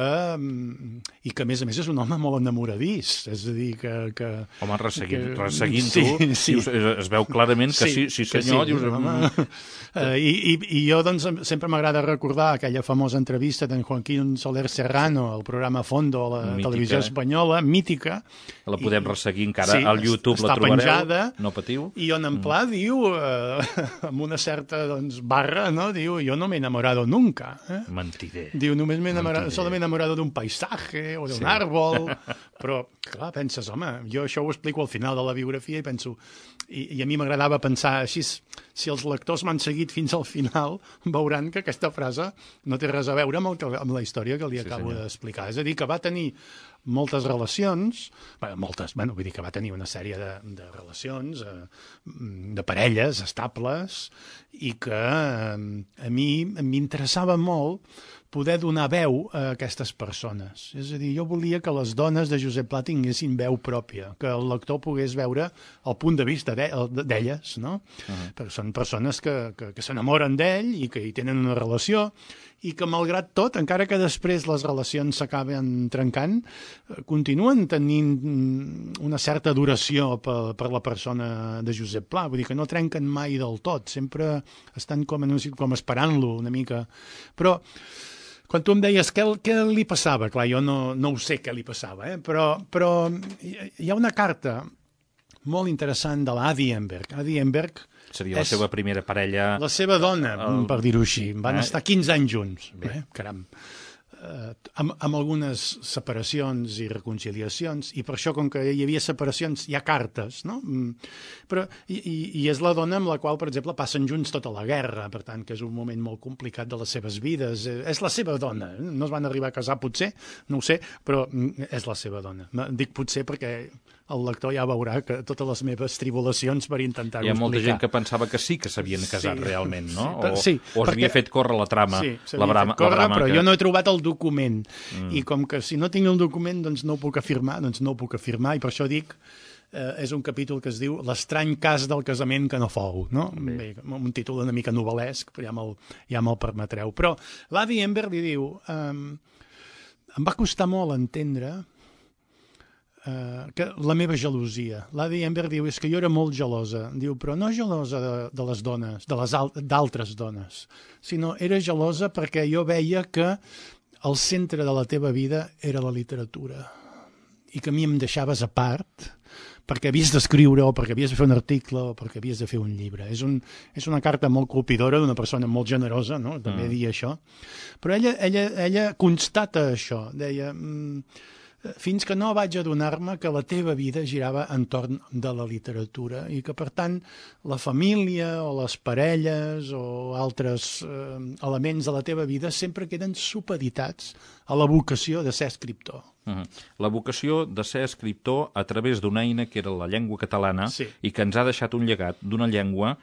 i que a més a més és un home molt enamoradís, és a dir que... que home, resseguint, que, resseguint sí, tu, sí. Dius, es veu clarament que sí, sí, sí senyor, que sí, dius... Home, uh, i, i, I jo doncs sempre m'agrada recordar aquella famosa entrevista d'en Joaquín Soler Serrano al programa Fondo a la mítica. Televisió espanyola, mítica. La podem i, resseguir encara sí, al YouTube, la trobareu, penjada, no patiu. I on en Pla mm. diu, uh, amb una certa doncs, barra, no? Diu, jo no m'he enamorado nunca. Eh? Mentider. Diu, només m'he enamorado, solo m'he enamorado d'un paisatge o d'un sí. árbol, però, clar, penses, home, jo això ho explico al final de la biografia i penso, i, i a mi m'agradava pensar així, si els lectors m'han seguit fins al final, veuran que aquesta frase no té res a veure amb, el que, amb la història que li sí, acabo d'explicar. És a dir, que va tenir moltes relacions, bé, moltes, bueno, vull dir que va tenir una sèrie de, de relacions, eh, de parelles estables, i que eh, a mi m'interessava molt poder donar veu a aquestes persones. És a dir, jo volia que les dones de Josep Pla tinguessin veu pròpia, que el lector pogués veure el punt de vista d'elles, no? Uh-huh. Perquè són persones que, que, que s'enamoren d'ell i que hi tenen una relació i que, malgrat tot, encara que després les relacions s'acaben trencant, continuen tenint una certa duració per, per la persona de Josep Pla. Vull dir que no trenquen mai del tot, sempre estan com, com esperant-lo una mica. Però quan tu em deies què, què li passava, clar, jo no, no ho sé què li passava, eh? però, però hi ha una carta molt interessant de l'Adi Emberg. Adi Emberg seria la seva primera parella... La seva dona, el... per dir-ho així. Van eh? estar quinze anys junts. Bé. Eh? Caram. eh, amb, amb algunes separacions i reconciliacions, i per això, com que hi havia separacions, hi ha cartes, no? Però, i, i és la dona amb la qual, per exemple, passen junts tota la guerra, per tant, que és un moment molt complicat de les seves vides. És la seva dona. No es van arribar a casar, potser, no ho sé, però és la seva dona. Dic potser perquè el lector ja veurà que totes les meves tribulacions per intentar-ho explicar. Hi ha molta gent que pensava que sí que s'havien casat sí, realment, no? O, sí, o es havia fet córrer la trama. Sí, la brama, córrer, la brama però que... jo no he trobat el document. Mm. I com que si no tinc el document doncs no ho puc afirmar, doncs no ho puc afirmar, i per això dic, eh, és un capítol que es diu L'estrany cas del casament que no fou, no? Bé. Bé, un títol una mica novel·lesc, però ja me'l ja me'l permetreu. Però l'Avi Ember li diu, eh, em va costar molt entendre Uh, que la meva gelosia. L'Adi Ember diu, és que jo era molt gelosa. Diu, però no gelosa de, de les dones, de les d'altres dones, sinó era gelosa perquè jo veia que el centre de la teva vida era la literatura i que a mi em deixaves a part perquè havies d'escriure o perquè havies de fer un article o perquè havies de fer un llibre. És, un, és una carta molt colpidora d'una persona molt generosa, no? També mm. dir això. Però ella, ella, ella constata això. Deia... Mm, fins que no vaig adonar-me que la teva vida girava entorn de la literatura i que, per tant, la família o les parelles o altres eh, elements de la teva vida sempre queden supeditats a la vocació de ser escriptor. Uh-huh. La vocació de ser escriptor a través d'una eina que era la llengua catalana sí. i que ens ha deixat un llegat d'una llengua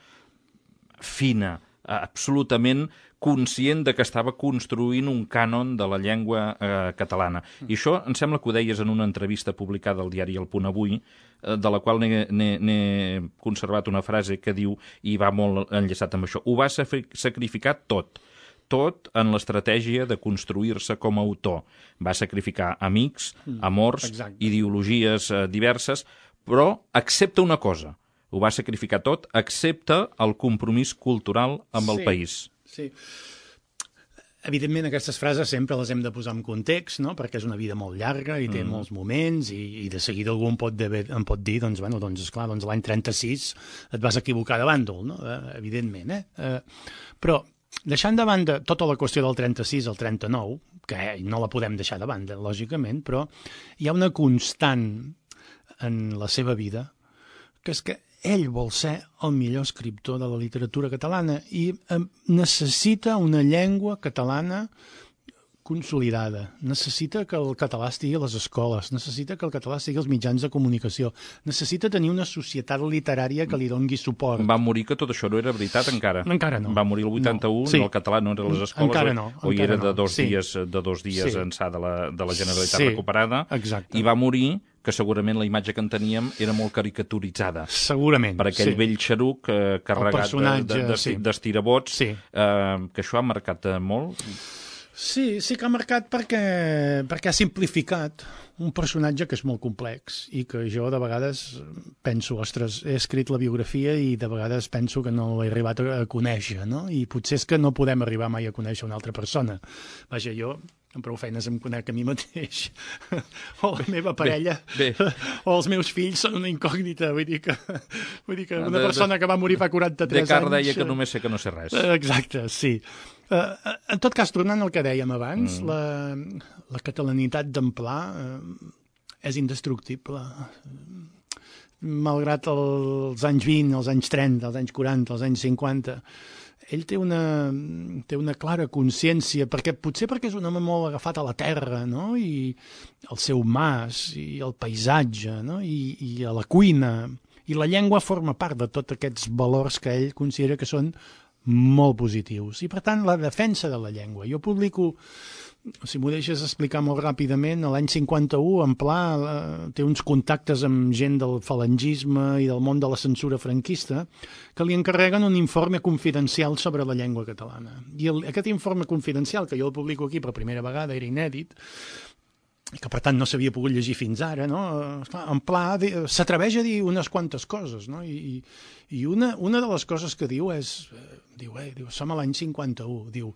fina, absolutament conscient de que estava construint un cànon de la llengua eh, catalana. I això em sembla que ho deies en una entrevista publicada al diari El Punt Avui, eh, de la qual n'he conservat una frase que diu, i va molt enllaçat amb això, ho va sacrificar tot, tot en l'estratègia de construir-se com a autor. Va sacrificar amics, amors, Exacte. ideologies eh, diverses, però accepta una cosa, ho va sacrificar tot, excepte el compromís cultural amb el sí, país. Sí. Evidentment, aquestes frases sempre les hem de posar en context, no? Perquè és una vida molt llarga i té mm. molts moments i, i de seguida algú em pot, de, em pot dir, doncs, bueno, doncs, esclar, doncs l'any trenta-sis et vas equivocar de bàndol, no? Eh, evidentment, eh? eh? Però, deixant de banda tota la qüestió del trenta-sis al trenta-nou, que no la podem deixar de banda, lògicament, però hi ha una constant en la seva vida, que és que ell vol ser el millor escriptor de la literatura catalana i eh, necessita una llengua catalana consolidada, necessita que el català estigui a les escoles, necessita que el català estigui als mitjans de comunicació, necessita tenir una societat literària que li dongui suport. Va morir que tot això no era veritat encara. Encara no. Va morir el vuitanta-u, no. Sí. El català no era a les escoles, encara no, o, o hi era no. de dos sí. dies, de dos dies sí. ençà de la, de la Generalitat sí. recuperada, Exacte. I va morir que segurament la imatge que en teníem era molt caricaturitzada. Segurament, per aquell sí. vell xeruc eh, carregat d'estirabots, sí. eh, que això ha marcat eh, molt. Sí, sí que ha marcat perquè, perquè ha simplificat un personatge que és molt complex i que jo de vegades penso, ostres, he escrit la biografia i de vegades penso que no l'he arribat a conèixer, no? I potser és que no podem arribar mai a conèixer una altra persona. Vaja, jo amb prou feines em conec a mi mateix, o la meva parella, bé, bé. o els meus fills són una incògnita, vull dir que, vull dir que una de, persona de, que va morir fa quaranta-tres anys... Descartes deia que només sé que no sé res. Exacte, sí. Uh, en tot cas, tornant al que dèiem abans, mm. la, la catalanitat d'Amplà uh, és indestructible. Malgrat els anys vint, els anys trenta, els anys quaranta, els anys cinquanta, ell té una, té una clara consciència, perquè potser perquè és un home molt agafat a la terra, no? I el seu mas, i el paisatge, no? I, i a la cuina, i la llengua forma part de tots aquests valors que ell considera que són molt positius. I, per tant, la defensa de la llengua. Jo publico, si m'ho deixes explicar molt ràpidament, l'any cinquanta-u, Amplà eh, té uns contactes amb gent del falangisme i del món de la censura franquista que li encarreguen un informe confidencial sobre la llengua catalana. I el, aquest informe confidencial, que jo el publico aquí per primera vegada, era inèdit, que per tant no s'havia pogut llegir fins ara, no? Esclar, en Pla s'atreveix a dir unes quantes coses, no? I, i una, una de les coses que diu és, diu, eh, diu som a l'any cinquanta-u, diu,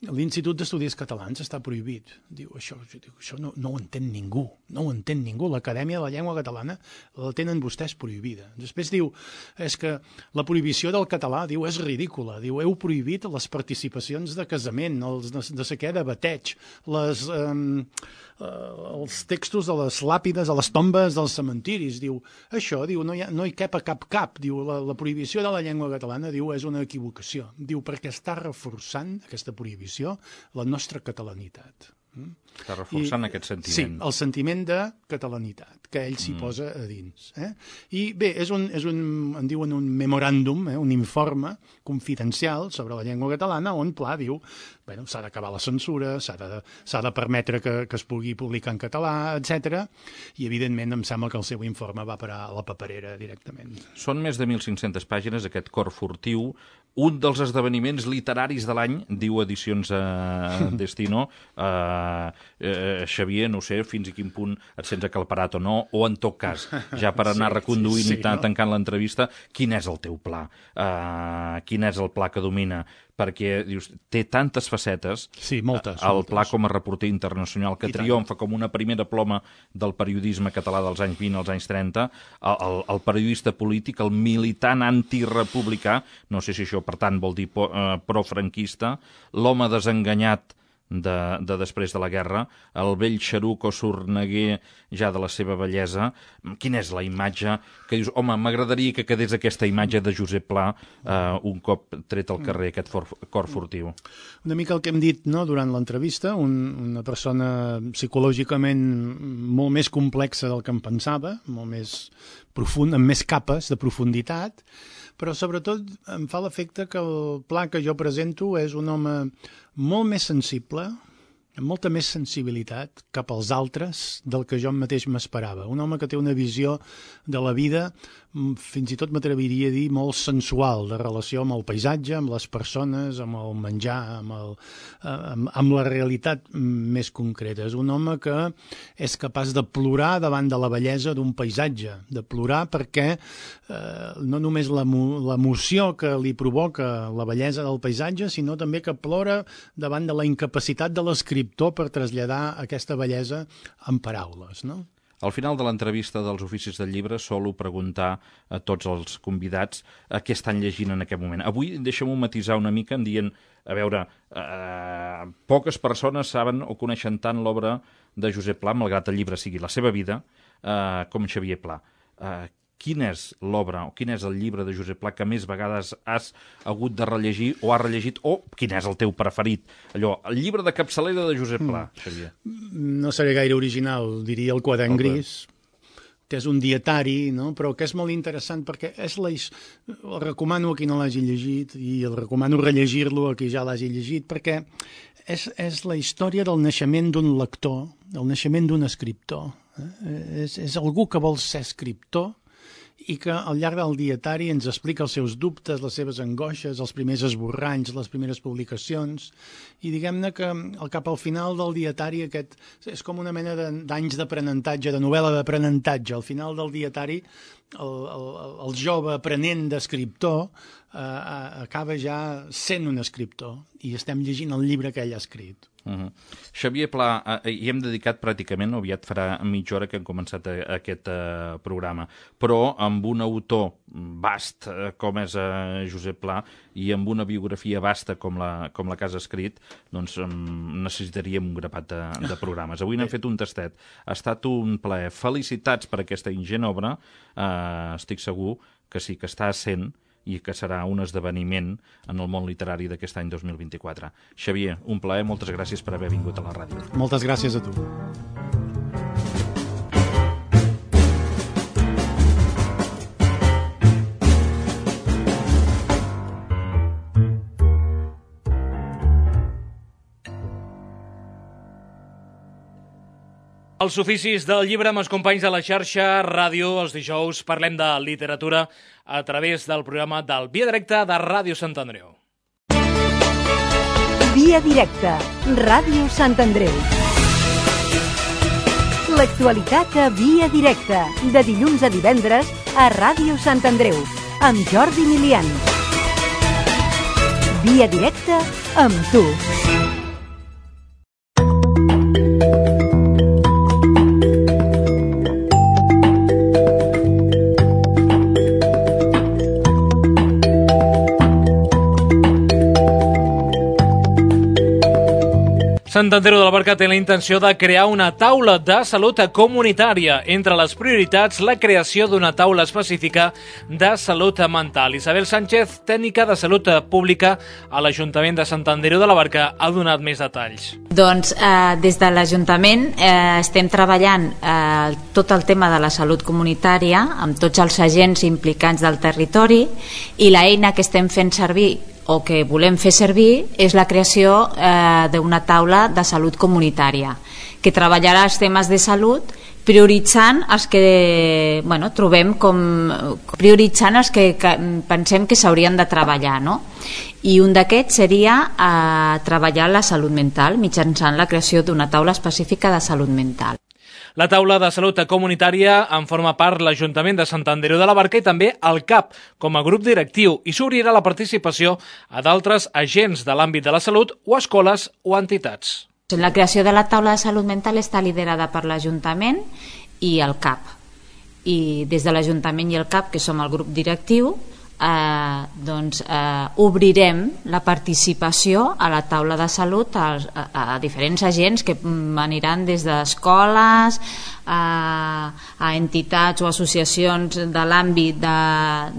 l'Institut d'Estudis Catalans està prohibit. Diu, això, diu, això no, no ho entén ningú, no ho entén ningú. L'Acadèmia de la Llengua Catalana la tenen vostès prohibida. Després diu, és que la prohibició del català, diu, és ridícula. Diu, heu prohibit les participacions de casament, els de, de sé què, de bateig, les, eh, els textos de les làpides, a les tombes dels cementiris. Diu, això, diu, no hi, ha, no hi cap a cap cap. Diu, la, la prohibició de la llengua catalana, diu, és una equivocació. Diu, perquè està reforçant aquesta prohibició la nostra catalanitat. Està reforçant I, aquest sentiment. Sí, el sentiment de catalanitat, que ell s'hi mm. posa a dins. Eh? I bé, és un, és un, en diuen un memoràndum, eh? un informe confidencial sobre la llengua catalana, on Pla diu, bueno, s'ha d'acabar la censura, s'ha de, s'ha de permetre que, que es pugui publicar en català, etcètera. I evidentment em sembla que el seu informe va parar a la paperera directament. Són més de mil cinc-centes pàgines, aquest cor furtiu, un dels esdeveniments literaris de l'any, diu Edicions eh, Destino, eh, eh, Xavier, no sé fins a quin punt et sents acalparat o no, o en tot cas, ja per anar sí, reconduint sí, sí, i no? tancant l'entrevista, quin és el teu pla? Uh, quin és el pla que domina? Perquè dius, té tantes facetes, sí, moltes, el moltes. Pla com a reporter internacional que I triomfa tant. Com una primera ploma del periodisme català dels anys vint als anys trenta, el, el, el periodista polític, el militant antirepublicà, no sé si això per tant vol dir po, eh, profranquista, l'home desenganyat de, de després de la guerra, el vell xeruc o sorneguer ja de la seva bellesa. Quina és la imatge que dius, home, m'agradaria que quedés aquesta imatge de Josep Pla eh, un cop tret al carrer, aquest for, cor furtiu? Una mica el que hem dit no, durant l'entrevista, un, una persona psicològicament molt més complexa del que em pensava, molt més profund, amb més capes de profunditat, però sobretot em fa l'efecte que el Pla que jo presento és un home molt més sensible, amb molta més sensibilitat cap als altres del que jo mateix m'esperava. Un home que té una visió de la vida, fins i tot m'atreviria a dir, molt sensual, de relació amb el paisatge, amb les persones, amb el menjar, amb, el, amb, amb la realitat més concreta. És un home que és capaç de plorar davant de la bellesa d'un paisatge, de plorar perquè eh, no només l'emoció que li provoca la bellesa del paisatge, sinó també que plora davant de la incapacitat de l'escriptor per traslladar aquesta bellesa en paraules, no? Al final de l'entrevista dels Oficis del Llibre solo preguntar a tots els convidats a què estan llegint en aquest moment. Avui deixem-ho matisar una mica en dient, a veure, eh, poques persones saben o coneixen tant l'obra de Josep Pla, malgrat el llibre sigui la seva vida, eh, com Xavier Pla. Eh, quina és l'obra o quin és el llibre de Josep Pla que més vegades has hagut de rellegir o has rellegit, o quin és el teu preferit? Allò, el llibre de capçalera de Josep Pla, Xavier. No seré gaire original, diria el Quadern Gris, que és un dietari, no? Però que és molt interessant perquè és la... el recomano a qui no l'hagi llegit i el recomano rellegir-lo a qui ja l'hagi llegit, perquè és, és la història del naixement d'un lector, del naixement d'un escriptor. Eh? És, és algú que vol ser escriptor i que al llarg del dietari ens explica els seus dubtes, les seves angoixes, els primers esborranys, les primeres publicacions, i diguem-ne que al cap al final del dietari aquest és com una mena d'anys d'aprenentatge, de novel·la d'aprenentatge. Al final del dietari el, el, el jove aprenent d'escriptor eh, acaba ja sent un escriptor i estem llegint el llibre que ell ha escrit. Uh-huh. Xavier Pla, eh, hi hem dedicat pràcticament, aviat farà mitja hora que hem començat a, a aquest eh, programa, però amb un autor vast eh, com és eh, Josep Pla i amb una biografia vasta com la, com la que has escrit, doncs eh, necessitaríem un grapat de, de programes. Avui n'hem fet un tastet. Ha estat un plaer. Felicitats per aquesta ingent obra. Eh, estic segur que sí que està sent i que serà un esdeveniment en el món literari d'aquest any dos mil vint-i-quatre. Xavier, un plaer, moltes gràcies per haver vingut a la ràdio. Moltes gràcies a tu. Els oficis del llibre amb els companys de la xarxa Ràdio. Els dijous parlem de literatura a través del programa del Via Directa de Ràdio Sant Andreu. Via Directa, Ràdio Sant Andreu. L'actualitat a Via Directa, de dilluns a divendres a Ràdio Sant Andreu, amb Jordi Milian. Via Directa amb tu. Sant Andreu de la Barca té la intenció de crear una taula de salut comunitària. Entre les prioritats, la creació d'una taula específica de salut mental. Isabel Sánchez, tècnica de salut pública a l'Ajuntament de Sant Andreu de la Barca, ha donat més detalls. Doncs eh, des de l'Ajuntament eh, estem treballant eh, tot el tema de la salut comunitària amb tots els agents implicats del territori, i l'eina que estem fent servir o que volem fer servir és la creació eh, d'una taula de salut comunitària que treballarà els temes de salut prioritzant els que bueno, trobem com prioritzant els que, que pensem que s'haurien de treballar, no? I un d'aquests seria eh, treballar la salut mental mitjançant la creació d'una taula específica de salut mental. La taula de salut comunitària en forma part l'Ajuntament de Sant Andreu de la Barca i també el C A P com a grup directiu, i s'obrirà la participació a d'altres agents de l'àmbit de la salut o escoles o entitats. La creació de la taula de salut mental està liderada per l'Ajuntament i el C A P. I des de l'Ajuntament i el C A P, que som el grup directiu, eh, doncs, eh, obrirem la participació a la taula de salut a, a, a diferents agents que aniran des d'escoles a, a entitats o associacions de l'àmbit de,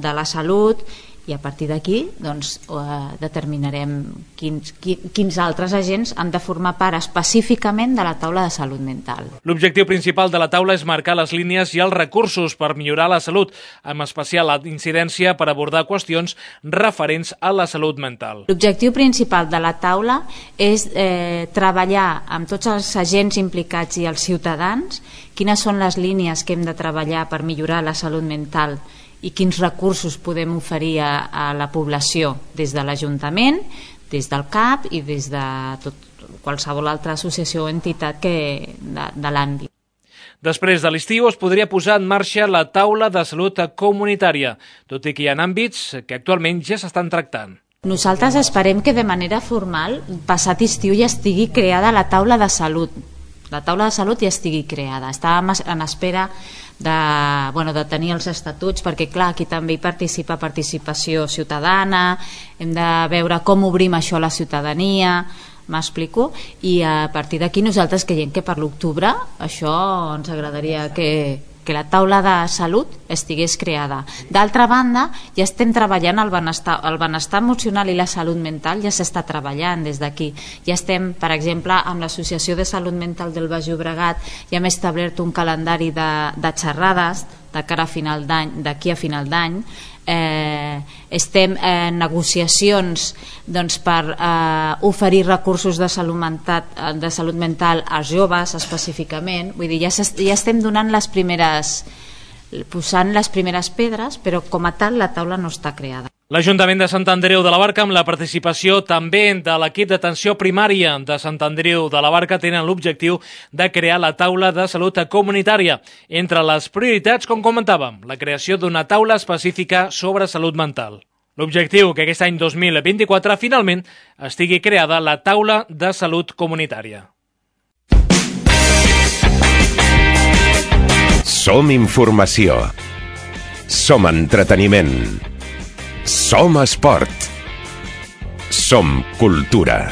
de la salut, i a partir d'aquí doncs, eh, determinarem quins, quins altres agents han de formar part específicament de la taula de salut mental. L'objectiu principal de la taula és marcar les línies i els recursos per millorar la salut, amb especial la incidència per abordar qüestions referents a la salut mental. L'objectiu principal de la taula és eh, treballar amb tots els agents implicats i els ciutadans quines són les línies que hem de treballar per millorar la salut mental i quins recursos podem oferir a, a la població des de l'Ajuntament, des del C A P i des de tot, qualsevol altra associació o entitat que, de, de l'àmbit. Després de l'estiu es podria posar en marxa la taula de salut comunitària, tot i que hi ha àmbits que actualment ja s'estan tractant. Nosaltres esperem que de manera formal, passat estiu, ja estigui creada la taula de salut. La taula de salut ja estigui creada. Estàvem en espera de, bueno, de tenir els estatuts, perquè clar, aquí també hi participa participació ciutadana, hem de veure com obrim això a la ciutadania, m'explico, i a partir d'aquí nosaltres creiem que per l'octubre això ens agradaria que, que la taula de salut estigués creada. D'altra banda, ja estem treballant el benestar, el benestar emocional i la salut mental, ja s'està treballant des d'aquí. Ja estem, per exemple, amb l'Associació de Salut Mental del Baix Llobregat, ja hem establert un calendari de, de xerrades de cara a final d'any, d'aquí a final d'any. Eh, estem en negociacions doncs, per eh, oferir recursos de salut, mental, de salut mental als joves específicament. Vull dir, ja, ja estem donant les primeres, posant les primeres pedres, però com a tal la taula no està creada. L'Ajuntament de Sant Andreu de la Barca, amb la participació també de l'equip d'atenció primària de Sant Andreu de la Barca, tenen l'objectiu de crear la taula de salut comunitària. Entre les prioritats, com comentàvem, la creació d'una taula específica sobre salut mental. L'objectiu que aquest any dos mil vint-i-quatre finalment estigui creada la taula de salut comunitària. Som informació. Som entreteniment. Som esport. Som cultura.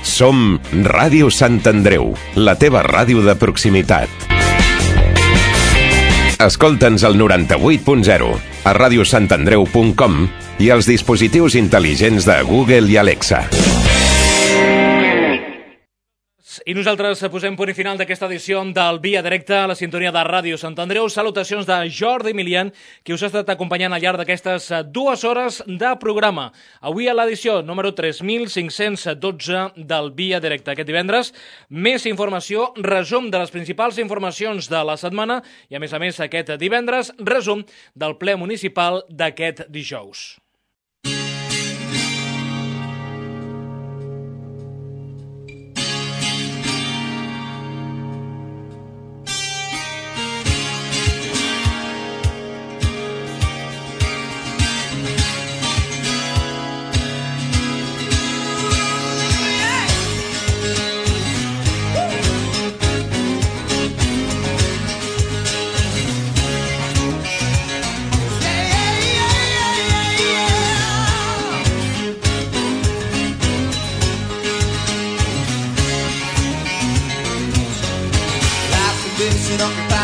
Som Ràdio Sant Andreu, la teva ràdio de proximitat. Escolta'ns al noranta-vuit punt zero, a radiosantandreu punt com i als dispositius intel·ligents de Google i Alexa. I nosaltres posem punt i final d'aquesta edició del Via Directa a la sintonia de Ràdio Sant Andreu. Salutacions de Jordi Milian, qui us ha estat acompanyant al llarg d'aquestes dues hores de programa. Avui a l'edició número tres mil cinc-cents dotze del Via Directa. Aquest divendres, més informació, resum de les principals informacions de la setmana i, a més a més, aquest divendres, resum del ple municipal d'aquest dijous. you don't reply.